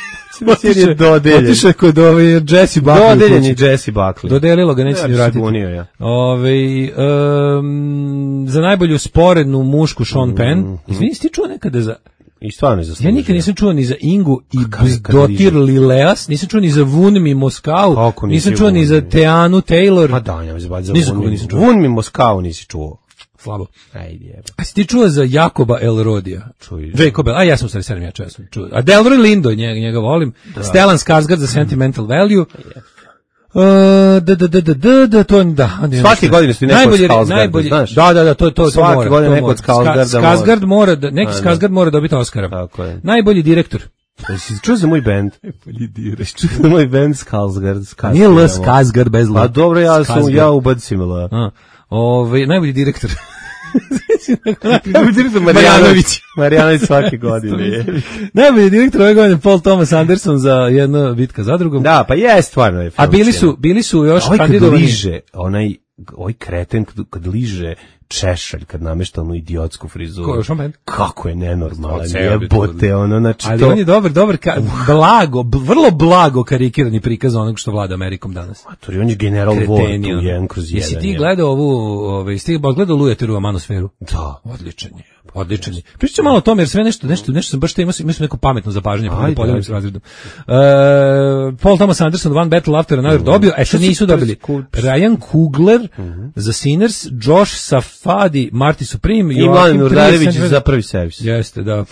Otišao je dodeljen. Otišao je kod ove Jessie Buckley. Dodeljen je Jessie Buckley. Dodelilo ga, neće ni vratiti. Bunio, ja. Ove, um, za najbolju sporednu mušku Sean Penn. Mm -hmm. Izvini, ti čuo nekada za... I stvarno je zaslužio. Ja nikad nisam čuo ni za Ingu i Dotir Lileas, nisam čuo ni za Vunmi Moskau, nisam čuo ni za Teanu Taylor. Pa da, ja za Vunmi Vunmi Moskau nisi čuo. Slabo. Ajde, jebe. A si ti čuo za Jakoba Elrodija? Čuj. Jacob, a ja sam stari sedam, ja često čuo. A Delroy Lindo, njega, njega volim. Da. Stellan Skarsgård za Sentimental Value. Uh, da, da, da, da, da, to, da. Svake godine su neko od Skarsgårda, znaš? Da, da, da, to, to, Svake to mora. godine neko od Skarsgårda mora. Skarsgård mora, da, neki Skarsgård mora dobiti Oscara. Tako je. Najbolji direktor. Jesi čuo za moj bend? Najbolji direktor. Čuo za moj bend Skarsgård. Nije L. Skarsgård bez L. Pa dobro, ja sam, ja ubacim L. Ove, najbolji direktor. Najbolji direktor Marjanović. Marjanović svake godine. Najbolji direktor ove godine Paul Thomas Anderson za jedno bitka zadrugom. Da, pa je stvarno je. A bili su, bili su još ovaj kandidovani. Kad liže, onaj, ovaj kreten kad, kad liže češalj, kad namešta onu idiotsku frizuru. Ko, Sean Penn? Kako je nenormalan, jebote, ono, znači ali to... Ali on je dobar, dobar, ka, blago, b, vrlo blago karikirani prikaz onog što vlada Amerikom danas. Matori, on je general War tu, jedan kroz jedan. Jesi ti gledao ovu, ove, jesi ti gledao Lujeteru Manosferu? Da. Odličan je. Odličan je. Pričam malo o tome jer sve nešto nešto nešto sam baš te imao sam neko pametno zapažanje pa da podelim s razredom. Uh, Paul Thomas Anderson One Battle After Another mm. dobio, e sad nisu dobili. Ryan Coogler mm -hmm. za Sinners, Josh Safdie, Marty Supreme i Mladen Urdarević za Prvi servis. Jeste, da,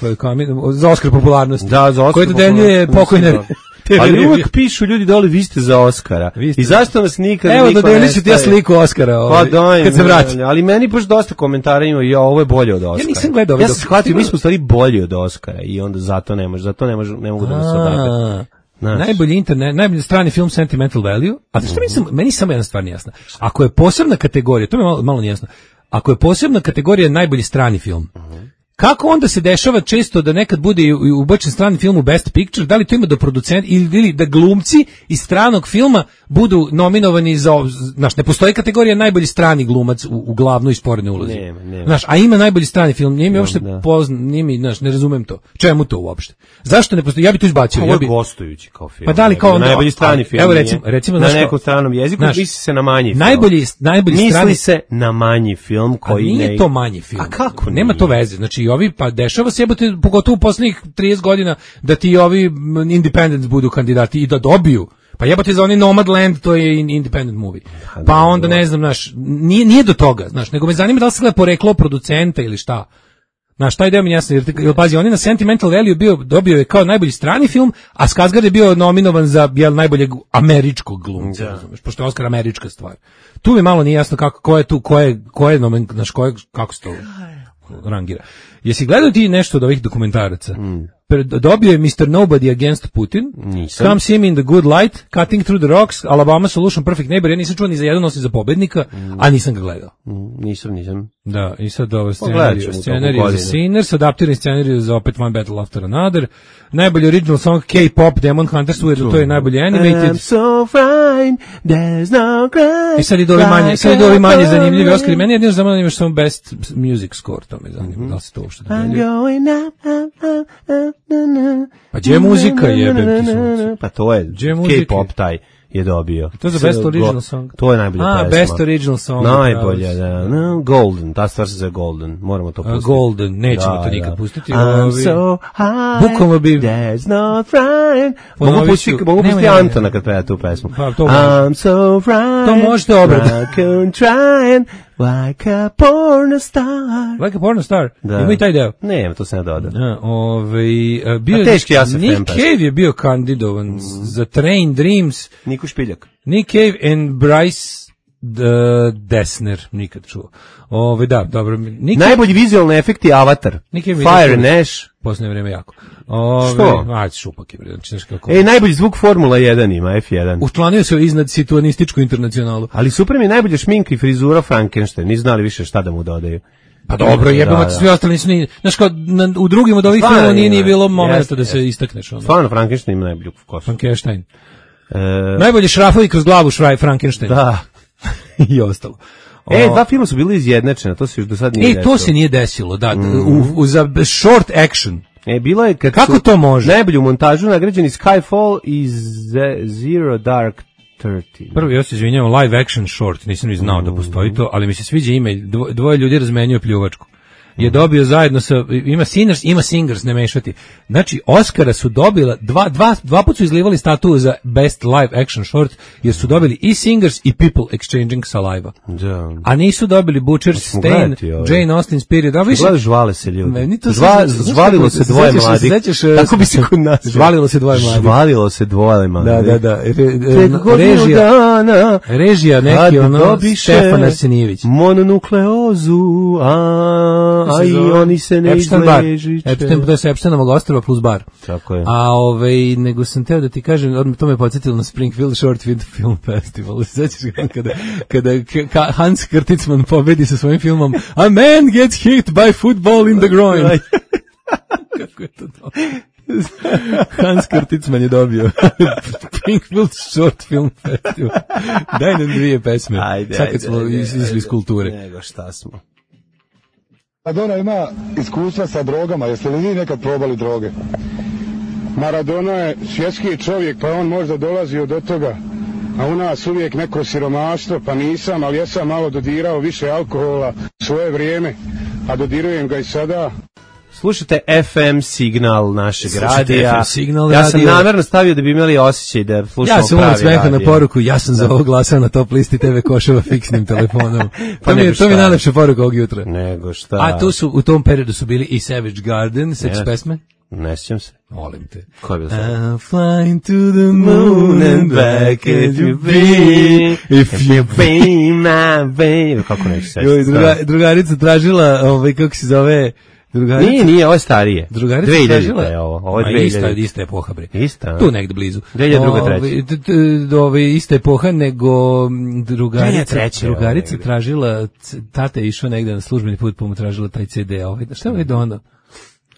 za Oskar popularnosti. Da, za Oskar. Koji dodeljuje pokojne. Ali uvijek pišu ljudi dole, vi ste za Oskara. Ste... I zašto vas nikad Evo, dodelit ću ti ja sliku Oskara ovaj, pa daj, kad se vrati. Ali meni baš dosta komentara ima, ja, ovo je bolje od Oskara. Ja nisam gledao. Ja sam shvatio, mi smo stvari bolji od Oskara i onda zato ne može, zato ne, može, ne mogu da mi se odabere. Najbolji internet, najbolji strani film Sentimental Value, a što mi sam, meni samo jedna stvar nijasna. Ako je posebna kategorija, to mi je malo, malo nijasno, ako je posebna kategorija najbolji strani film, kako onda se dešava često da nekad bude ubačen strani film u Best Picture, da li to ima do producenta ili, ili da glumci iz stranog filma budu nominovani za, znaš, ne postoji kategorija najbolji strani glumac u, u glavnoj i sporednoj ulozi. Nema, nema. Znaš, a ima najbolji strani film, nije mi uopšte pozna, nije mi, znaš, ne razumem to. Čemu to uopšte? Zašto ne postoji? Ja bi to izbacio. Ovo ja je bi gostujući kao film. Pa da li kao najbolji strani film. Evo recimo, recimo na nekom stranom jeziku, znaš, misli se na manji film. Najbolji, najbolji misli strani se na manji film koji nije ne... to manji film. A kako? Nema nije? To veze. Znači i ovi pa dešava se jebote pogotovo u poslednjih trideset godina da ti ovi independents budu kandidati i da dobiju. Pa jebote za oni Nomadland, to je independent movie. Pa onda ne znam, znaš, nije, nije do toga, znaš, nego me zanima da li se gleda poreklo producenta ili šta. Znaš, taj deo mi jasno, jer, jer pazi, on je na Sentimental Value bio, dobio je kao najbolji strani film, a Skarsgård je bio nominovan za jel, najboljeg američkog glumca, razumeš, pošto je Oscar američka stvar. Tu mi malo nije jasno kako, ko je tu, ko je, ko je, nomen, znaš, ko je, kako se to rangira. Jesi gledao ti nešto od ovih dokumentaraca? Mm. Dobio je mister Nobody Against Putin, nisam. Come See Me in the Good Light, Cutting Through the Rocks, Alabama Solution, Perfect Neighbor. Ja nisam čuo ni za jedan osim za pobednika, mm. a nisam ga gledao. Mm, nisam, nisam. Da, i sad ovo scenariju, scenariju za Sinners, adaptirani scenariju za opet One Battle After Another, najbolji original song K-pop, Demon Hunters, ujedno to je najbolji animated. I'm so fine, there's no cry. I sad idu ovi manje, sad idu ovi manje zanimljivi Oscari. Meni jedino za mene imaš samo Best Music Score, to me zanima, mm-hmm. da li se to uopšte događa. Pa gdje je muzika jebem ti sunce? Pa to je K-pop taj je dobio. To je za Best Original Song. To je najbolja pesma. A, Best Original Song. Najbolja, da. No, Golden, ta stvar se za Golden. Moramo to pustiti. Golden, nećemo da, to nikad da. pustiti. I'm so high, bukvalno bi... there's no friend. Mogu pustiti, mogu pustiti Antona kad peva tu pesmu. Pa, to I'm so fried, to možete obrati. I can try like a porn star. Like a porn star? Da. Ima i taj deo? Ne, to se ne doda. Ja, ovaj, bio a teški ja se Nick Cave je bio kandidovan mm. za Train Dreams. Niko Špiljak. Nick Cave and Bryce uh, Dessner, nikad čuo. Ove, da, dobro. Nick najbolji vizualni efekti Avatar. Fire and Ash. Posljednje vreme jako. Ove, što? Ajde, šupak je. Znači, kako... E, najbolji zvuk Formula jedan ima, F jedan. Učlanio se iznad situanističku internacionalu. Ali super mi je najbolja šminka i frizura Frankenstein. Nisu znali više šta da mu dodaju. Pa dobro, jebamo, da, da. Svi ostali nisu ni... Znaš, kao, na, u drugim od ovih filmova nije, nije bilo momenta da se jest. Istakneš. Ono. Stvarno, Frankenstein ima najbolju kosu. Frankenstein. E... Najbolji šrafovi kroz glavu šraj Frankenstein. Da. I ostalo. E, dva filma su bili izjednačena, to se još do sad nije e, desilo. E, to se nije desilo, da. Mm. U, u, za short action. E, bilo je kad kako to može? Najbolju montažu nagrađeni Skyfall i Zero Dark Thirty. Prvo, ja se izvinjavam, live action short, nisam ni znao mm. da postoji to, ali mi se sviđa ime, dvo, dvoje ljudi razmenjuju pljuvačku. Je dobio zajedno sa, ima Sinners, ima Singers, ne mešati. Znači, Oscara su dobila, dva, dva, dva put su izlivali statu za Best Live Action Short, jer su dobili i Singers i People Exchanging Saliva. Da. A nisu dobili Butcher's Stain, Jane Austen's Period. A više, gledaj, žvale se ljudi. Meni to Žva, se, žvalilo se dvoje mladih. Tako bi se kod nas. Žvalilo se dvoje mladih. Žvalilo se dvoje mladih. Da, da, da. Re, re, režija, režija neki, ono, Stefan Arsenijević. Mononukleozu, a, a i oni se ne izležiće. Epstein, to je sa Epsteinovog ostrava plus bar. Tako je. A ovaj, nego sam teo da ti kažem, to me podsjetilo na Springfield Short Film Festival. Sećaš ga kada, kada Hans Kurtzman pobedi sa svojim filmom A Man Gets Hit by Football in the Groin. Kako je to to? Hans Kurtzman je dobio Springfield Short Film Festival. Daj nam dvije pesme. Ajde, sad kad smo izli iz kulture. Nego šta smo. Maradona ima iskustva sa drogama, jeste li vi nekad probali droge? Maradona je svjetski čovjek, pa on možda dolazio do toga, a u nas uvijek neko siromaštvo, pa nisam, ali ja sam malo dodirao više alkohola svoje vrijeme, a dodirujem ga i sada. Slušajte F M signal našeg radija. F M signal ja radio. sam namjerno stavio da bi imali osjećaj da slušamo ja pravi radio. Ja sam smeha na poruku, ja sam za ovo glasao na top listi te ve Koševa fiksnim telefonom. Pa to mi je, to mi je najlepša poruka ovog jutra. Nego šta. A tu su, u tom periodu su bili i Savage Garden, seks yes. pesme. Ne sjećam se. Volim te. Ko je bilo sad? I'm flying to the moon and back if you be, if you be my baby. Kako neću sećati? Druga, drugarica tražila, ovaj, kako se zove, Drugarica, nije, nije, ovo je starije. Drugarica dve hiljadite tražila, je ovo, ovo je ma dve ista, hiljadite. ista epoha, bre. Ista, tu negde blizu. dve hiljade druga, treća. Ove, ista epoha, nego drugarica, treća, drugarica tražila, tata je išao negde na službeni put, pa mu tražila taj ce de. Ovaj, šta je dono?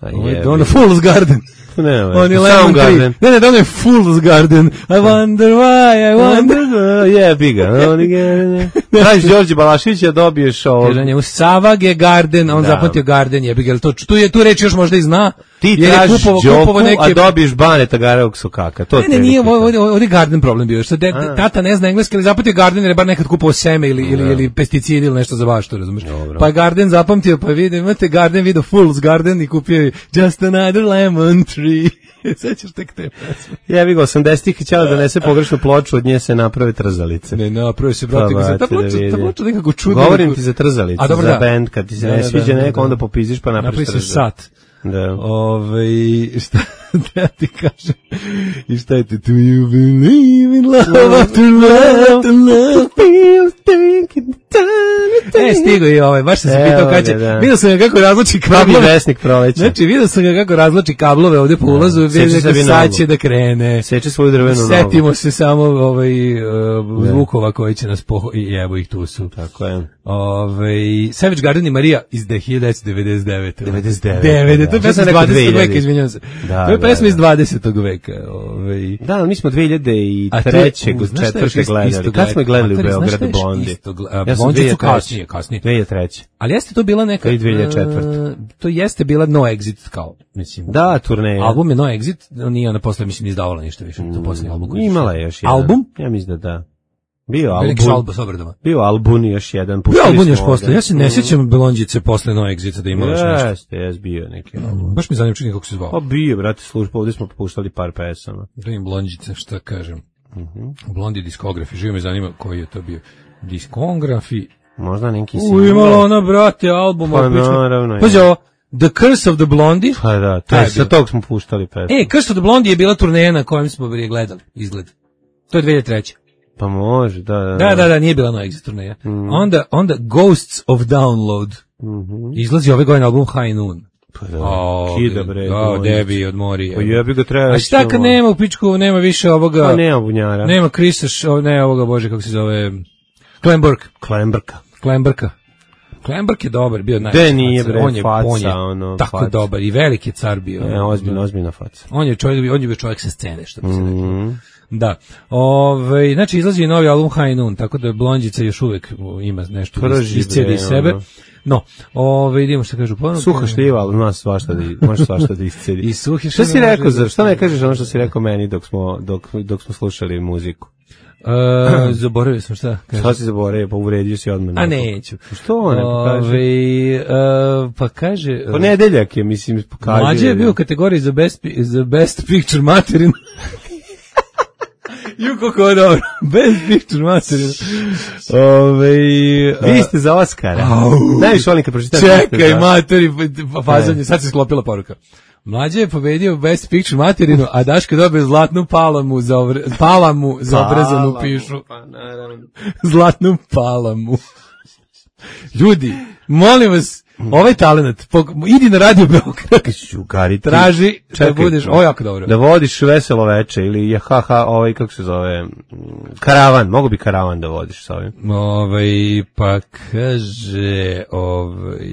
Ovo je dono Fool's Garden. Ne, on je Lemon Tree. Ne, ne, dono je Fool's Garden. I wonder why, I wonder... Jebi ga. Znaš, Đorđe Balaševića dobiješ ovo... Kaže njemu Savage Garden, on zapamtio Garden, jebi ga. Tu, je, tu reč još možda i zna. Ti tražiš Đoku, neke... a dobiješ Baneta Garevog Sokaka. To ne, ne, nije, ovdje je Garden problem bio. Što de, tata ne zna engleski, ali zapamtio Garden jer je bar nekad kupovao seme ili, ili, ili pesticidi ili nešto za baštu, razumiješ. Pa je Garden zapamtio, pa vidio, imate Garden, vidio Fool's Garden i kupio Just another lemon tree. Sećaš tek te pesme. Jebi ga, osamdesetih htjela da nese pogrešnu ploču, od nje se naprave trzalice. Ne, napravi se, brate, pa, ta ploča, ta ploča nekako čudno. Govorim ti za trzalice, a, dobro, za da. Band, kad ti se da, ne sviđa da, da, neko, da. Onda popiziš pa napraviš trzalice. Napravi se sat. Da. Ove, šta da ti kažem? I šta je ti? Do you believe in love after love, after love, feel thinking time. E, stigo i ovaj, baš sam se pitao kada će. Vidio sam ga kako razloči kablove. Vesnik proleća. Znači, vidio sam ga kako razloči kablove ovdje po ulazu, vidio kako sad će da krene. Seče svoju drvenu nogu. Setimo se samo ovaj, uh, zvukova koji će nas poho... I evo ih tu su. Tako je. Ove, Savage Garden i Marija iz hiljadu devetsto devedeset devete. devedeset devete. devedeset, to je pesma iz dvadesetog veka, izvinjam se. Da, to je pesma da, iz dvadesetog veka. Ove. Da, mi smo dve hiljade treće četvrte gledali. Kad smo gledali u Beogradu Blondi? Blondi su kasnije, kasnije. dve hiljade treće. Ali jeste to bila neka... dve hiljade četvrte. To jeste bila No Exit, kao, mislim. Da, turneja. Album je No Exit, nije ona posle, mislim, izdavala ništa više. To posljednji album. Imala je još jedan. Album? Ja mislim da da. Bio album, bio album još jedan. Bio album još posle, ja se ne sjećam Belonđice posle No Exita da imala još nešto. Jeste, jes bio neki album. Baš mi zanima čini kako se zvao. Pa bio, brate, služba, ovdje smo popuštali par pesama. Da im Blonđice, šta kažem. Blondi diskografi, živo me zanima koji je to bio. Diskografi. Možda neki si. U, imala ona, brate, album. Pa naravno. Pazi ovo, The Curse of the Blondie. Pa da, to je, sa tog smo puštali pesmu. E, Curse of the Blondie je bila turneja na kojem smo prije gledali, izgled. To je dve hiljade treće. Pa može, da, da. Da, da, da, nije bila No Exit turneja. Mm. Onda, onda Ghosts of Download. Mm-hmm. Izlazi ove godine album High Noon. Pa da, oh, kida bre. Da, debi od Morije. Pa jebi ga treba. A šta kad nema u pičku, nema više ovoga... Pa nema bunjara. Nema Krisa, ne ovoga, bože, kako se zove... Klemburg. Klembrka. Klembrka. Klembrk je dobar, bio najbolji. De nije bre, on je, faca, on je ono, tako faca. Dobar i veliki car bio. Ne, ozbiljno, ozbiljna faca. On je čovjek, on je bio čovjek sa scene, što bi se reklo. Mm. Da. Ove, znači izlazi i novi album High Noon, tako da Blondjica još uvek ima nešto iscijedi iz sebe. Ono. No, ove, idemo što kažu ponovno. Suha šljiva, ali ima svašta da, može svašta da iscijedi. I suhi šta si rekao, za, šta ne kažeš ono što si rekao meni dok smo, dok, dok smo slušali muziku? Uh, zaboravio sam šta kažem. Šta si zaboravio, pa uvredio si odmah. A neću. Što ne pokaže? Uh, pa kaže... Uh, Ponedeljak je, mislim, pokaže. Mlađe je bio u kategoriji za best, za best picture material. Ju kako je dobro. Best picture material. Ove, uh, Vi ste za Oscara. Najviše volim kad pročitam. Čekaj, materi, fazanje, sad se sklopila poruka. Mlađe je pobedio Best Picture materinu, a Daško dobio zlatnu palamu za, ovre, palamu za obrezanu pišu. Pa, naravno. Zlatnu palamu. Ljudi, molim vas, ovaj talent, idi na Radio Beograd, traži da budeš, ovo jako dobro. Da vodiš veselo veče ili je ha ha, ovaj, kako se zove, karavan, mogu bi karavan da vodiš sa ovim. Ovaj, pa kaže, ovaj,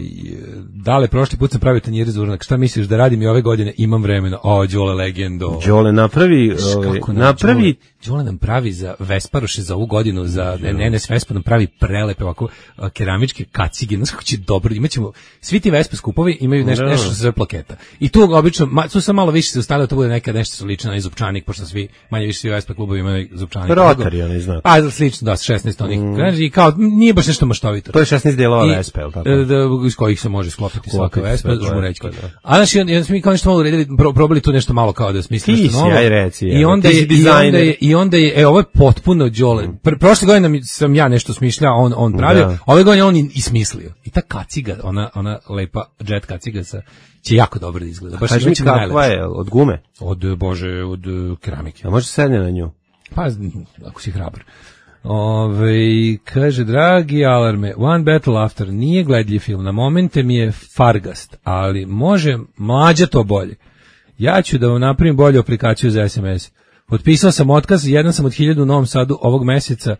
dale, prošli put sam pravio tanjire za uranak, šta misliš da radim i ove godine, imam vremena, o, Đole legendo. Đole napravi, ovaj, napravi, Đole nam pravi za Vesparoše za ovu godinu, za N N S Vespa nam pravi prelepe ovako keramičke kacige, znaš kako će dobro, imaćemo, svi ti Vespa skupovi imaju nešto, nešto sa sve plaketa. I tu obično, ma, tu sam malo više se ostavljao, to bude neka nešto slično na zupčanik, pošto svi, manje više svi Vespa klubovi imaju zupčanik. Rotary, oni znaju. Pa, slično, da, šesnaest onih, mm. i kao, nije baš nešto maštovito. To je šesnaest delova Vespa, je li tako? Da, iz kojih se može sklopiti svaka Vespa, žmurećka. A znaš, onda smo mi kao nešto malo uredili, probali tu nešto malo kao da smisli nešto novo. Aj reci, I onda je, i onda je, i onda je, e, ovo je potpuno Đole. Pr prošle godine sam ja nešto smišljao, on on pravio, da. Ove godine on i smislio. I ta kaciga, ona ona lepa jet kaciga sa će jako dobro da izgleda. Baš mi kakva je, od gume? Od bože, od keramike. A može sedne na nju? Pa ako si hrabar. Ove, kaže, dragi alarme, One Battle After nije gledljiv film, na momente mi je fargast, ali može mlađa to bolje. Ja ću da vam napravim bolju aplikaciju za es em es. Potpisao sam otkaz, jedan sam od hiljadu u Novom Sadu ovog meseca,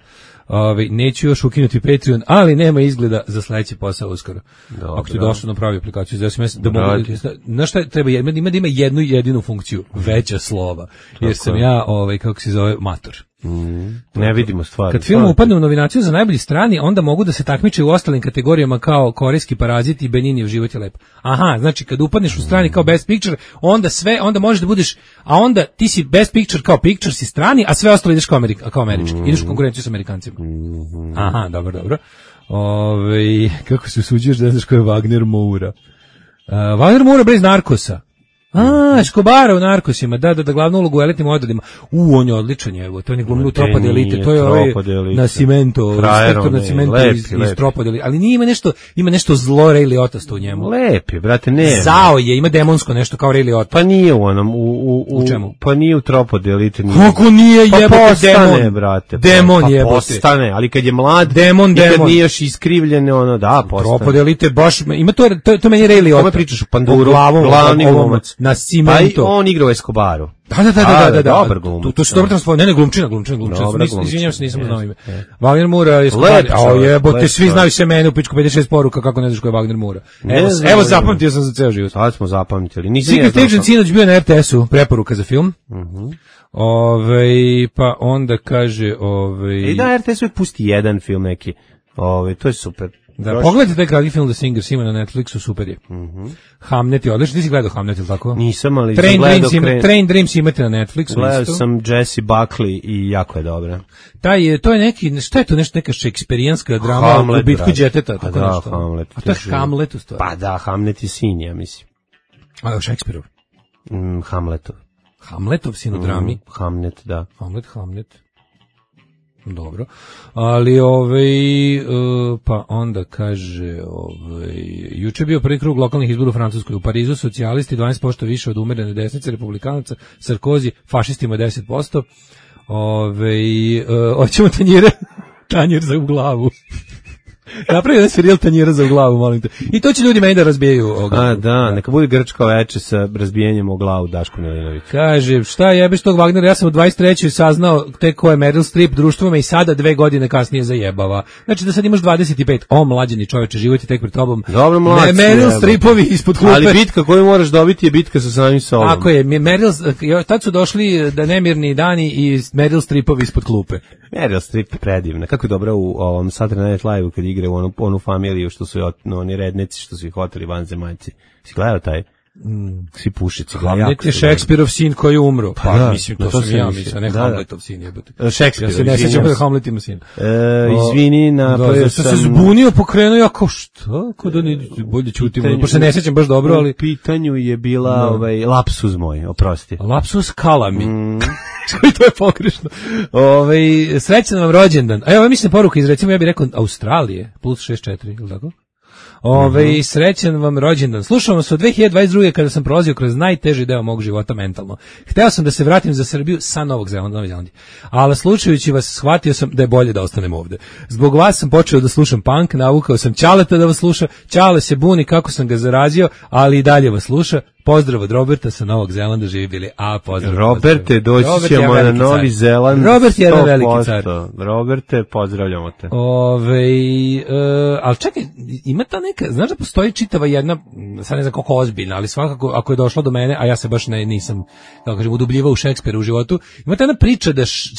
ove, neću još ukinuti Patreon, ali nema izgleda za sledeći posao uskoro. Dobro. Ako ti došlo na pravi aplikaciju za es em es, da mogu, znaš šta treba, ima, ima da ima jednu jedinu funkciju, veća slova, jer sam ja, ovaj, kako se zove, mator. Mm, ne vidimo stvari. Kad film upadne u nominaciju za najbolji strani, onda mogu da se takmiče u ostalim kategorijama kao Korejski parazit i Beninijev život je lep. Aha, znači kad upadneš u strani kao Best Picture, onda sve, onda možeš da budeš, a onda ti si Best Picture kao Picture si strani, a sve ostalo ideš kao, Amerika, kao američki. Mm. Ideš u konkurenciju s Amerikancima. Mm. Aha, dobro, dobro. Ove, kako se usuđuješ da znaš ko je Wagner Moura? Uh, Wagner Moura bez Narkosa. A, Escobara u Narkosima, da, da, da, glavnu ulogu u elitnim odredima. U, on je odličan, evo, to je ne glumio u Tropade elite, to je ovaj Nascimento, inspektor Nascimento iz, iz Tropade elite, ali nije ima nešto, ima nešto zlo Ray Liotta u njemu. Lep je, brate, ne. Zao je, ima demonsko nešto kao Ray Liotta. Pa nije u onom, u, u, u, u čemu? Pa nije u Tropade elite. Nije. Kako nije, pa jebote, postane, demon. Brate. Demon pa, jebote. Pa postane, ali kad je mlad, demon, i demon. kad nije još iskrivljene, ono, da, postane. Tropade elite, baš, ima to, to, to meni Ray Liotta. Kome pričaš u Panduru, glavni glumac. Nascimento. On igra u Escobaru. Da, da, da, da, da, da. Dobar glumac. To, to su dobro transformacije. Ne, ne, glumčina, glumčina, glumčina. Izvinjavam se, nisam znao ime. Wagner Moura je Escobar. A jebote, svi znaju sve mene u pičku pedeset šest poruka kako ne znaš ko je Wagner Moura. Evo, evo zapamtio sam za ceo život. Sad smo zapamtili. Secret Agent sinoć bio na er te esu, preporuka za film. Mhm. Ove, pa onda kaže, ove... I da, er te es uvijek pusti jedan film neki. Ove, to je super. Da, pogledajte taj kratki film The Singers, ima na Netflixu, super je. Mm-hmm. Hamnet je odličan, ti si gledao Hamnet, ili tako? Nisam, ali Train sam gledao... Dreams, ima, Train Dreams imate na Netflixu. Gledao isto. sam Jesse Buckley i jako je dobra. Taj je, to je neki, šta je to nešto, neka šekspirijanska drama Hamlet, u bitku džeteta, tako da, nešto. Hamlet. A to je Hamlet u stvari. Pa da, Hamlet je sin, ja mislim. A, Šekspirov? Mm, Hamletov. Hamletov sin u drami? Mm, Hamlet, da. Hamlet, Hamlet. Dobro, ali ovaj, uh, pa onda kaže, ovaj, juče je bio prvi krug lokalnih izbora u Francuskoj, u Parizu socijalisti dvanaest posto više od umerene desnice, republikanaca, Sarkozy, fašistima deset posto, ovaj, uh, hoćemo tanjire, tanjir za u glavu. Napravi jedan serijal tanjira za u glavu, molim te. I to će ljudi meni da razbijaju. Oga. A, da, neka bude grčko veče sa razbijenjem u glavu Daško Milinović. Kaže, šta jebeš tog Wagnera, ja sam u dvadeset trećoj saznao tek ko je Meryl Streep, društvo me i sada dve godine kasnije zajebava. Znači da sad imaš dvadeset pet, o mlađeni čoveče, život je tek pred tobom. Dobro, mlađi. Me, Meryl Streepovi ispod klupe. Ali bitka koju moraš dobiti je bitka sa samim sobom. Ako je, Meryl, tad su došli da nemirni dani i Meryl Streepovi ispod klupe. Meryl Streep je predivna, kako je dobra u ovom Saturday Night Live-u kad igra u onu, onu familiju što su no, oni rednici što su ih hoteli vanzemaljci. Si gledao taj? Mm. Svi pušici. Hamlet je Šekspirov sin koji je umro. Pa, pa da, mislim, to, to sam ja mislim, ne da, Hamletov sin jebote. Šekspirov. Ja se ne sjećam da Hamlet ima sin. E, izvini, na da, da, sam se zbunio, pokrenuo ja kao što? Kako da ne bolje ćutim. Pa se ne sjećam baš dobro, ali u pitanju je bila no. ovaj lapsus moj, oprosti. Lapsus kalami. Mm. To je pogrešno. Ovaj srećan vam rođendan. A evo mislim poruka iz recimo ja bih rekao Australije plus šezdeset četiri, ili tako? Ove, mm-hmm. srećan vam rođendan. Slušao vas od dve hiljade dvadeset druge kada sam prolazio kroz najteži deo mog života mentalno. Hteo sam da se vratim za Srbiju sa Novog Zelanda, Novi Zeland. Ali slušajući vas shvatio sam da je bolje da ostanem ovde. Zbog vas sam počeo da slušam punk, navukao sam Ćaleta da vas sluša. Ćale se buni kako sam ga zarazio, ali i dalje vas sluša. Pozdrav od Roberta sa Novog Zelanda, živi bili. A, pozdrav. Roberte, doći Robert ćemo na Novi car. Zeland. Robert je jedan veliki car. Roberte, pozdravljamo te. Ove, uh, ali čekaj, ima ta neka, znaš da postoji čitava jedna, sad ne znam koliko ozbiljna, ali svakako ako je došlo do mene, a ja se baš ne, nisam, kako kažem, udubljivao u Šekspira u životu, ima ta jedna priča da, š,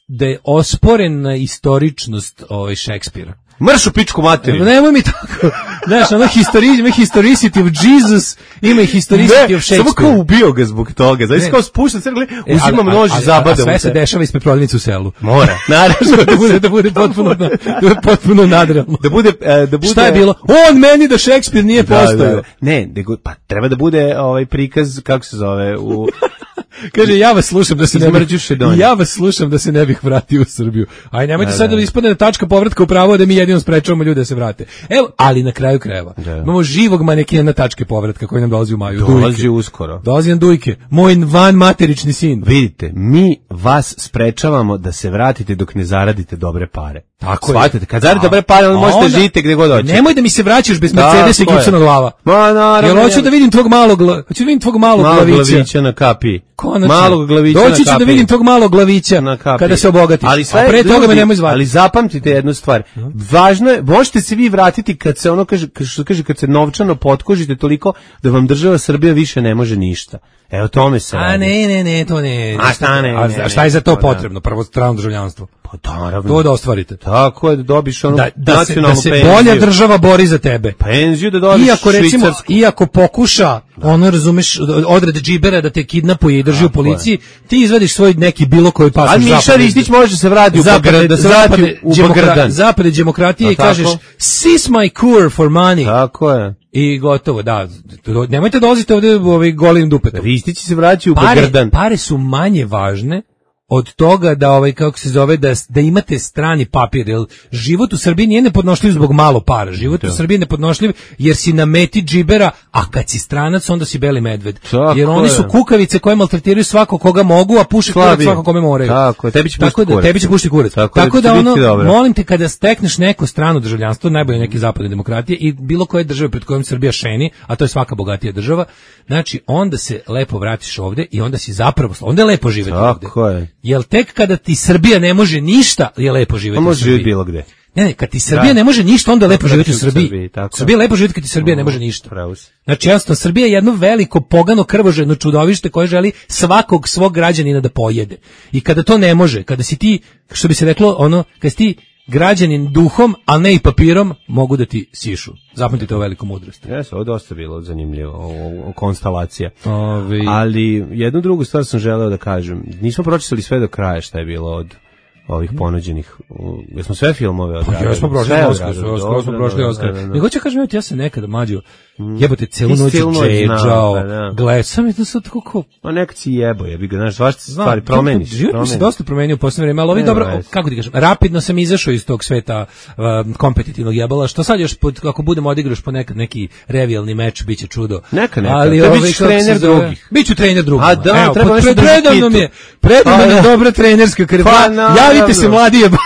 da je osporena istoričnost ovaj, Šekspira. Mrš u pičku materiju. Nemoj mi tako. Znaš, ono historicity, ima historicity of Jesus, ima i historicity of Shakespeare. Samo kao ubio ga zbog toga. Znači kao spušta crkli, uzima nož i zabada. A sve se dešava ispred prodavnice u selu. Mora. Naravno da bude da bude potpuno da bude potpuno nadrealno. Da bude da bude Šta je bilo? On meni da Shakespeare nije postojao. Ne, nego pa treba da bude ovaj prikaz kako se zove u Kaže, ja vas slušam da se ne bih, Šedonja. ja vas slušam da se ne bih vratio u Srbiju. Aj, nemojte sad da ispadne tačka povratka u pravo da mi jedino sprečavamo ljude da se vrate. Evo, ali na kraju krajeva. Da. Imamo živog manekina na tačke povratka koji nam dolazi u maju. Dolazi Dujke. uskoro. Dolazi nam Dujke. Moj van materični sin. Vidite, mi vas sprečavamo da se vratite dok ne zaradite dobre pare. Tako shvatite, kad zaradite dobre pare, onda možete onda, živite gde god hoćete. Nemoj da mi se vraćaš bez Mercedesa i gipsana glava. Ma naravno. Jel hoću da vidim tvog malog, hoću da vidim tvog malog Malo glavića. glavića na kapi. Konačno. Malog glavića na kapi. Doći ću da vidim tvog malog glavića na kapi. Kada se obogatiš. Ali sve a pre drugi, toga me nemoj zvati. Ali zapamtite jednu stvar. Važno je, možete se vi vratiti kad se ono kaže, što kaže, kad se novčano potkožite toliko da vam država Srbija više ne može ništa. Evo tome se A radi. ne, ne, ne, to ne. A šta ne, a, ne, a šta je za to ne, potrebno? Prvo strano državljanstvo. Pa naravno. To da ostvarite. Tako je, da dobiš onu da, da nacionalnu se, da se penziju. bolja država bori za tebe. Penziju da dobiš iako, recimo, švicarsku. iako pokuša, ono, razumeš, odred džibera da te kidnapuje i drži u policiji, ti izvadiš svoj neki bilo koji pasoš. A Miša Ristić može se vrati u Beograd, da se vrati u Beograd. Zapade demokratije i kažeš, seize my cure for money. Tako je. I gotovo, da. Nemojte dolaziti ovdje ovaj golim dupetom. Ristić se vraća u pare, Beograd. Pare su manje važne od toga da ovaj kako se zove da da imate strani papir, jer život u Srbiji nije nepodnošljiv zbog malo para. Život u Srbiji je nepodnošljiv jer si na meti džibera, a kad si stranac onda si beli medved. Tako jer oni je. su kukavice koje maltretiraju svako koga mogu, a puše kurac svako kome moraju. Tako je, tebi će pušiti kurac. Tebi će pušiti kurac. Tako, Tako da, da ono, dobro. molim te kada stekneš neko strano državljanstvo, najbolje neke zapadne demokratije i bilo koje države pred kojom Srbija šeni, a to je svaka bogatija država, znači onda se lepo vratiš ovde i onda si zapravo, onda je lepo živeti ovde. Tako je. Jel tek kada ti Srbija ne može ništa, je lepo živjeti u Srbiji. Bilo gde. Ne, ne, kad ti Srbija da. ne može ništa, onda je lepo živjeti u Srbiji. Srbiji Srbija je lepo živjeti kad ti Srbija ne može ništa. Pravo. Znači, jasno, Srbija je jedno veliko, pogano, krvožedno čudovište koje želi svakog svog građanina da pojede. I kada to ne može, kada si ti, što bi se reklo, ono, kada si ti građanin duhom, a ne i papirom, mogu da ti sišu. Zapamtite ovo veliku mudrost. Jes, ovo je dosta bilo zanimljivo, o, o konstalacija. Ovi... Ali jednu drugu stvar sam želeo da kažem. Nismo pročitali sve do kraja šta je bilo od ovih ponuđenih. Jesmo sve filmove odradili? Pa, ja smo prošli Oskar, sve smo prošli Oskar. Ne hoće kažem, ja se nekada mlađo jebote celu noć džedžao, gledaj, sam je to sad tako ko... Ma nekad si jebo, jebi ga, znaš, svašta se stvari promeniš. Život mi se dosta promenio u posljednje vreme, ali ovi dobro, kako ti kažem, rapidno sam izašao iz tog sveta kompetitivnog jebala, što sad još, ako budemo odigraš po nekad neki revijalni meč, bit će čudo. Neka, neka, ali te bićeš trener drugih. Biću trener drugih. A da, treba nešto da predavno mi je, predavno je dobra trenerska krv. Javite se mladi jebati.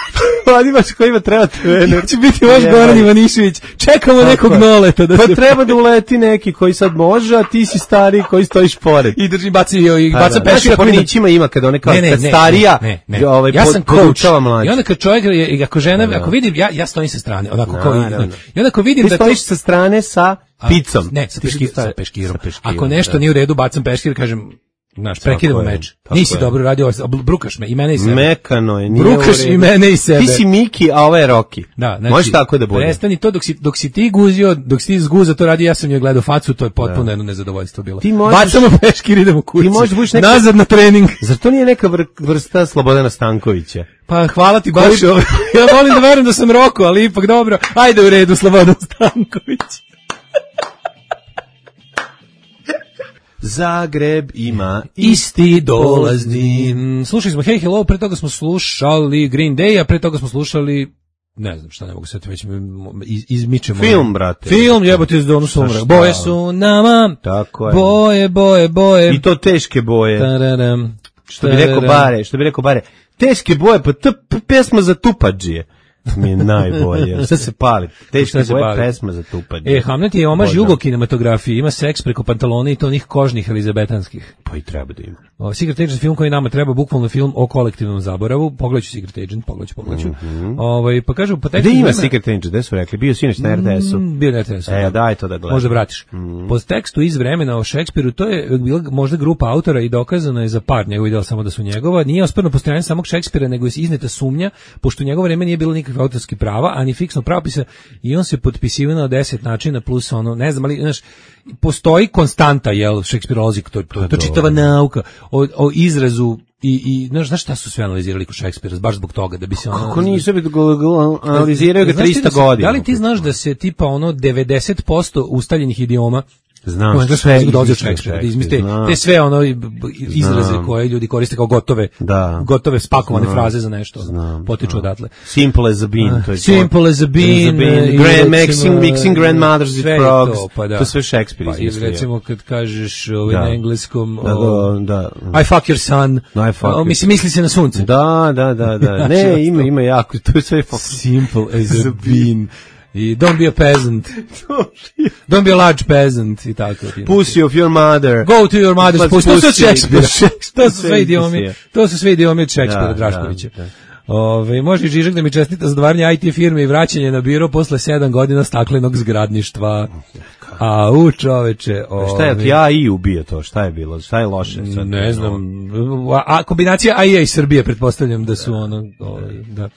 Vladimaš kojima treba trener. Će biti vaš Goran Ivanišević. Čekamo tako nekog noleta. Da pa se... treba da uleti neki koji sad može, a ti si stari koji stojiš pored. I drži baci i baca da, peškira. Znači, pornićima ima kad one kao, ne, ne, kad ne, starija ne, ne, ne. Ovaj, ja sam podučava mlađe. I onda kad čovjek, ako žena, da, ako vidim, ja, ja stojim sa strane, onako da, kao da, da. I onda ako vidim ti da... Ti stojiš sa strane sa picom. Ne, sa, peškir, sa, peškirom. sa peškirom. Ako nešto da. nije u redu, bacam peškir, kažem... Znaš, prekidamo meč. Nisi je. dobro radio, brukaš me i mene i sebe. Mekano je, nije brukaš i mene i sebe. Ti si Miki, a ovo je Roki. Da, znači, može tako da bude. Prestani to dok si, dok si ti guzio, dok si ti zguza to radi, ja sam joj gledao facu, to je potpuno da. jedno nezadovoljstvo bilo. Možeš, bacamo peškir, idemo kući. Ti možeš neka, nazad na trening. Zar to nije neka vr, vrsta Slobodana Stankovića? Pa hvala ti baš. Koji... ja volim da verujem da sam Roko, ali ipak dobro. Ajde u redu, Slobodan Stanković. Zagreb ima isti dolazni. Slušali smo Hey Hello, pre toga smo slušali Green Day, a pre toga smo slušali, ne znam šta, ne mogu sad već iz, izmičemo. Film, brate. Film, jebote, iz Donu Sumra. Boje su nama, tako je. Boje, boje, boje. I to teške boje. Tararam, što bi rekao Bare, što bi rekao Bare. Teške boje, pa to pesma za tupadžije. Mi je najbolje. Šta se pali? Teško je boje pesma za tupadje. E, Hamlet je omaž jugo kinematografiji. Ima seks preko pantalona i to onih kožnih elizabetanskih. Pa i treba da ima. O, Secret Agent film koji nama treba, bukvalno film o kolektivnom zaboravu. Pogledaću Secret Agent, pogledaću, pogledaću. Mm-hmm. Ovaj, pa kažu, po tekstu... Gde ima Secret Agent? Gde su rekli? Bio sinoć na R T S-u. Mm, bio na R T S-u. E, daj to da gledam. Možda vratiš. Mm. Po tekstu iz vremena o Šekspiru, to je bila možda grupa autora i dokazano je za par njegov idela samo da su njegova. Nije osporno postojanje samog Šekspira, nego je izneta sumnja, pošto u njegovo vreme nije bilo nikakve autorskih prava, ani fiksno pravopisa, i on se potpisivao na deset načina plus ono, ne znam, ali znaš, postoji konstanta, jel, šekspirolozi, to, to, to čitava nauka o, o izrazu i, i znaš, znaš šta su sve analizirali kod Šekspira, baš zbog toga da bi se ono... Kako nisu bi analiziraju ga trista godina? Da li ti znaš da se tipa ono devedeset posto ustaljenih idioma Znam, u engleskom jeziku dolazi od Šekspira, da izmisli te sve ono izraze znam. Koje ljudi koriste kao gotove, da. Gotove spakovane znam. Fraze za nešto, znam. Potiču odatle. Simple as a bean, to je Simple as a bean, grand mixing, mixing grandmothers with frogs, to, pa da. To sve Šekspir izmislio. Pa, recimo kad kažeš ovaj, na engleskom, da, o, da, da. I fuck your son, I fuck o, mislim, misli se na sunce. Da, da, da, da, ne, ima, ima jako, to je sve simple as a bean. I don't be a peasant. Don't be a large peasant i tako. Pussy of your mother. Go to your mother's pussy. To su od Šekspira. To su sve idiomi. To su sve idiomi od Šekspira, Draškovića. Ove, može i Žižak da mi čestita za dvaranje I T firme i vraćanje na biro posle sedam godina staklenog zgradništva. A u čoveče. Ove, šta je, ja i ubije to, šta je bilo, šta je loše? Sad, ne znam, a, a kombinacija A I A i Srbije, pretpostavljam da su ono, ove, da.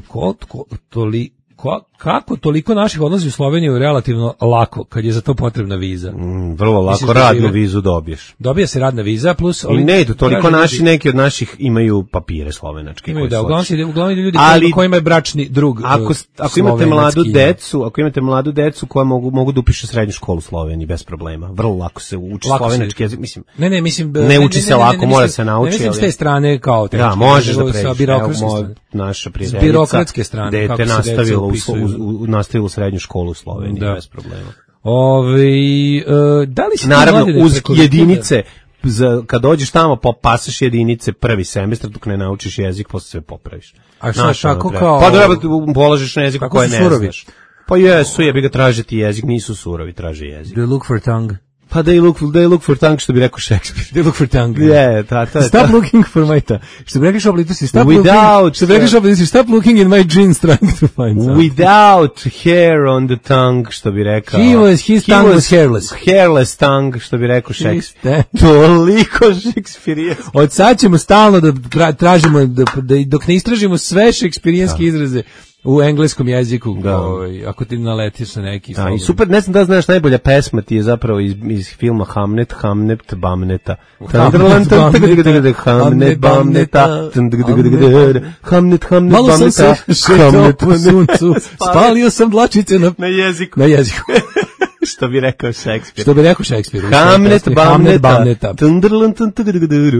Ko, ko, toli, Ko, kako toliko naših odlazi u Sloveniju relativno lako, kad je za to potrebna viza? Mm, vrlo lako, Misliš, radnu da vizu dobiješ. Dobija se radna viza, plus... I ne idu, toliko naši, ljudi, neki od naših imaju papire slovenačke. Imaju, da, uglavnom, uglavnom ljudi ali, koji imaju bračni drug ako, ako imate mladu decu, ako imate mladu decu koja mogu, mogu da upiše srednju školu u Sloveniji, bez problema. Vrlo lako se uči lako slovenački jezik, mislim. Ne, ne, mislim... Ne, ne uči ne, se ne, ne, lako, ne, mora se nauči. Ne mislim s te strane kao... Te, da, možeš da pređeš. Naša prijateljica, birokratske strane, dete nastavila u, u, u nastavila srednju školu u Sloveniji, da. Bez problema. Ove, uh, da li si naravno, uz jedinice, za, kad dođeš tamo, pasaš jedinice prvi semestar, dok ne naučiš jezik, posle sve popraviš. A šta, tako kao... Pa treba položiš na jeziku koje ne znaš. Pa jesu, jebi ga tražiti jezik, nisu surovi, traže jezik. Do you look for tongue? Pa they look, they look for tongue, što bi rekao Šekspir. They look for tongue. Yeah, ta, ta, stop ta. Looking for my tongue. Što bi rekao Šoblito si, stop Without, looking, što bi rekao Šoblito si, stop looking in my jeans trying to find something. Without hair on the tongue, što bi rekao. He was, his he tongue was, was hairless. Hairless tongue, što bi rekao Šekspir. Toliko šekspirijanski. Od sad ćemo stalno da tra, tražimo, da, da, dok ne istražimo sve šekspirijanske izraze u engleskom jeziku, ovaj, ako ti naletiš na neki... Da, i super, ne znam da znaš, najbolja pesma ti je zapravo iz, iz filma Hamnet, Hamnet, Bamneta. Hamnet, Hamnet, Bamneta, Hamnet, Hamnet, malo sam se šetao po suncu, spalio sam dlačice na, na jeziku. Na jeziku. Što bi rekao Šekspir. Što bi rekao Šekspir. Hamnet, Bamneta.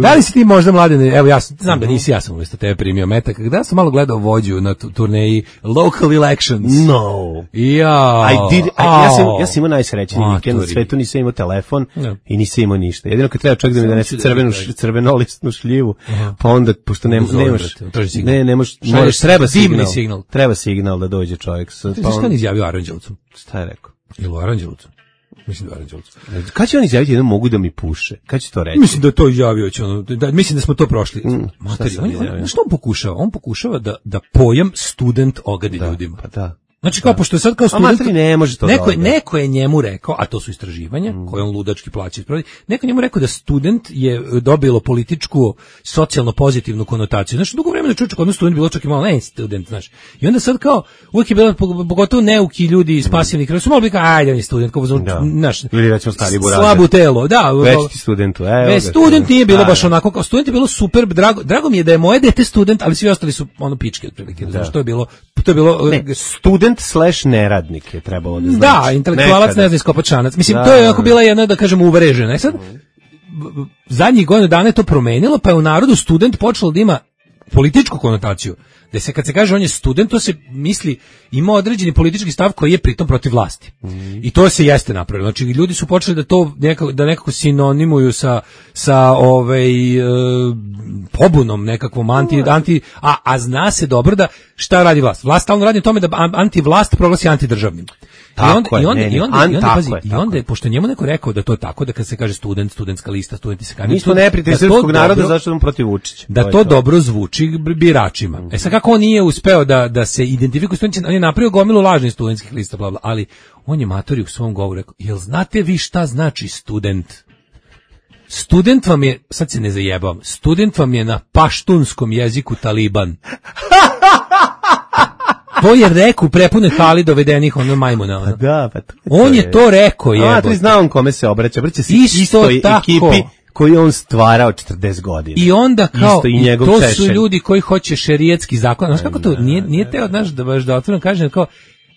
Da li si ti možda mladine, evo ja znam da nisi, ja sam umjesto tebe primio metak, kada sam malo gledao vođu na turneji Local Elections. No. Ja. I did, I, ja sam, ja sam imao najsrećeniji vikend na svetu, nisam imao telefon no. I nisam imao ništa. Jedino kad treba čovjek da mi donese crvenu, crvenolistnu šljivu, uh-huh. Pa onda, pošto ne, nemaš, ne, nemaš, moraš, treba signal, signal, treba signal da dođe čovjek. Pa ti što on izjavio Aranđelovcu? Šta je rekao? Ili u Aranđelovcu? Mislim da je Aranđelovcu. Kad će on izjaviti jedno mogu da mi puše? Kad će to reći? Mislim da je to izjavio. Će ono, da, mislim da smo to prošli. Mm, Materi, on, on, što on pokušava? On pokušava da, da pojam student ogadi da, ljudima. Pa da. Znači kao, pošto je sad kao student, ne može to neko, neko je njemu rekao, a to su istraživanja, mm. koje on ludački plaća, neko je njemu rekao da student je dobilo političku, socijalno pozitivnu konotaciju. Znači, dugo vremena čuče kod nas student bilo čak i malo, ne student, znaš. I onda sad kao, uvijek je bilo, pogotovo neuki ljudi iz pasivnih kraja, su malo bili kao, ajde, on je student, kao, znaš, ili rećemo stari burazer. Slabu telo, da. Već ti studentu, evo ga. Student nije bilo baš onako, kao student je bilo super, drago, drago mi je da je moje dete student, ali svi ostali su ono pičke otprilike, znači, to je bilo, to je bilo, ne, student slash neradnik je trebalo da znači. Da, intelektualac ne zna iskopačanac. Mislim, da, to je ako bila jedna, da kažem, uvrežena. I sad, zadnjih godina dana je to promenilo, pa je u narodu student počelo da ima političku konotaciju. Da se kad se kaže on je student, to se misli ima određeni politički stav koji je pritom protiv vlasti. Mm. I to se jeste napravilo. Znači ljudi su počeli da to nekako, da nekako sinonimuju sa sa ovaj e, pobunom nekakvom anti anti a a zna se dobro da šta radi vlast. Vlast stalno radi o tome da antivlast proglasi antidržavnim. I onda i onda i onda i onda pazi, i onda je, pošto njemu neko rekao da to tako, da kad se kaže student, studentska lista, studenti se kandiduju. Mi smo neprijatelji srpskog naroda, zašto nam protiv Vučića. Da to, to dobro zvuči biračima. Mm. E sad kako on nije uspeo da da se identifikuje studenti, on je napravio gomilu lažnih studentskih lista, bla bla, ali on je matori u svom govoru rekao: "Jel znate vi šta znači student?" Student vam je, sad se ne zajebavam, student vam je na paštunskom jeziku Taliban. To je reku prepune hali dovedenih ono majmuna. Ono. Da, pa to je on je to rekao, je. A, ti zna on kome se obraća, obraća se istoj ekipi koju on stvarao četrdeset godina. I onda kao, i, i to češelj. Su ljudi koji hoće šerijetski zakon. Znaš kako to, nije, nije teo, znaš, da baš da otvoreno kažem, kao,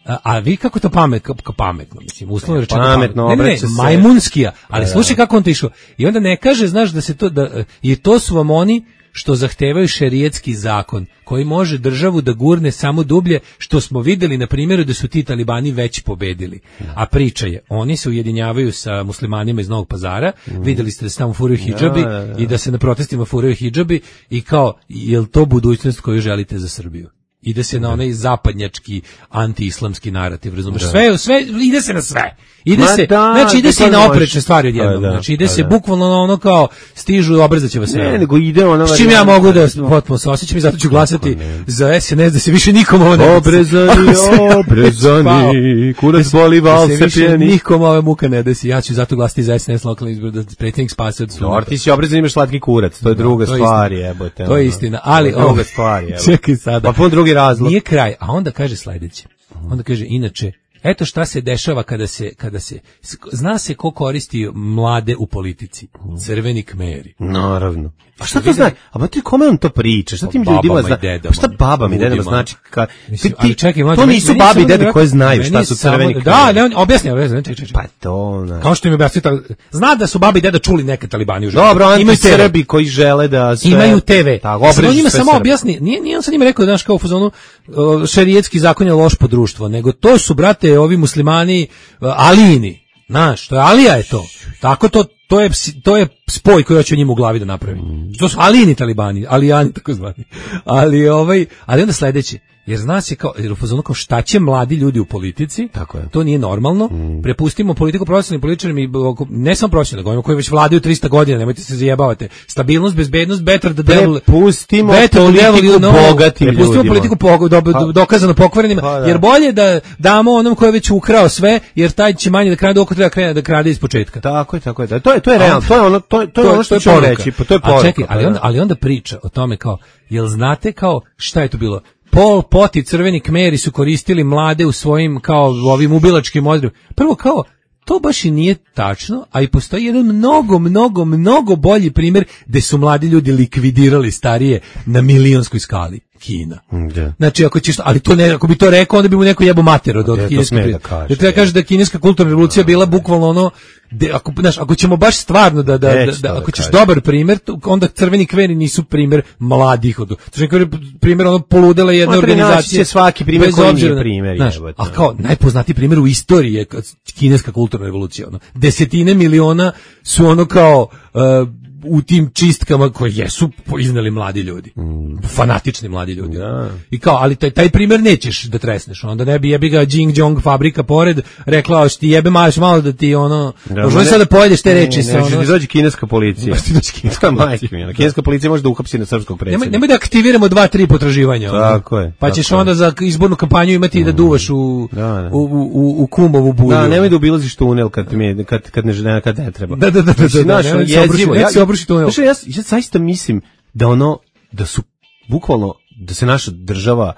A, a vi kako to pamet, kako pametno, mislim, uslovno rečeno pametno, pametno. Ne, ne, ne, majmunskija, ali slušaj kako on to išao. I onda ne kaže, znaš, da se to, da, i to su vam oni što zahtevaju šerijetski zakon, koji može državu da gurne samo dublje, što smo videli na primjeru da su ti talibani već pobedili. A priča je, oni se ujedinjavaju sa muslimanima iz Novog Pazara, mm. videli ste da se tamo furaju hidžabi, da, da, da. I da se na protestima furaju hidžabi i kao, je li to budućnost koju želite za Srbiju? Ide se na onaj zapadnjački anti-islamski narativ, razumeš? Sve, sve, ide se na sve. Ide Ma se, da, znači ide se i na oprečne stvari odjednom. Da, znači ide se da. bukvalno na ono kao stižu, obrzaće vas sve. Ne, nego ide ona. S čim ja mogu da potpuno se osjećam i zato ću glasati za S N S da se više nikom ovo ne obrezani, obrezani, kurac boli, val se pijeni. Nikom ove muka ne desi. Ja ću zato glasati za S N S lokalni izbor da predsjednik spase od suda. Ti si obrezan, imaš slatki kurac, to je druga stvar, jebote. To je istina, ali druga stvar, jebote. Čekaj sada. Pa drugi razlog. Nije kraj, a onda kaže sledeće. Onda kaže, inače, eto šta se dešava kada se, kada se, zna se ko koristi mlade u politici. Crveni Kmeri. Naravno. A šta to znači? A ba ti kome on to priča? Šta tim ljudima zna? Pa šta babama i dedama znači? Ka, Mislim, ti, čekaj, mlađe, to nisu babi i dede koje znaju šta su crveni Kmeri. Da, ne, on objasni, objasni, čekaj, čekaj. Pa to, ne. Kao što im objasni, zna da su babi i deda čuli neke talibani u životu. Dobro, imaju Srbi koji žele da sve... Imaju te ve. Tako, on njima samo objasni, nije, nije on sa njima rekao da naš kao u fazonu šerijetski zakon je loš po društvo, nego to su, brate, ovi muslimani alijini. Znaš, to je Alija je to. Tako to, to je, to je spoj koji hoće njima u glavi da napravi. To su alijini talibani, alijani tako zvani. Ali, ovaj, ali onda sledeće. Jer zna se kao, jer u fazonu kao šta će mladi ljudi u politici, tako je. To nije normalno, mm. prepustimo politiku profesionalnim političarima i ne samo profesionalnim, govorimo koji već vladaju trista godina, nemojte se zajebavate, stabilnost, bezbednost, better the devil, prepustimo politiku no, bogatim ljudima. Prepustimo politiku po, do, do, dokazano pokvarenima, pa, da. Jer bolje da damo onom koji je već ukrao sve, jer taj će manje da krade oko treba krene da krade iz početka. Tako je, tako je, da. To je, to je realno, to je ono, to, to je ono što ću reći, pa to je poruka. A čekaj, ali onda, ali onda priča o tome kao, jel znate kao, šta je to bilo? Pol Pot i Crveni Kmeri su koristili mlade u svojim kao ovim ubilačkim odredbama. Prvo kao, to baš i nije tačno, a i postoji jedan mnogo, mnogo, mnogo bolji primjer gde su mladi ljudi likvidirali starije na milionskoj skali. Kina. Yeah. Znači ako ćeš, ali to ne, ako bi to rekao, onda bi mu neko jebo mater od yeah, kineske. Da kaže, treba kaže da kineska kulturna revolucija bila bukvalno ono, de, ako, znaš, ako ćemo baš stvarno da, da, da, da ako ćeš dobar primjer, onda Crveni Kmeri nisu primjer mladih od. Crveni Kmeri primjer ono poludela jedna organizacija. Svaki primjer koji nije primjer. Znaš, a kao najpoznatiji primjer u istoriji je kineska kulturna revolucija. Ono. Desetine miliona su ono kao uh, u tim čistkama koje jesu iznali mladi ljudi. Mm. Fanatični mladi ljudi. Ja. I kao, ali taj, taj primjer nećeš da tresneš. Onda ne bi jebi ga Jing Jong fabrika pored rekla, što ti jebe maš malo da ti ono, da, možda sad da pojedeš te reči. Ne, ne, ne, ne, dođe kineska policija. Kineska policija može da uhapsi na srpskog predsjednika. Nemoj, nemoj da aktiviramo dva, tri potraživanja. Tako je. Pa ćeš onda za izbornu kampanju imati mm. da duvaš u, da, da. u, u, u kumovu bulju. Da, nemoj da obilaziš tunel kad, mi, kad, kad, ne, kad ne treba. Da, da, da. da, da, da, da jezivo. Ja, Znači, ja, ja zaista mislim da ono, da su bukvalno, da se naša država,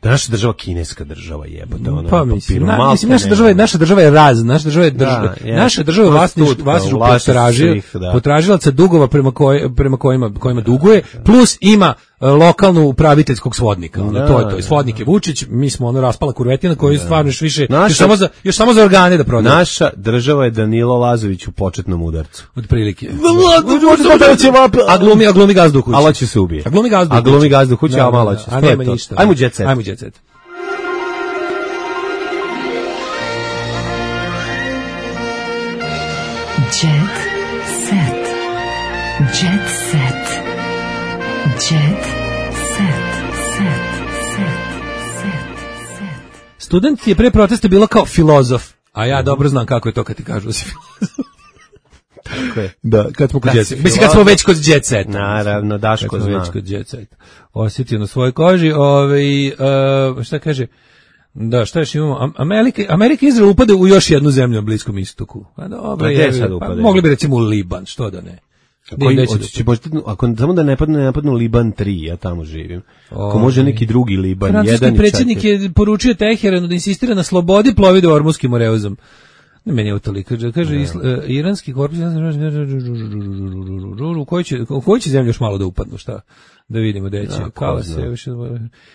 da naša država kineska država jebote, ono, pa mislim, na, mislim naša država je, naša država je raz, naša država je država, da, naša država je vlasništvo, vlasništvo potražila, potražilaca dugova prema koj, prema kojima, kojima duguje, plus ima lokalnu upraviteljskog svodnika. Ono, da, to je to. Svodnik je Vučić, mi smo ono raspala kurvetina koju da. Stvarno još više, naša, još, samo za, još samo za organe da prodaje. Naša država je Danilo Lazović u početnom udarcu. Od prilike. A glumi, a glumi gazdu kući. Allah će se ubije. A glumi gazdu kući. A glumi gazdu kući, a malo će. A nema ništa. Ajmo jet set. Ajmo jet set. Jet set. Jet set. Jet set, set, set, set, set. Student je pre protesta bilo kao filozof, a ja dobro znam kako je to kad ti kažu da si filozof. Tako je. Da, kad smo kod jet seta. Mislim, kad smo već kod jet seta. Naravno, Daško kad zna. Već kod jet seta. Osjetio na svojoj koži, ovaj, uh, šta kaže, da, šta još imamo, Amerika, Amerika i Izrael upade u još jednu zemlju na Bliskom istoku. Pa dobro, je, pa, mogli bi recimo u Liban, što da ne. Koji, će, možete, ako samo da ne padne, ne napadnu Liban tri, ja tamo živim. Ako o, može neki drugi Liban, jedan i četiri. Predsjednik je poručio Teheranu da insistira na slobodi plovide Ormuškim Moreuzom. Meni je u toliko. Kaže, Ne. isla, uh, iranski korpus, u kojoj će, u kojoj će zemlju još malo da upadnu, šta? Da vidimo gde će. Da, Kao ko se, zna. više,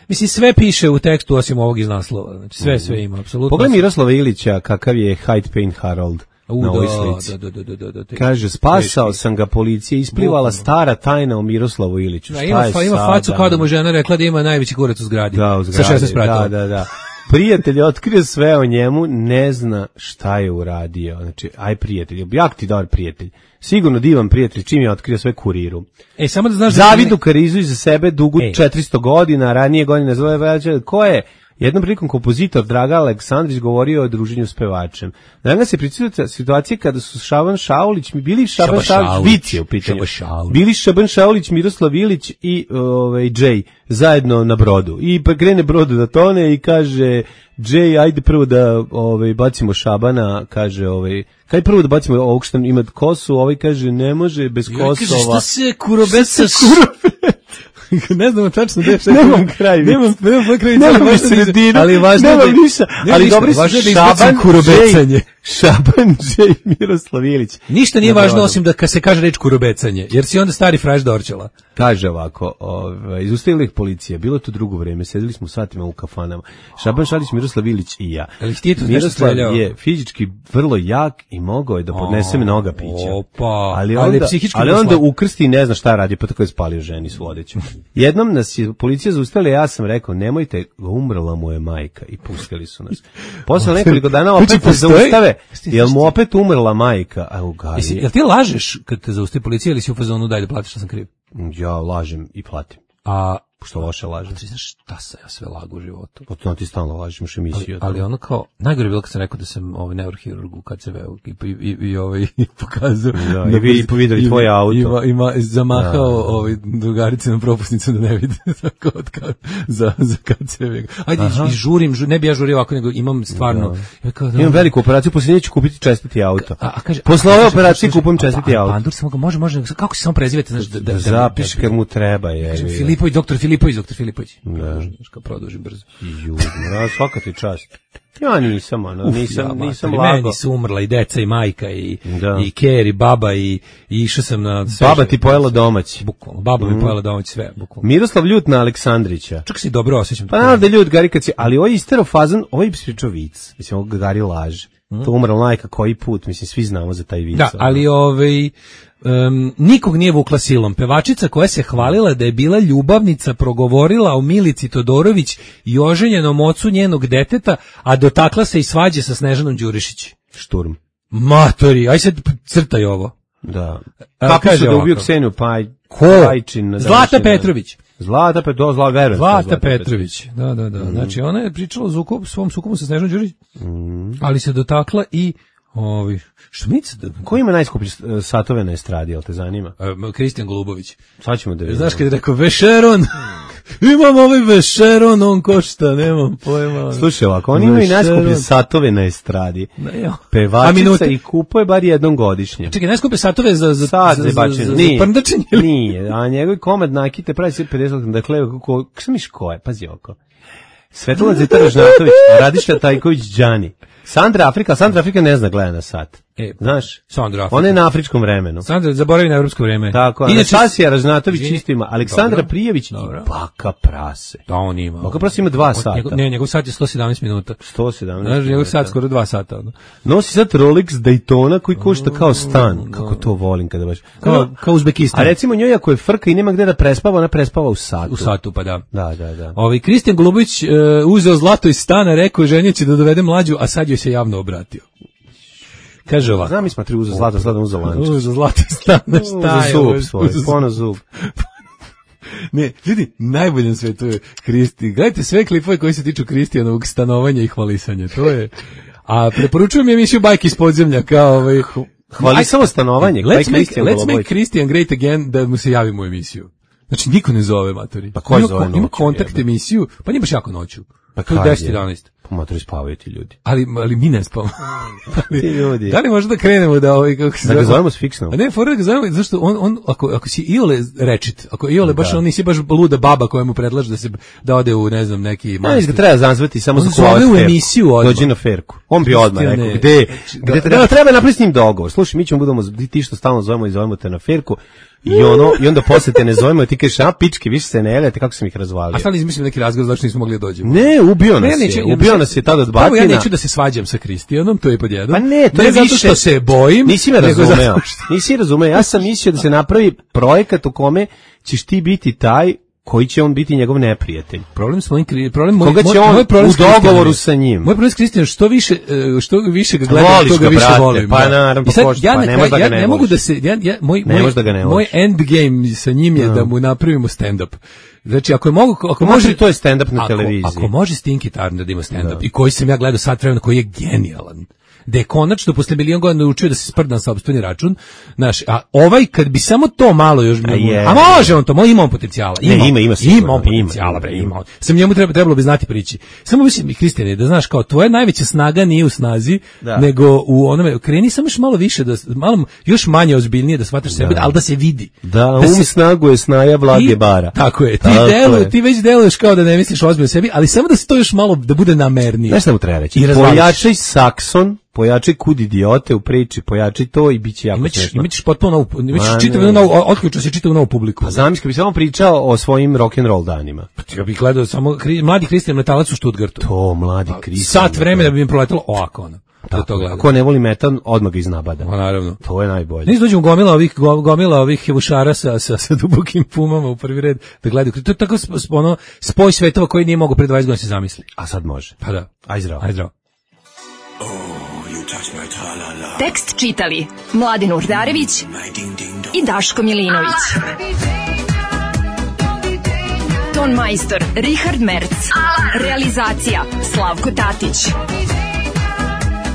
mislim, sve piše u tekstu osim ovog iz naslova. Znači, sve, sve ima, apsolutno. Pogledaj Miroslava Ilića, kakav je Hyde Payne Harold U, na ovoj da, slici. da, da, da, da, da, te- Kaže, spasao teški. sam ga, policija isplivala Bukvalno. stara tajna o Miroslavu Iliću. Da, Šta ima, je fa, ima sada? facu kao da mu žena rekla da ima najveći kurac u zgradi. Da, u Sa zgradi, šesnaest pratova. Da, da, da. Prijatelj je otkrio sve o njemu, ne zna šta je uradio. Znači, aj prijatelj, jak ti dobar prijatelj. Sigurno divan prijatelj, čim je otkrio sve kuriru. E, samo da znaš da... Zavidu Karizu iza sebe dugu Ej. četiristo godina, ranije godine zove veća. Ko je? Jednom prilikom kompozitor Draga Aleksandrić govorio o druženju s pevačem. Draga se pričita situacije kada su Šaban Šaulić, bili Šaban Šaban Šaulić, Šaulić, Vic je u pitanju. Šaban Šaulić. Bili Šaban Šaulić, Miroslav Ilić i ovaj Jay zajedno na brodu. I pa krene brodu da tone i kaže Jay, ajde prvo da ovaj bacimo Šabana, kaže ovaj, kaj prvo da bacimo ovog što ima kosu, ovaj kaže ne može bez Joj, kaže, Kosova. šta se kurobeca... ne znam tačno gde je. Nemam kraj vic. Nemam, nemam kraj vic, Nemam ali ni važno da- sredinu, ali važno nemam da- ništa, nema ali ništa, dobri su važno je da Šaban, izbacim kurobecanje. Jay, Šaban, Jay, Miroslav Ilić. Ništa nije Na važno brodu. osim da kad se kaže reč kurobecanje, jer si onda stari fraš Dorčela. Kaže ovako, ovaj, izustavila ih policija, bilo je to drugo vreme, sedeli smo satima u kafanama. Šaban Šalić, Miroslav Ilić i ja. Ali ti je tu nešto Miroslav streljao? je fizički vrlo jak i mogao je da podnese mnoga pića. Opa, ali ali onda, psihički ali bio onda slab. ukrsti i ne zna šta radi, pa tako je spalio ženi s vodećom. Jednom nas je policija zaustavila, ja sam rekao, nemojte, umrla mu je majka i pustili su nas. Posle nekoliko dana Znači, opet se postoji- zaustave, jel mu opet umrla majka? A u Gari. Jesi, jel ti lažeš kad te zaustavi policija ili si u fazonu daj da platiš što sam kriv? Ja lažem i platim. A Što loše lažem. ti znaš šta sam ja sve lagu u životu? Potom ti stalno lažeš, imaš emisiju. Ali ono kao, najgore je bilo kad sam rekao da sam ovaj neurohirurg u K C V-u i, i, i, i ovaj, i pokazao. Da, i vi videli i- tvoj auto. Ima, ima zamahao Da. ovaj, drugarice na propusnicu da ne vide tako od ka, za, za K C V. Ajde, i žurim, žurim, ne bi ja žurio ovako, nego imam stvarno. Ja kao, da, Imam veliku operaciju, poslije ću kupiti čestiti auto. A, a kaže, Posle a, ove kaže, operacije kaže, kupujem a, čestiti a, auto. Pandur samo ga može, može, kako se samo prezivete, znaš, da, da, da, Zapiš da- kad mu treba, je. Kažem, Filipović, doktor Filipović, doktor Filipović. Da. Znaš, kao produžim brzo. Ju, mraz, svaka ti čast. Ja nisam, ono, nisam, Ja, nisam mater, lago. Meni su umrla i deca i majka i, Da. i ker i baba i, i išao sam na... sve Baba što- ti pojela domaći. Bukvalno, baba mi pojela domaći sve, bukvalno. Miroslav ljut na Aleksandrića. Čak se dobro osjećam. Pa naravno da je ljut Gari kad si, ali ovo je istero fazan, ovo je pričao vic. Mislim, ovo Gari laže. To umrla majka koji put, mislim, svi znamo za taj vic. Da, ali ovaj... Um, nikog nije vukla silom. Pevačica koja se hvalila da je bila ljubavnica progovorila o Milici Todorović i oženjenom ocu njenog deteta, a dotakla se i svađe sa Snežanom Đurišić. Šturm. Matori, aj sad crtaj ovo. Da. A, Kako kaže su da ovako. ubiju Kseniju Paj, Ko? Pajčin? na Zlata današnji dan? Petrović. Zlata Petrović, do, zla, verujem. da je Zlata Petrović, da, da, da. Znači, ona je pričala o zukobu, svom sukobu sa Snežanom Đurišić, ali se dotakla i ovi, što mi se... Ko ima najskuplje e, satove na estradi, jel te zanima? E, Kristijan Golubović. Sad ćemo da vidimo. Znaš kad je rekao Vešeron, imam ovaj Vešeron, on košta, nemam pojma. Slušaj ovako, oni imaju Vešeron. najskuplje satove na estradi. Ne, jo. A Pevačica minute? i kupuje bar jednom godišnje. Čekaj, najskupe satove za, za, Sad za, za za, bačenje. za, za Nije. prndačenje ili? Nije, a njegov komad nakite pravi sve pedeset, dakle, kako, kako miš ko je, pazi oko. Svetlana Zita Ražnatović, Radiša Tajković Đani. Sandra Afrika, Sandra Afrika ne zna gleda na sat. E, Znaš? Sandra Afrika. Ona je na afričkom vremenu. Sandra, zaboravi na evropsko vreme. Tako, Inače, Anastasija Ražnatović Izvini. isto ima, Aleksandra Dobro. Prijević i Dobro. Baka Prase. Da, on ima. Baka Prase ima dva On- sata. Njegov, ne, njegov sat je sto sedamnaest minuta. sto sedamnaest. Znaš, njegov minuta. sat skoro dva sata. Ono. Nosi sad Rolex Daytona koji košta kao stan. Kako to volim kada baš. Kao, kao Uzbekistan. A recimo njoj ako je frka i nema gde da prespava, ona prespava u satu. U satu, pa da. Da, da, da. Ovi Kristijan Golubović uh, uzeo zlato iz stana, rekao je ženje će da dovede mlađu, a sad joj se javno obratio. Kaže ovako. Znam mi smo tri uza zlata, sad uza lančić. Uzeo zlato iz stana, šta Uza je? zub ovo? svoj, Uzeo- pono zub. Ne, ljudi, najbolje na svetu je Kristi. Gledajte sve klipove koji se tiču Kristijanovog stanovanja i hvalisanja. To je... A preporučujem emisiju Bajke iz podzemlja kao ovaj... Hvali samo stanovanje. Let's Kaj make, Kristijan let's make Golubović? Christian great again da mu se javimo u emisiju. Znači, niko ne zove, matori. Pa ko Ima zove ko- Ima noću, kontakt jebe? emisiju, pa nije baš jako noću. Pa To je kad je? deset jedanaest. Pa matori spavaju ti ljudi. Ali, ali mi ne spavamo. Ti ljudi. Da li možda da krenemo da ovaj kako se da ga zovemo s fiksnom? A ne, fora da ga zovemo, zašto on, on ako, ako si iole rečit, ako iole baš on nisi baš luda baba koja mu predlaže da se da ode u ne znam neki manastir. Ne, ga treba zazvati samo za zove u emisiju odmah. Dođi na ferku. On bi odmah rekao gde, gde treba, da, treba napraviti s njim dogovor. Slušaj, mi ćemo budemo ti što stalno zovemo i zovemo te na ferku. I ono i onda posle te ne zovemo, ti kažeš a pičke, više se ne javljate, kako sam ih razvalio. A šta li izmislio neki razgovor zašto nismo mogli da dođemo? Ne, ubio nas ne, je. Ubio nas je tada od batina. Ja neću da se svađam sa Kristijanom, to je pod jedan. Pa ne, to ne je zato više što se bojim. Nisi me razumeo. Nisi razumeo. Ja sam mislio da se napravi projekat u kome ćeš ti biti taj koji će on biti njegov neprijatelj. Problem s mojim problem moj, koga će on moj problem u dogovoru sa njim. Moj problem s Kristijanom što više što više ga gledam, to ga više brate, volim. Pa naravno, sad, pošto, ja pa ne možeš da ga ne, ja ne mogu da se ja, ja moj ne moj, da ga ne moj end game sa njim je no. da mu napravimo stand up. Znači ako je mogu ako može, može to je stand up na ako, televiziji. Ako može Stinky Turner da ima stand up i koji sam ja gledao sat vremena koji je genijalan. Da je konačno posle milion godina naučio da se sprdam sa sopstveni račun, znaš, a ovaj kad bi samo to malo još a, je, a može on to, mo ima on potencijala, ima, ne, ima, ima, sigurno, ima on potencijala, bre, ima. ima. Sam njemu treba, trebalo bi znati priči. Samo mislim mi Kristijane da znaš kao tvoja najveća snaga nije u snazi, da. nego u onome kreni samo još malo više da malo još manje ozbiljnije da shvataš sebe, al da se vidi. Da, da um se, snagu je snaja Vlage ti, bara. Tako je. Ti delu, ti već deluješ kao da ne misliš ozbiljno sebi, ali samo da se to još malo da bude namernije. Znaš šta mu treba reći? Pojačaj sakson. Pojačaj kud idiote u priči, pojačaj to i biće jako smešno. Imaćeš potpuno novu, imaćeš čitavu novu, otključa se čitavu novu publiku. Pa zamisli kad bi samo pričao o svojim rock and roll danima. Pa ti bih gledao samo kri, mladi Kristijan Metalac u Stuttgartu. To mladi Kristijan. Sat vremena bi im proletelo ovako ono. Da to gleda. Ko ne voli metal, odmah ga iznabada. Pa naravno. To je najbolje. Nis dođemo gomila ovih gomila ovih hevušara sa sa sa dubokim pumama u prvi red da gledaju. To je tako ono spoj svetova koji nije mogao pre dvadeset godina se zamisli. A sad može. Pa da. Aj zdravo. Aj zdravo. Tekst čitali Mladin Urdarević i Daško Milinović. Ton majstor Richard Merc. Realizacija Slavko Tatić.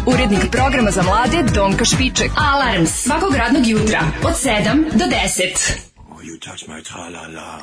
Urednik programa za mlade Donka Špiček. Alarms svakog radnog jutra od sedam do deset. Oh, you touch my tra-la-la.